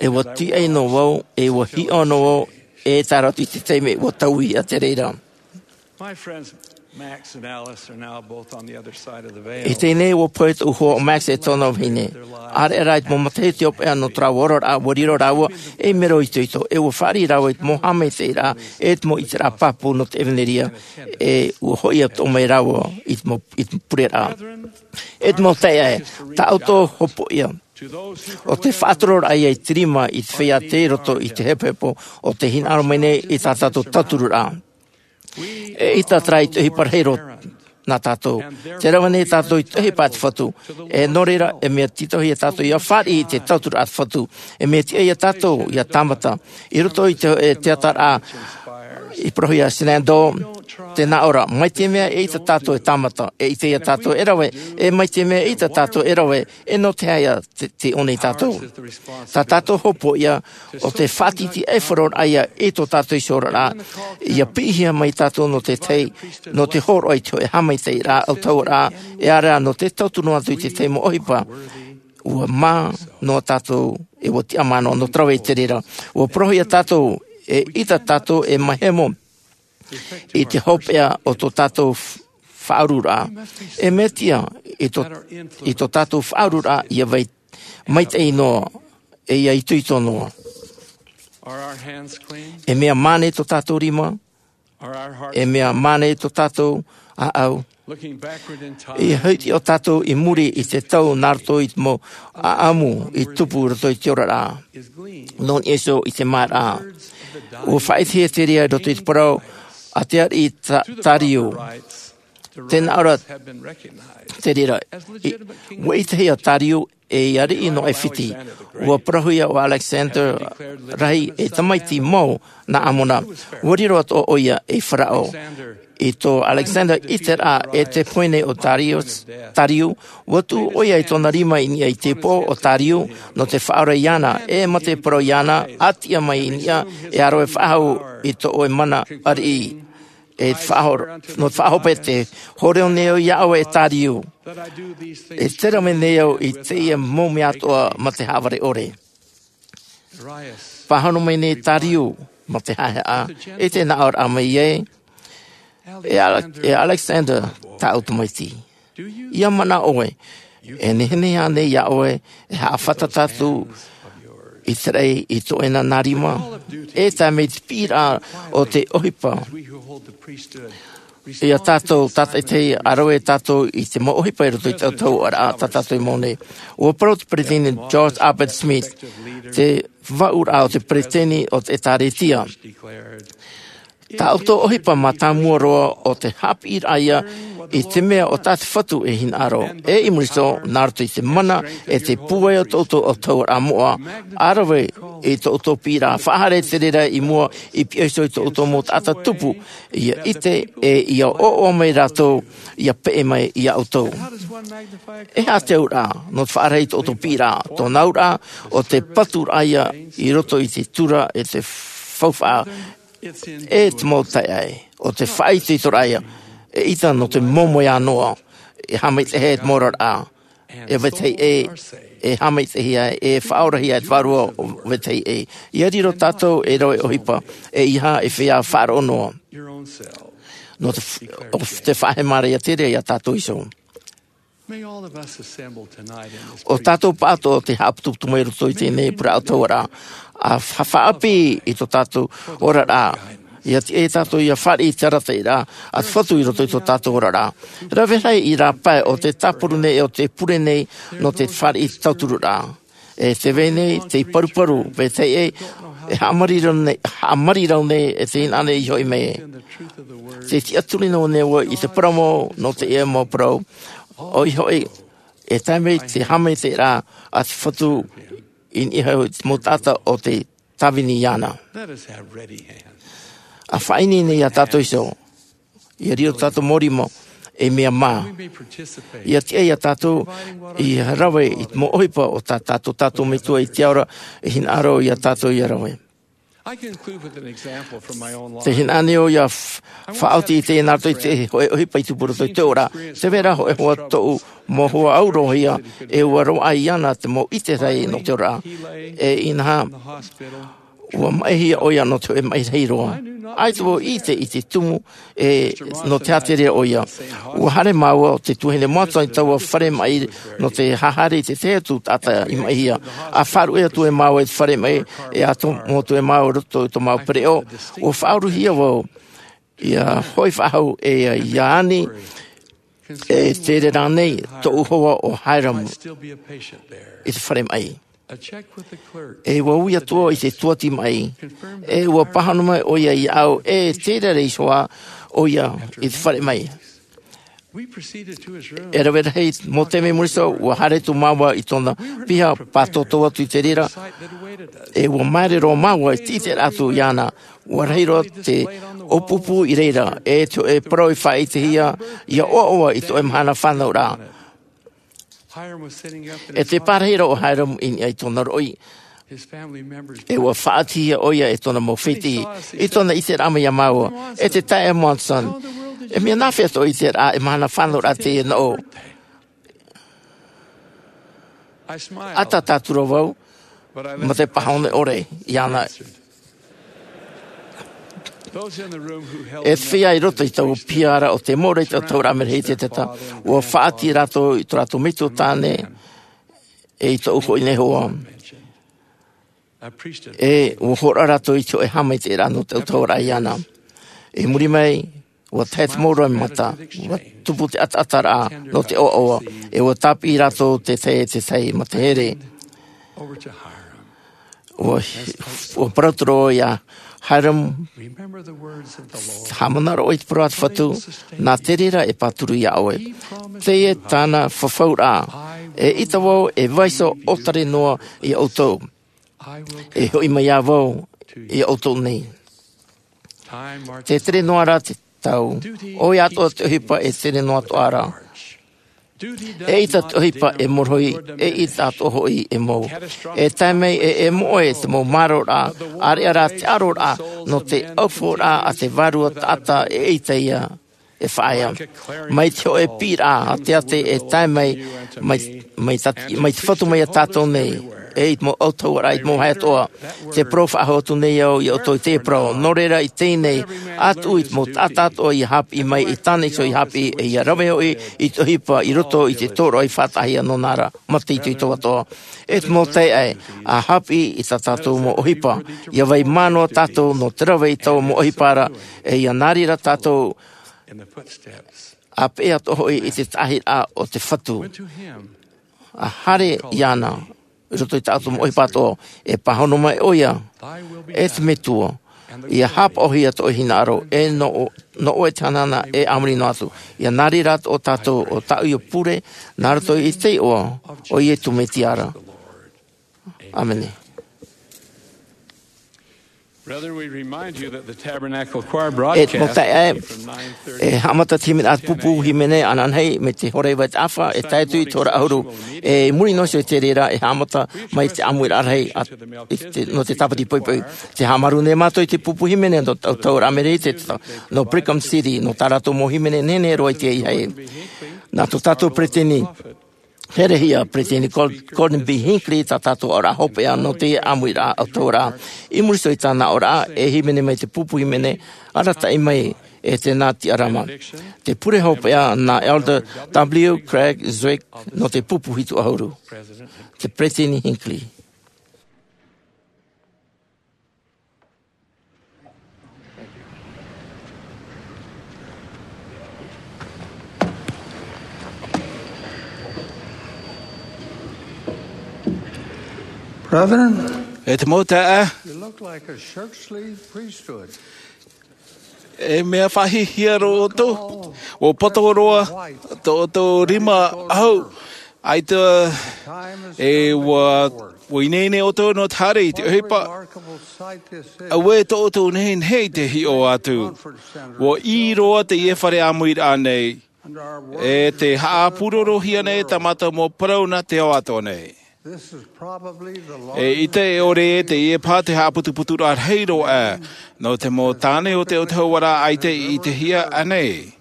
E ua tīaʻi noa vau, e ua hiʻo noa vau, e tae roa atu i te taime ua tauihia te reira. I teie nei, ua pohe tōʻu hoa ʻo Max e tōna vahine. ʻAreʻa rā i te mau matahiti hopeʻa nō tō rāua oraraʻa, ua riro rāua ei mero itoito, e ua fāriʻi rāua i te mau haʻamaitaʻiraʻa, e te mau ʻiteraʻa pāpū nō te ʻevanelia, e ua hoʻi atoʻa mai rāua i te mau, i te pureraʻa. E te mau taeaʻe, tā ʻoutou hopoiʻa, ʻo te faʻatororaʻa ia i te rima i te feiā tei roto i te hepohepo, ʻo tē hinaʻaro mai nei i tā tātou tautururaʻa. E ʻaita terā i te ʻohipa rahi roa nā tātou. Tē rave nei tātou i te ʻohipa a te Fatu. E nō reira, e mea tītauhia tātou ia fāriʻi i te tauturu a te Fatu. E mea tiʻa ia tātou ia tāmata. I roto i te, e, teata ra, i parauhia Shenandoah, Tē nā ʻō ra, mai te mea e ʻite tātou e tāmata, e ʻite ia tātou e rave, e mai te mea e ʻite tātou e rave, e nō te aha ia te, te ʻō nei tātou. Tā tātou hopoiʻa, ʻo te faʻatītīʻaifaro ia i tō tātou iho oraraʻa, ʻia piʻihia mai tātou nō te tahi, nō te hōroʻa i te hōʻē haʻamaitaʻiraʻa ʻautahuʻaraʻa, e ʻere nō te tauturu atu i te tahi mau ʻohipa, ʻua mā noa tātou, e ʻua tiʻamā noa, nō te rave i te reira. ʻUa parauhia tātou, e ʻite tātou, e maihemo, i te hopeʻa o tō tātou f-, faʻaururaʻa. E mea tiʻa, i tō, i tō tātou faʻaururaʻa, ʻia vai, maitaʻi noa, e ʻia itoito noa. E mea mā nei tō tātou rima, e mea mā nei tō tātou ʻāʻau. ʻIa hiʻo tātou i muri i te tau nā roto i te mau ʻāʻamu i tupu i roto i te oraraʻa. Nō niʻa iho i te māraʻa. ʻUa faʻaʻitehia te reira i roto i te parau a te ariʻi Ta-, Tāriu. Tē nā ʻō ra te reira, i, ʻua ʻitehia Tāriu e ʻia ariʻi nō ʻAifiti. ʻUa parauhia ʻo Alexander rahi e tamaiti mau nā ʻAmona. ʻUa riro atoʻa ʻoia ei Faraō. I tō Alexander ʻiteraʻa e te pohe nei o Tārius, Tāriu, ʻua tuʻu ʻoia i tōna rima i niʻa i te upoʻo o Tāriu, nō te faʻaora iāna, e mā te parau iāna, ʻa tiʻa mai i niʻa, e ʻa rave faʻahou i tō ʻoe mana ariʻi. E faʻahor-, nō te faʻahope te hōroʻa nei au iā ʻoe e Tāriu. E te rave nei au i teie mau mea atoʻa mā te haʻavare ʻore. Pāhono mai nei Tāriu, mā te haʻehaʻa, e te nā ʻō ra mai ai, e Ale-, e Alexander, tāʻu tamaiti. ʻIa manaʻo ʻoe, e nehenehe ānei iā ʻoe, e haʻafātata atu i te raʻi i tō ʻoe nā rima, e tae mai te piʻiraʻa o te ʻohipa. Ia tātou, tātaʻitahi, ʻa rave tātou i te mau ʻohipa i roto i te ʻautahuʻaraʻa, tā tātou i mau nei. ʻUa parau te Peresideni George Albert Smith, te vāuraʻa o te Peresideni o te ʻĒtārētia. Tā ʻoutou ʻohipa mātāmua roa ʻo te haʻapiʻiraʻa ia i te mea ʻo tā te Fatu e hinaʻaro. E i muri iho, nā roto i te mana, e te pūai o tō ʻoutou ʻautahuʻaraʻa moʻa, ʻa rave i tō ʻoutou piʻiraʻa, faʻahaere te reira i mua i pihaʻi iho i tō ʻoutou mau taʻata tupu, ʻia ʻite, e ʻia ʻoaʻoa mai rātou, ʻia peʻe mai iā ʻoutou. E aha te auraʻa, nō te faʻaʻite i tō ʻoutou piʻiraʻa, tōna auraʻa, ʻo te paturaʻa ia i roto i te tura, e te faufaʻa, e te mau taeaʻe, ʻo te faʻaitoitoraʻa ia, e ʻita nō te moemoeā noa, e haʻamaitaʻihia e te mau oraraʻa, e vetahi ʻē, e haʻamaitaʻihia, e faʻaorahia e te Vārua o vetahi ʻē. ʻIa riro tātou ei rave ʻohipa, e ʻeiaha e feiā faʻaroʻo noa. Nō te f-, ʻo te faʻahemaraʻa te reira iā tātou iho. ʻO tātou pāʻatoʻa te haʻaputuputu mai roto i teie nei pure ʻautahuʻaraʻa, ʻa fa-, faʻaʻapi i tō tātou oraraʻa. ʻIa tiʻa tātou ʻia fāriʻi i te arataʻiraʻa a te Fatu i roto i tō tātou oraraʻa. Rave rahi i rāpae ʻo te tāpura nei, ʻo te pure nei, nō te fāriʻi i te tautururaʻa. E te vai nei, tei paruparu, vetahi ʻē, e haʻamarirau nei, haʻamarirau nei, e te hinaʻaro i hoʻi mai. Tei tiʻaturi noa nei vau i te parau mau, nō teie mau parau, ʻoia hoʻi, e tae mai te haʻamaitaʻiraʻa a te Fatu i niʻa i te mau taʻata o tē tāvini iāna. ʻA faʻaineine iā tātou iho. ʻIa riro tātou mau rima, ei mea mā. ʻIa tiʻa iā tātou, ʻia rave i te mau ʻohipa o tā tātou, tātou Metua i te ao ra, e hinaʻaro iā tātou ʻia rave. Tē hinaʻaro nei au ʻia f-, faʻaoti i te nā roto i te hōʻē ʻohipa i tupu roto i te ora. Tē vai ra hōʻē hoa tōʻu mau hoa aurohia, e ʻua roaʻa iāna te mau ʻite rahi nō te ora. E inaha, ʻua maʻihia ʻoia nō te hōʻē maʻi rahi roa. ʻAita vau i ʻite i te tumu, e, nō te aha te reira ʻoia. ʻUa haere māua, te tuahine Monson, i taua fare maʻi nō te haere i te tahi atu taʻata i maʻihia. ʻA faʻaruʻe atu e māua i te fare maʻi, e ʻa tomo atu e māua i roto i tō māua pereʻoʻo. ʻUa faʻaurahia vau, ʻia hoʻi faʻahou e ia, ʻia ani, e te reira nei, tōʻu hoa ʻo Hyrum i te fare maʻi. E ʻua ui atu i te tuati maʻi, e ʻua pāhono mai ʻoia iāʻu, e te reira iho ā ʻoia i te fare maʻi. E rave rahi mau taime i muri iho, ua haere atu māua i tōna piha, pātōtō atu i te reira, ʻe ua māere roa māua i te ʻiteraʻa atu iāna. Ua rahi roa te ʻōpūpū i reira, ʻe te hōʻē parau i faʻaʻitehia, ʻia ʻoaʻoa i te hōʻē mahana fānauraʻa. E te pārahi roa ʻo Hyrum i niʻa i tōna roʻi. ʻE ua faʻaʻitehia ʻoia e tōna mau fētiʻi, i tōna ʻiteraʻa mai iā māua, e te taeaʻe Monson. E mea nāfea tō ʻiteraʻa, e mahana fānauraʻa teie nōʻu. ʻAta tātura vau, mā te pāhono ʻore iāna. E te feiā i roto i taua piha ra ʻo tē mōrī i te ʻautahuʻaraʻa Amerika i te tahi, ua faʻaʻite rātou i tō rātou metua tāne, ʻe i tōʻu hoʻi nei hoa. ʻE ua hōroʻa rātou i te hōʻē haʻamaitaʻiraʻa nō te ʻautahuʻaraʻa iāna. I muri mai, ua tae te mau roimata, ua tupu te ʻataʻataraʻa nō te ʻoaʻoa, ʻe ua tāpiʻi rātou te tahi e te tahi mā te here. Ua, ua parau atu ra iā Hyrum, haʻamanaʻo i te parau a te Fatu, nā te reira e pāturu iā ʻoe. Teie tāna fafauraʻa, e ʻita vau e vaiiho ʻōtare noa iā ʻoutou. E hoʻi mai ā vau iā ʻoutou nei. Tē tere noa ra te tau, ʻoia atoʻa te ʻohipa e tere noa atoʻa ra. E ʻita te ʻohipa e morohi, e ʻita atoʻa hoʻi e mou. E tae mai e, e moʻe te mau māraroraʻa, ʻāreʻa rā te ʻaroraʻa nō te ʻaufauraʻa a te Vārua Taʻata e ʻaita ia e faʻaea. Mai te hōʻē piʻiraʻa āteate e tae mai, mai, mai ta-, mai te Fatu mai iā tātou nei, ʻe i te mau ʻautahuʻaraʻa i te mau vāhi atoʻa. Te parau faʻahou atu nei au iā ʻoutou i teie parau. Nō reira i teie nei, ʻa tuʻu i te mau taʻata atoʻa ʻia haʻapiʻi mai, i tāna iho ʻia haʻapiʻi, ʻe ʻia rave hoʻi i te ʻohipa i roto i te tōroʻa i faʻataʻahia nōna ra mā te itoito atoʻa. E te mau taeaʻe, ʻa haʻapiʻi i tā tātou mau ʻohipa, ʻia vai mā noa tātou nō te rave i taua mau ʻohipa ra, ʻe ʻia nā reira tātou ʻa peʻe atoʻa hoʻi i te taʻahiraʻa o te Fatu. ʻA haere iāna i roto i tā ʻoutou mau ʻohipa atoʻa, e pāhono mai ʻoia, e te Metua, ʻia haʻapaʻohia tō ʻoe hinaʻaro, ʻe nō, nō ʻoe te hanahana, ʻe a muri noa atu. ʻIa nā reira atoʻa tātou ʻo tāʻu iho pure, nā roto i te iʻoa o Iesu Mesia ra. ʻĀmene. Brethren, we remind you that the Tabernacle Choir E te mau broadcast taeaʻe, e haʻamata te hīmene, ā, te pupu hīmene ananahi mai te hora iva i te ʻāfa, e tae atu i te hora ʻahuru. E i muri noa iho i te reira, e haʻamata mai te ʻāmuiraʻa rahi a, i te, nō te tāpati poʻipoʻi. Tē haʻamāuruuru nei mātou i te pupu hīmene nō te ʻautahuʻaraʻa Amerika i te tahi, nō Brigham City, nō tā rātou mau hīmene nehenehe roa i te ʻahiʻahi. Nā tō tātou peresideni herehia, Peresideni Gord-, Gordon B. Hinckley, tā tātou aʻoraʻa hopeʻa nō te ʻāmuiraʻa ʻautahuʻaraʻa. I muri iho i tāna aʻoraʻa, e hīmene mai te pupu hīmene arataʻi mai e te nā tiʻarama. Te pure hopeʻa nā Elder W. Craig Zwick nō te pupu hitu ʻahuru. Te Peresideni Hinckley. Brethren, e te mau taeaʻe, you look like a shirt sleeve priesthood. E mea faʻahihia roa ʻoutou, ʻua poto roa tō ʻoutou rima ʻahu, ʻaita e ʻua, ʻua ineine ʻoutou nō te haere i te ʻohipa. Auē tō ʻoutou nehenehe i te hiʻo atu. ʻUa ʻī roa teie fare ʻāmuiraʻa nei. E tē haʻapūrorohia nei tā mātou mau parau nā te ao atoʻa nei. E ʻite e ʻore ē teie paha te haʻaputuputuraʻa rahi roa aʻe nō te mau tāne o te ʻautahuʻaraʻa ʻaita i ʻitehia ānei.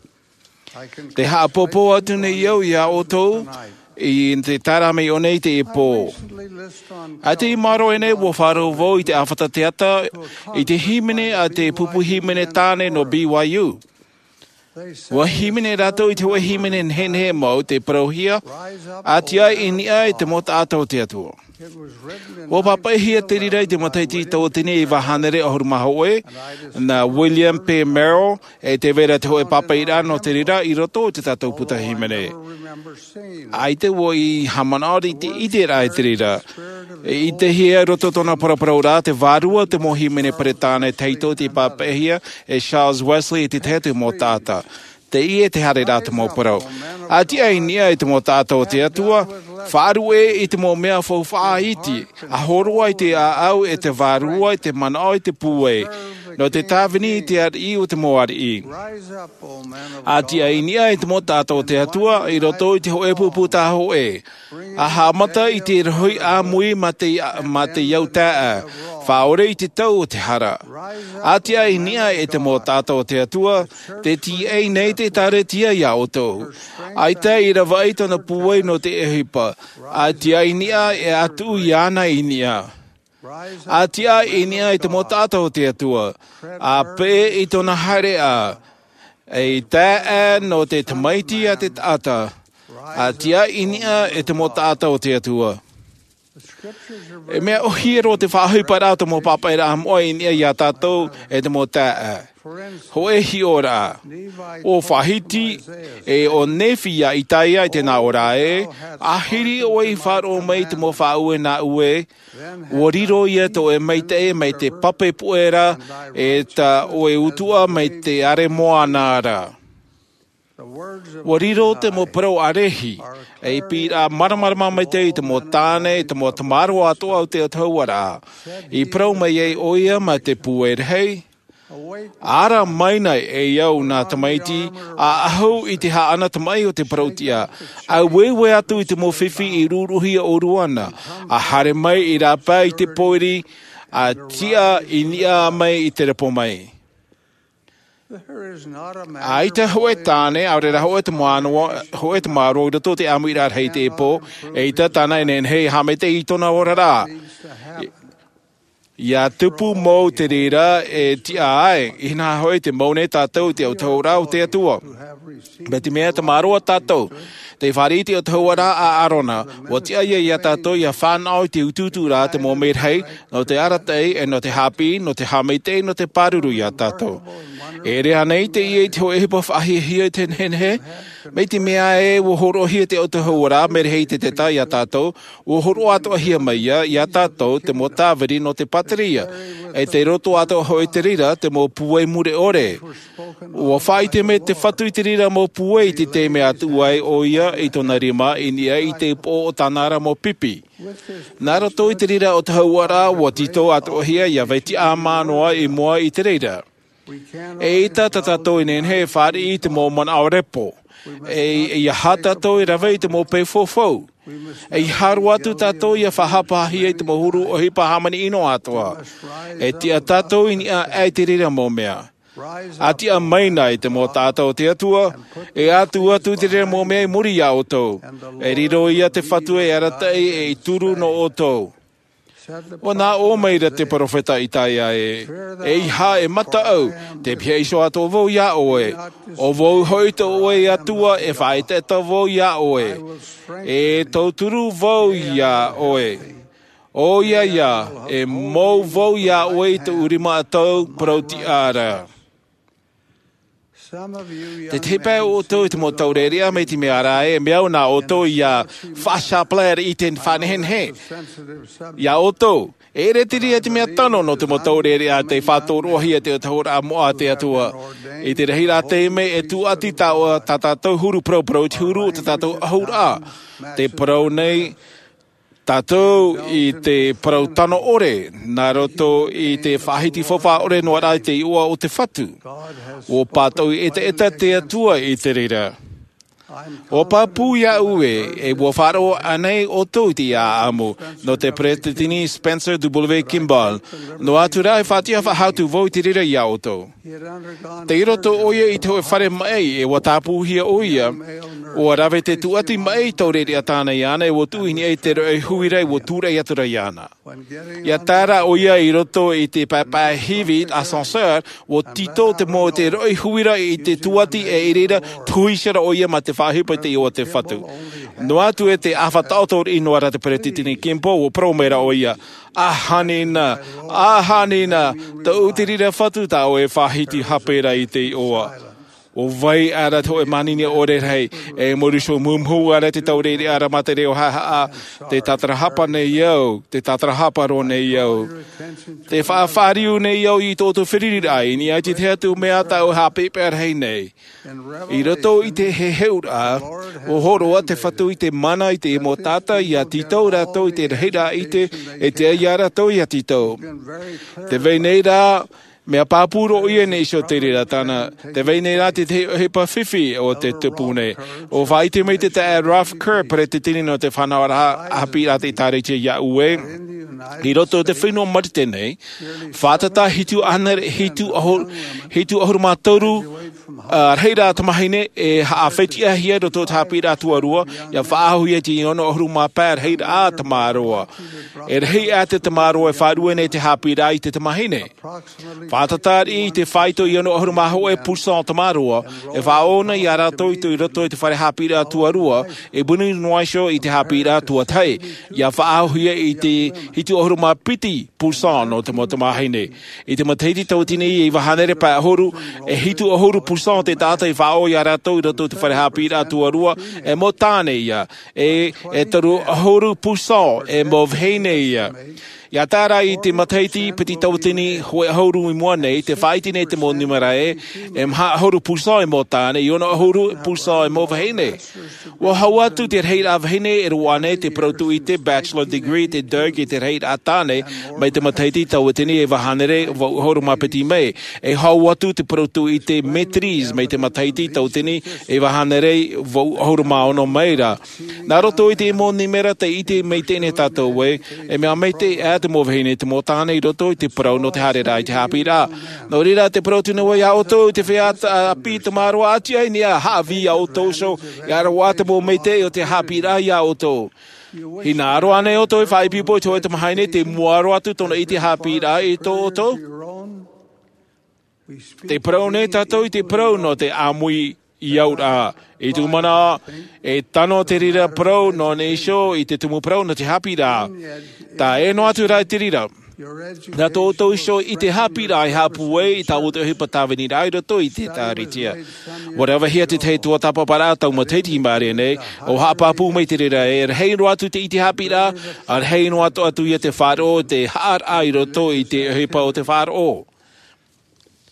Tē haʻapōpō atu nei au iā ʻoutou i te taeraʻa mai ʻō nei i teie pō. ʻAita i maoro aʻenei, ʻua faʻaroʻo vau i te ʻāfata teata i te hīmene a te pupu hīmene tāne nō B Y U. ʻUa hīmene rātou i te hōʻē hīmene nehenehe mau tei parauhia, ʻAti aʻe i niʻa i te mau taʻata o te Atua. ʻUa pāpaʻihia te reira i te matahiti tauatini e iva hānere ʻahuru mā hōʻē, nā William P. Merrill, e tē vai ra te hōʻē pāpaʻiraʻa nō te reira i roto i tā tātou puta hīmene. ʻAita vau i haʻamanaʻo i te ʻiteraʻa i te reira. E ʻitehia i roto i tōna paraparauraʻa te vārua o te mau hīmene Peretāne tahito tei pāpaʻihia e Charles Wesley e te tahi atu mau taʻata. Teie te haere rā te mau parau. A tiʻa i niʻa i te mau taʻata o te Atua, faʻaruʻe i te mau mea faufaʻa iti, a hōroa i te ʻāʻau e te vārua, i te manaʻo, i te pūai, nō te tāvini i te ariʻi o te mau ariʻi. A tiʻa i niʻa i te mau taʻata o te Atua, i roto i te hōʻē pupu tā hōʻē. A haʻamata i te rohi ʻāmui mā te, mā te au taʻa, faʻaore i te tau o te hara. A tiʻa i niʻa i te mau taʻata o te Atua, te tiʻai nei te ʻĒkālesia iā ʻoutou. ʻAita i ravaʻi tōna pūai nō te ʻohipa. A tiʻa i niʻa e atu iāna i niʻa. A tiʻa i niʻa i te mau taʻata o te Atua. A peʻe i tōna haereʻa. E taʻa nō te tamaiti a te taʻata. A tiʻa i niʻa i te mau taʻata o te Atua. E mea ʻohie roa te faʻaʻohiparaʻa o te mau pāpaʻiraʻa moʻa i niʻa iā tātou e te mau taʻa. Hōʻē hiʻoraʻa. ʻO Vahiti, e ʻo Nephi iā Isaia i te nā ʻō ra ē, ʻāhiri ʻoe i faʻaroʻo mai i te mau faʻaue nā ʻue, ʻua riro ia tō ʻoe maitaʻi mai te pape puʻe ra, e tā ʻoe utuʻa mai te ʻare moana ra. ʻUa riro te mau parau a Lehi, ei pīraʻa māramarama maitaʻi i te mau tāne, i te mau tamaroa atoʻa o te autahuʻaraʻa. I parau mai ai ʻoia mā te pūai rahi, ara mai nei e au nā tamaiti, a ahu i te haʻana tamaʻi o te parau-tiʻa. A ueue atu i te mau fifi i rūruhia ʻōrua na, a haere mai i rāpae i te pōiri, a tiʻa i niʻa mai i te repo mai. ʻAita hōʻē tāne, ʻaore rā hōʻē tamaroa, hōʻē tamaroa i roto i te ʻāmuiraʻa rahi i teie pō, eʻita tāna e nehenehe e haʻamaitaʻi i tōna oraraʻa. ʻIa tupu mau te reira e tiʻa ai, ʻinaha hoʻi te mau nei tātou i te autahuʻaraʻa o te Atua. Mai te mea e tamaroa tātou, tei fāriʻi i te autahuʻaraʻa a ʻĀrona, ʻua tiʻa ia iā tātou ʻia fānaʻo i te utuuturaʻa te mau merahi, nō te arataʻi, e nō te haʻapiʻi, nō te haʻamaitaʻi, nō te pāruru iā tātou. E ʻere ānei teie i te hōʻē ʻohipa faʻahiahia i te nehenehe? Mai te mea ē ʻua hōroʻahia te autahuʻaraʻa merahi i te teta iā tātou, ʻua hōroʻa atoʻahia mai ia, iā tātou te mau tāviri nō te pātireia, e tei roto atoʻa hoʻi i te reira te mau pūai mure ʻore. ʻUa faʻaʻite mai te Fatu i te reira mau pūai i te taime a tuʻu ai ʻoia i tōna rima i niʻa i te upoʻo o tāna ra mau pipi. Nā roto i te reira autahuʻaraʻa ʻua tītau atoʻahia ia vai tiʻamā noa i mua i te reira. ʻEita tā tātou e nehenehe e fāriʻi i te mau manaʻo repo. E, ʻeiaha tātou e rave i te mau peu faufau. ʻEiaha roa atu tātou ʻia faʻahapahia i te mau huru ʻohipa hāmani ʻino atoʻa. E tiʻa tātou i niʻa aʻe i te reira mau mea. A tiʻa mai nei te mau taʻata o te Atua, e atu atu te reira mau mea i muri iā ʻoutou. E riro ia te Fatu e arataʻi e i turu nō ʻoutou. ʻUa nā ʻō mai ra te peropheta Isaia ē, ʻeiaha e mataʻu, tei pihaʻi iho atoʻa vau iā ʻoe. ʻO vau hoʻi tō ʻoe Atua, e faʻaʻetaʻeta vau iā ʻoe. E tauturu vau iā ʻoe. ʻOia ia, e mou vau iā ʻoe i tōʻu rima ʻatau parau-tiʻa ra. Te tahi pae o ʻoutou i te mau taurearea mai te mea ra e mea au nā ʻoutou ʻia faʻasapalai i te faʻanehenehe. Iā ʻoutou, e ʻere te reira te mea tano nō te mau taurearea tei faʻatoroʻahia te autahuʻaraʻa moʻa a te Atua. I te rahiraʻa taime e tūʻati tā, tā tātou huru parauparau i te huru o tā tātou ʻahuraʻa. Te parau nei, tātou i te parau tano ʻore, nā roto i te faʻahiti faufaʻa ʻore noa rā i te iʻoa o te Fatu. ʻUa pātoʻi ʻetaʻeta te Atua i te reira. ʻUa pāpū iāʻu ē, e ʻua faʻaroʻo ānei ʻoutou i te ʻāʻamu, nō te Peresideni Spencer W. Kimball, noa atu rā e faʻatiʻa faʻahou atu vau i te reira iā ʻoutou. Tei roto ʻoia i te hōʻē fare maʻi, e ʻua tāpūhia ʻoia, ʻua rave te tūʻati maʻi i te taurearea tāna iāna, e ʻua tuʻu i niʻa i te roʻi huira, e ʻua tūraʻi atu ra iāna. ʻIa tae ra ʻoia i roto i te paepae hivi ascenseur, ʻua tītau te mau te roʻi huira i te tūʻati e i reira, tuʻu iho ra ʻoia mā te faʻaʻohipa i te iʻoa o te Fatu. Noa atu e te ʻāfa taʻoto riʻi noa ra te Peresideni Kimball, ʻua parau mai ra ʻoia, ʻAhani na, ʻahani na, tōʻu te reira Fatu tā ʻoe e faʻahiti hape ra i te iʻoa. ʻO vai ʻara te hōʻē manini ʻore rahi, e mōrī iho mumuhu ʻara te taureʻareʻa ʻara mā te reo haʻahaʻa, te tātarahapa nei au, te tātarahapa roa nei au. Te faʻafāriu nei au i tō ʻoutou feruriraʻa, i niʻa i te tahi atu mea tāʻu e haʻapeʻapeʻa rahi nei. I roto i te heheuraʻa, ʻua hōroʻa te Fatu i te mana i te mau taʻata ia tītau rātou i te rahiraʻa ʻite, e tiʻa ia rātou ia tītau. Tē vai nei rā, mea pāpū roa ʻoia nei iho te reira tāna. Tē vai nei rā te tahi ʻohipa fifi o te tupu nei. ʻUa faʻaʻite mai te taeaʻe Ralph Kerr, peretiteni nō te fānauraʻa haʻapiʻiraʻa te ʻĒtārētia iāʻu ē, i roto i te fenua Marite nei, fātata hitu ʻahuru, hitu ʻahuru, hitu ʻahuru mā toru, ā, rahiraʻa tamāhine e haʻafetiʻahia i roto i te haʻapiʻiraʻa tuarua, ʻia faʻaauhia i te ono ʻahuru mā pae rahiraʻa tamāroa. E rahi ā te tamāroa e faʻarue nei te haʻapiʻiraʻa i te tamāhine. Fātata riʻi i te faito i ono ʻahuru mā hōʻē pūsā o tamāroa, e faʻaō na ia rātou i tō, i roto i te fare haʻapiʻiraʻa tuarua, e puni noa iho i te haʻapiʻiraʻa tuatahi, ʻia faʻaauhia i te hitu ʻahuru mā piti pūsā nō te mau tamāhine. I te matahiti tauatini e iva hānere pae ʻahuru, e hitu ʻahuru pūsā o te taʻata i faʻaō ia rātou i roto i te fare haʻapiʻiraʻa tuarua, e mau tāne ia, e, e toru ʻahuru pūsā e mau vahine ia. ʻIa tae rā i te matahiti piti tauatini hōʻē ʻahuru i mua nei, tē faʻaʻite nei te mau nūmera ē, e maha ʻahuru pūsā e mau tāne, e ono ʻahuru pūsā e mau vahine. ʻUa hau atu te rahiraʻa vahine e roaʻa nei te parau tūʻite, bachelor degree, te DEUG, i te rahiraʻa tāne, mai te matahiti tauatini e iva hānere vaʻu ʻahuru mā piti mai. E hau atu te parau tūʻite maîtrise mai te matahiti tauatini e iva hānere vaʻu ʻahuru mā ono mai rā. Nā roto i te mau nūmera tē ʻite maitaʻi nei tātou ē, e mea maitaʻi ā te mau vahine, te mau tāne i roto i te parau nō te haereraʻa i te haʻapiʻiraʻa. Nō reira, tē parau atu nei au ia ʻoutou i te feiā ʻāpī tamāroa, ʻa tiʻa i niʻa, haʻavī ia ʻoutou iho, ʻia roaʻa te mau maitaʻi o te haʻapiʻiraʻa ia ʻoutou. Hinaʻaro ānei ʻoutou e faʻaipoipo i te hōʻē tamāhine, tei mua roa atu tōna ʻite haʻapiʻiraʻa i tō ʻoutou? Tē parau nei tātou i te parau nō te ʻāmui i au ra. I tū manaʻo, e tano te reira parau nō nei iho i te tumu parau nō te haʻapiʻiraʻa. Tae noa atu rā i te reira, nā tō ʻoutou iho ʻite haʻapiʻiraʻa e haʻapūai i tā ʻoutou ʻohipa tāviniraʻa i roto i te ʻĒtārētia. ʻUa ravehia te tahi tuatāpaparaʻa tau matahiti i maʻiri nei, ʻua haʻapāpū mai te reira ē, e rahi noa atu te ʻite haʻapiʻiraʻa, ʻa rahi noa atu ia te faʻaroʻo, te haʻaraʻa i roto i te ʻohipa o te faʻaroʻo.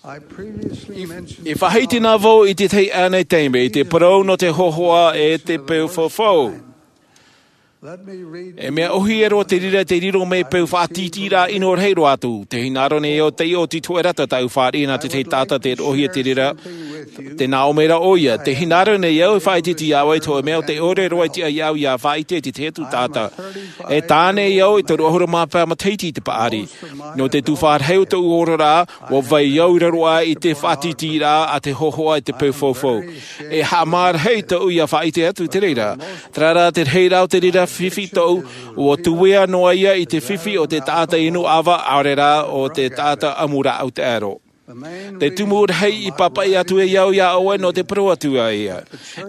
I, i faʻaʻite na vau i te tahi anaʻe taime i te parau nō te hōhoʻa e te peu faufaʻa. E mea ʻōhie roa te reira tei riro mai peu faʻatītīraʻa ʻino rahi roa atu. Tē hinaʻaro nei au tei ʻō tītau e rata tāʻu fāriʻi nā te tahi taʻata tē roʻohia te reira, tē nā ʻō mai ra ʻoia. Tē hinaʻaro nei au e faʻaʻiteʻite iā ʻoe i te hōʻē mea ʻo tē ʻore roa e tiʻa iā ʻoe ʻia faʻaʻite i te tahi atu taʻata. E tāne au e toru ʻahuru mā pae matahiti i te paʻari. Nō te tuhaʻa rahi o tōʻu oraraʻa, ʻua vai au i raro aʻe i te faʻatītīraʻa a te hōhoʻa e te peu faufaʻa. E haʻamārahi tōʻu ʻia faʻaʻite atu i te reira. Terā rā te rahiraʻa o te reira fifi tōʻu, ʻua tuea noa ia i te fifi o te taʻata inu ʻava, ʻaore rā ʻo te taʻata ʻamu rāʻau taʻero. Te tumu rahi i pāpaʻi atu ai au iā ʻoe nō te parau atu ai ē.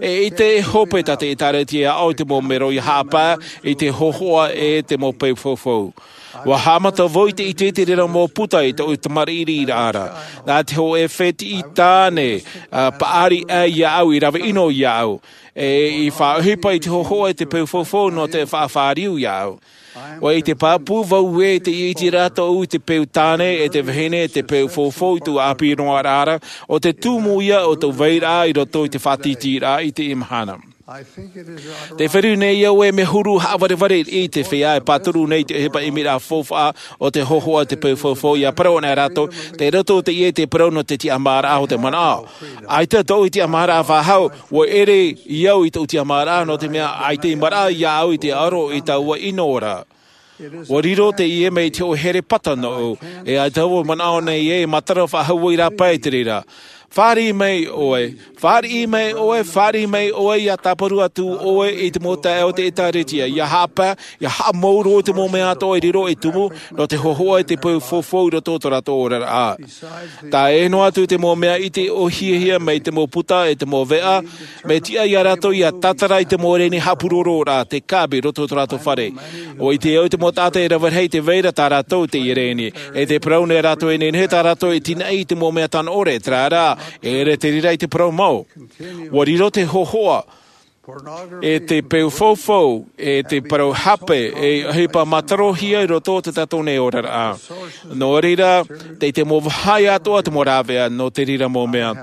E ʻite e hope tā te ʻĒtārētia iā ʻoe i te mau mero ʻia haʻapae i te hōhoʻa e te mau peu faufaʻa. ʻUa haʻamata vau i te ʻite i te reira mau puta i tōʻu tamariʻiraʻa ra. Nā te hōʻē fētiʻi tāne, ā, paʻari aʻe iāʻu, i rave ʻino iāʻu. E i faʻaʻohipa i te hōhoʻa e te peu faufaʻa nō te faʻafāriu iāʻu. ʻUa ʻite pāpū vau ē, tē ʻite ra tōʻu i te peu tāne, e te vahine, e te peu faufaʻa i tōʻu ʻāpī noa ra, ʻo te tumu ia o tōʻu vairaʻa i roto i te faʻatītīraʻa i teie mahana. Tē feruri nei au ē, mea huru haʻavarevare i te feiā e pāturu nei i te ʻohipa ʻimiraʻa faufaʻa o te hōhoʻa e te peu faufaʻa, ʻia parau ana rātou, tei roto teie i te parau nō te tiʻamāraʻa o te manaʻo. ʻAita tōʻu tiʻamāraʻa faʻahou, ʻua ʻere au i tōʻu tiʻamāraʻa, nō te mea ʻaita i maraʻa iāʻu i te aro i taua ʻino ra. ʻUa riro teie mai i te hōʻē here pata nōʻu, e ʻaita vau e manaʻo nei ē, e matara faʻahou ai rā paʻi te reira. Fāriʻi mai ʻoe, fāriʻi mai ʻoe, fāriʻi mai ʻoe, ʻia tāparu atu ʻoe i te mau taeaʻe o te ʻĒtārētia, ʻia haʻapae, ʻia haʻamau roa i te mau mea atoʻa e riro e tumu, nō te hōhoʻa e te peu faufaʻa i roto i tō rātou oraraʻa. Tae noa atu te mau mea ʻite ʻōhiehia mai te mau puta e te mau veʻa, mea tiʻa iā rātou ʻia tātara i te mau reni haʻapurororaʻa, te kābe i roto i tō rātou fare. ʻUa ʻite au i te mau taʻata e rave rahi tē vai ra tā rātou i teie reni. E tē parau nei rātou e nehenehe tā rātou e tinaʻi i te mau mea tano ʻore, terā rā, E ʻere te reira i te parau mau. ʻUa riro te hōhoʻa, e te peu faufau, e te parau hape, e ʻohipa mātarohia i roto o te tātou nei oraraʻa. Nō reira, tei te mau vāhi atoʻa te mau rāveʻa nō te reira mau mea.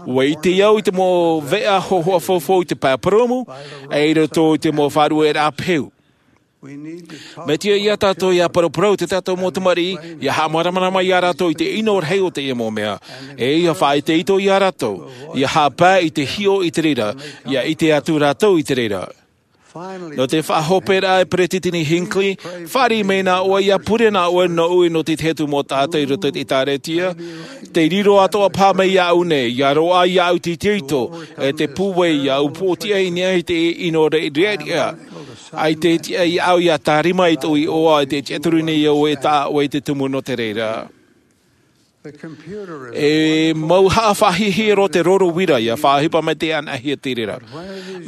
ʻUa ʻite au i te mau veʻa hōhoʻa faufau i te pae purūmu, e i roto i te mau faʻarueraʻa peu. Mea tiʻa ia tātou ʻia paraparau i tā tātou mau tamariʻi, ʻia haʻamāramarama ia rātou i te ʻino rahi o teie mau mea. E ʻia faʻaitoito ia rātou, ʻia haʻapae i te hiʻo i te reira, ʻia ʻite atu rātou i te reira. Nō te faʻahoperaʻa e Peresideni Hinckley, fāriʻi mai nā ʻoe ʻia pure nā ʻoe nōʻu nō te tahi atu mau taʻata i roto i te ʻĒtārētia, tei riro atoʻa paha mai iāʻu nei, ʻia roaʻa iāʻu te itoito, e te pūai iāʻu pōtiʻa i niʻa i te ʻino riʻariʻa. ʻAita e tiʻa iāʻu ʻia tārima i tōʻu iʻoa, e te tiʻaturi nei au e tā ʻoe i te tumu nō te reira. E mau haʻafaʻahiahia roa te roro uira, ʻia faʻaʻohipa mai te anaʻanahia te reira.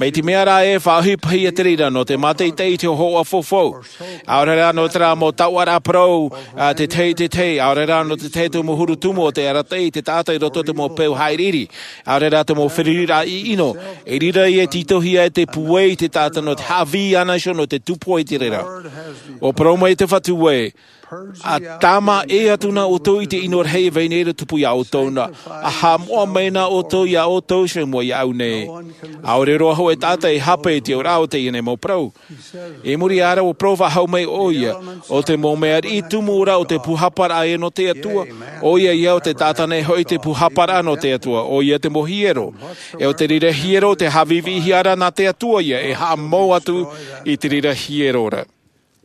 Mai te mea rā e faʻaʻohipahia te reira nō te mātaʻitaʻi i te hōhoʻa faufau. ʻAore rā nō terā mau taoʻaraʻa parau, a, te tahi, te tahi, ʻaore rā nō te tahi tumu huru tumu o te arataʻi i te taʻata i roto i te mau peu haʻiriʻiri. ʻAore rā te mau feruriraʻa ʻino, i reira ia e tītauhia ai te pūai i te taʻata nō te haʻavī iāna iho nō te tupu i te reira. ʻUa parau mai te Fatu ē, ʻa tāmā ʻē atu nā ʻoutou i te ʻino rahi e vai nei ra tupu iā ʻoutou na, ʻa haʻamoʻa mai nā ʻoutou iā ʻoutou iho i mua iāʻu nei. ʻAore roa hoʻi taʻata e hape i te oraraʻa o teie nei mau parau. I muri aʻe ra ʻua parau faʻahou mai ʻoia, ʻo te mau mea riʻi tumu ra o te pūhaparaʻa ē nō te Atua, ʻoia ia ʻo te taʻata nei hoʻi te pūhaparaʻa nō te Atua, ʻoia te mau hiero. E ʻo te reira hiero te haʻavīvīhia ra nā te Atua ia e haʻamau atu i te reira hiero ra.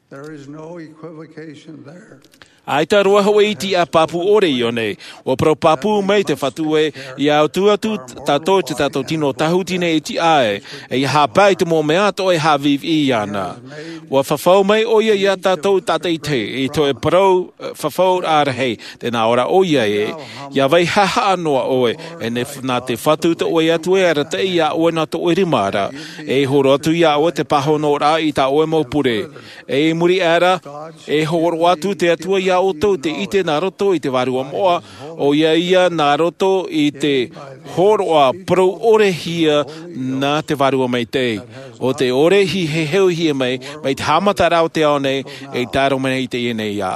There is no equivocation there. ʻAita roa hoʻi tiʻa pāpū ʻore i ʻō nei. ʻUa parau pāpū mai te Fatu ē, ʻia ʻutuʻutu tātou i tā tātou tino tāhuti nei e tiʻa ai, e ʻia haʻapae i te mau mea atoʻa e haʻavīvī iāna. ʻUa fafau mai ʻoia iā tātou tātaʻitahi, i tō ʻoe parau, e, fafauraʻa rahi, tē nā ʻō ra ʻoia ē, ʻia vai haʻahaʻa noa ʻoe, e ne f-, nā te Fatu tō ʻoe Atua e arataʻi iā ʻoe nā tō ʻoe rima ra, e horo atu iā ʻoe te pāhonoraʻa i tā ʻoe mau pure. E i muri aʻe ra, e hōroʻa atu te Atua iā ʻoutou te ʻite nā roto i te Vārua Moʻa, ʻoia ia nā roto i te hōroʻa parau ʻorehia nā te Vārua Maitaʻi. ʻO te ʻore i heheuhia mai, mai te haʻamataraʻa o te ao nei, e tae roa mai i teie nei ā.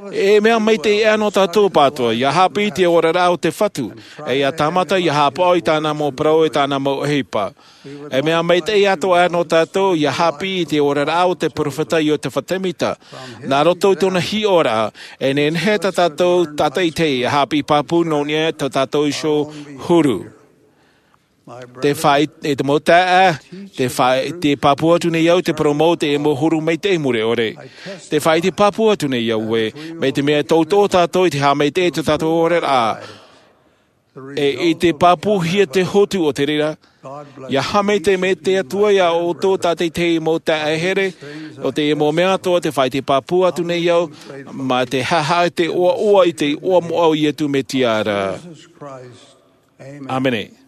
E mea maitaʻi aʻe nō tātou pātoa, ʻia haʻapiʻi i te oraraʻa o te Fatu, e ʻia tāmata ʻia haʻapaʻo i tāna mau parau e tāna mau ʻohipa. E mea maitaʻi atoʻa aʻe nō tātou, ʻia haʻapiʻi i te oraraʻa o te peropheta Iotefa Temita. Nā roto i tōna hiʻoraʻa, e nehenehe tā tātou tātaʻitahi, ʻia haʻapiʻi pāpū nō niʻa i tā tātou iho huru. Te faʻi-, e te mau taeaʻe, te faʻi-, tē pāpū atu nei au te parau mau o te mau huru maitaʻi mure ʻore. Te faʻi-, tē pāpū atu nei au ē, mai te mea e tauturu tātou i te haʻamaitaʻi i tā tātou oraraʻa. E, i te pāpūhia te hotu o te reira. ʻIa haʻamaitaʻi mai te Atua iā ʻoutou tātaʻitahi mau taeaʻe here, ʻo te mau mea atoʻa te faʻi-, tē pāpū atu nei au, mā te haʻahaʻa i te ʻoaʻoa i te iʻoa moʻa o Iesu Mesia ra. ʻĀmene.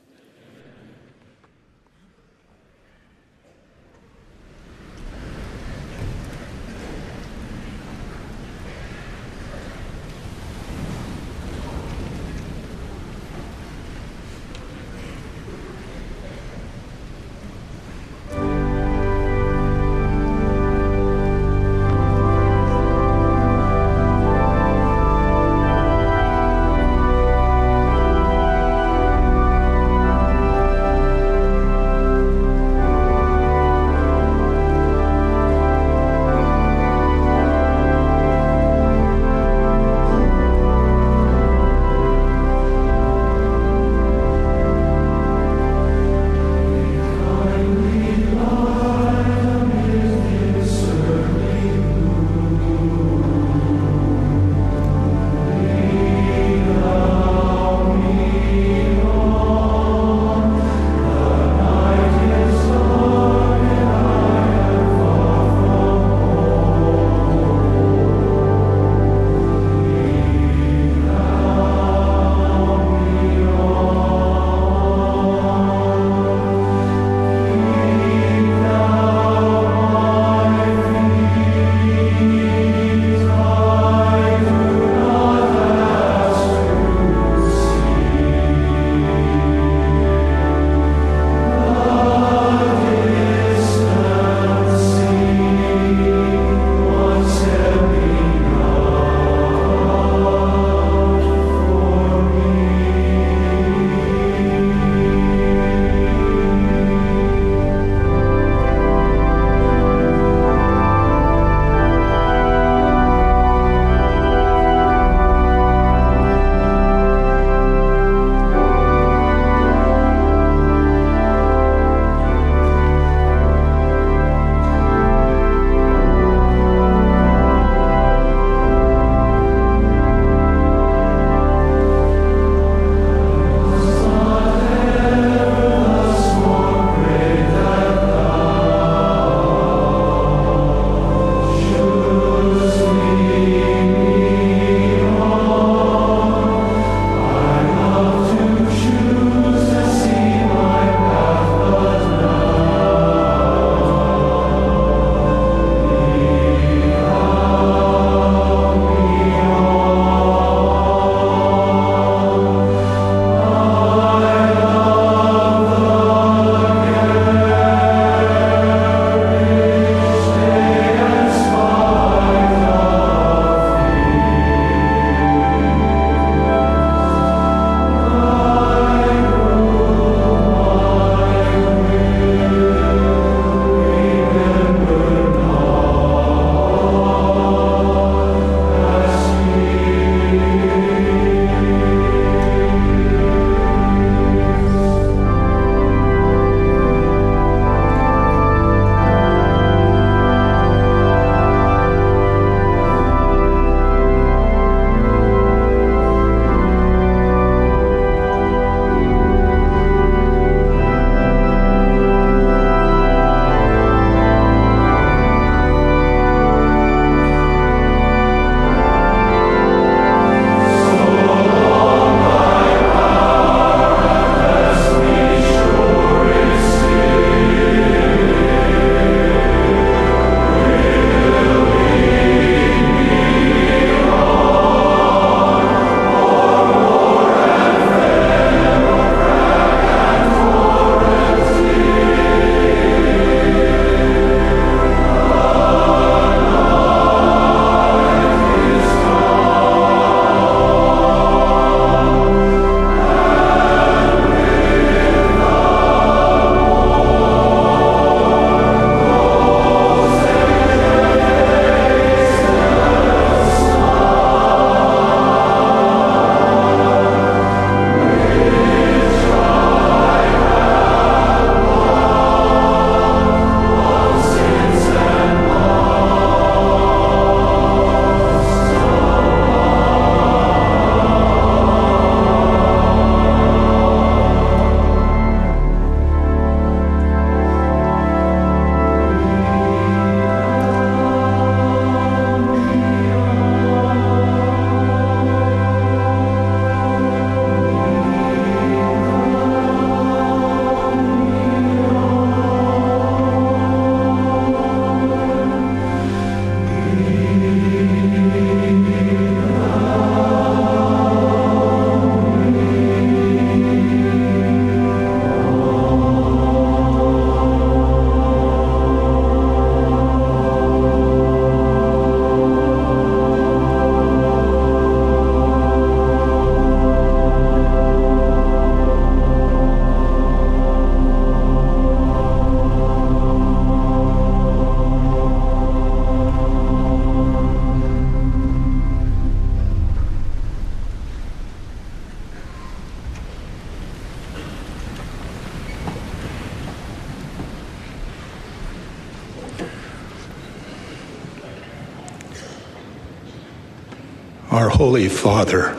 Our Holy Father,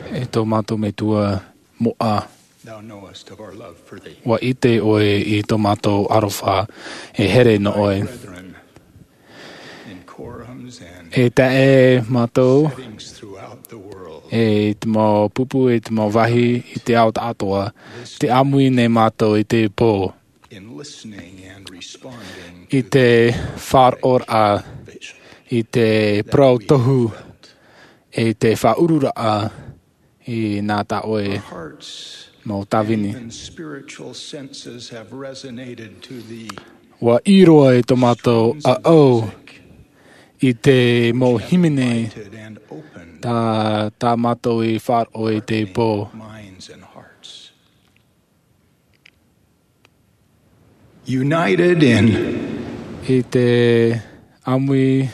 E tō mātou Metua moʻa, thou knowest of our love for thee. ʻUa ʻite ʻoe i tō mātou aroha e here nō ʻoe. Brethren, in quorums and E taeaʻe mātou, settings throughout the world, e i te mau pupu, e i te mau vāhi, i te ao tāʻātoa, tē ʻāmui nei mātou i te pō. In listening and responding I te faʻaroʻoraʻa, i te parau tohu, i te faʻaururaʻa, i nā tā ʻoe Our hearts mau tāvini. And spiritual senses have resonated to thee. ʻUa ʻī roa i tō mātou ʻāʻau, i te mau hīmene, Invited and open tā, tā mātou i faʻaroʻo i te pō. Minds and hearts. United in I te ʻāmui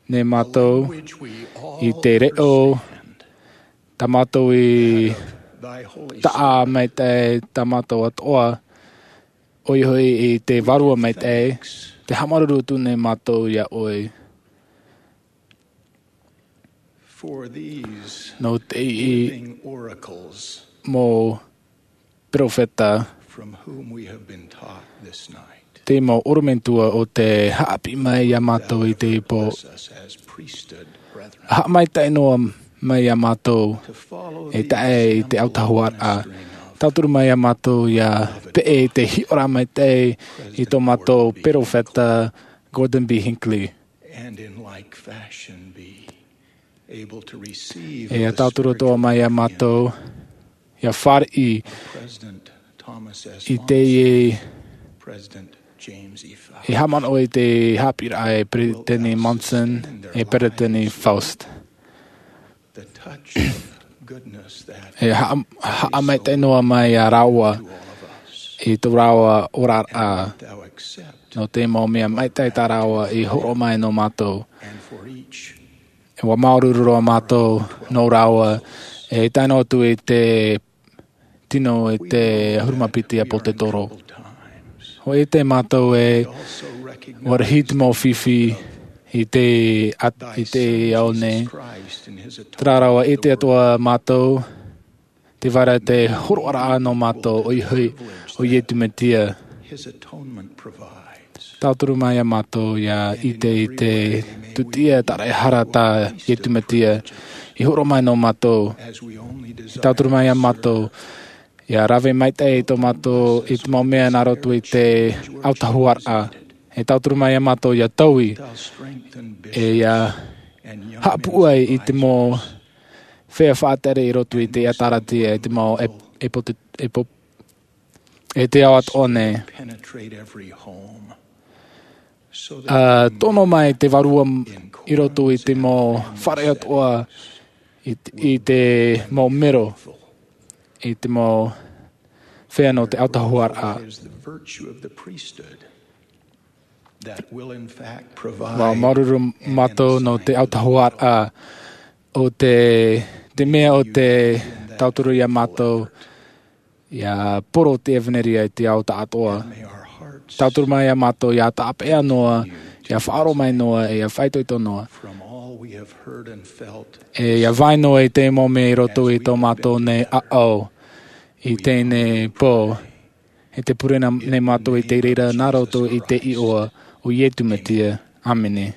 nei mātou, which we all i te reʻo, understand. Tā mātou i thy Holy taʻa Spirit. Maitaʻi, tā mātou atoʻa, ʻoia hoʻi i te Vārua Maitaʻi, tē haʻamāuruuru atu nei mātou iā ʻoe. For these Nō te iʻi living oracles mau peropheta, from whom we have been taught this night. Te mau ʻorometua ʻo tē haʻapiʻi mai iā mātou i teie pō. Bless us as priesthood brethren. Haʻamaitaʻi noa mai iā mātou, To follow e tae i te autahuʻaraʻa. Tauturu mai iā mātou ʻia peʻe i te hiʻoraʻa maitaʻi i tō mātou peropheta Gordon B. Hinckley. And in like fashion be able to receive E ʻia tauturu atoʻa mai iā mātou, ʻia fāriʻi President Thomas S. i teie President James E. Faust. E haʻamanaʻo i te haʻapiʻiraʻa e Peretiteni Monson, e Peretiteni Faust. The touch of goodness that E haʻa-, haʻamaitaʻi noa mai iā rāua i tō rāua oraraʻa. Thou accept Nō te mau mea maitaʻi tā rāua i hōroʻa mai nō mātou. And for each E ʻua māuruuru roa mātou nō rāua, e tae noa atu i te tino i te ʻahuru mā piti ʻāpōsetolo. Hōʻē atu mātou e ʻua rahi te mau fifi i te at-, i te ao nei. Terā rā ʻua ʻite atoʻa mātou, tē vai ra te hōroʻaraʻa nō mātou ʻoia hoʻi, ʻo Iesu Mesia. His atonement provides. Tauturu mai iā mātou ʻia ʻite i te tūtia tāraʻehara tā Iesu Mesia i hōroʻa mai nō mātou. As we only desire Tauturu mai iā mātou ʻia rave maitaʻi i tō mātou, i te mau mea nā roto i te autahuʻaraʻa. E tauturu mai iā mātou ʻia taui, Thou strengthen e ʻia bishops and young haʻapuʻu ai i te mau feiā faʻatere i roto i te ʻĒtārētia, i te mau e-, e pote-, e po-, e te ao atoʻa nei. Penetrate every home. So that ʻA tono mai te Vārua m-, i roto i te mau fare atoʻa, i te, i te mau mero, i te mau feiā nō te autahuʻaraʻa. Is the virtue of the priesthood that will in fact provide ʻUa māuruuru mātou nō te autahuʻaraʻa o te, te mea o te tauturu iā mātou, ʻia poro te ʻevanelia i te ao tāʻātoa. May our hearts Tauturu mai iā mātou ʻia tāpeʻa noa, ʻia faʻaroʻo mai noa, e ʻia faʻaitoito noa. From all we have heard and felt E ʻia vai noa i te mau mea i roto i tō mātou nei ʻāʻau i teie pō. E te pure na-, nei mātou i te reira nā roto i te iʻoa o Iesu Mesia. ʻĀmene.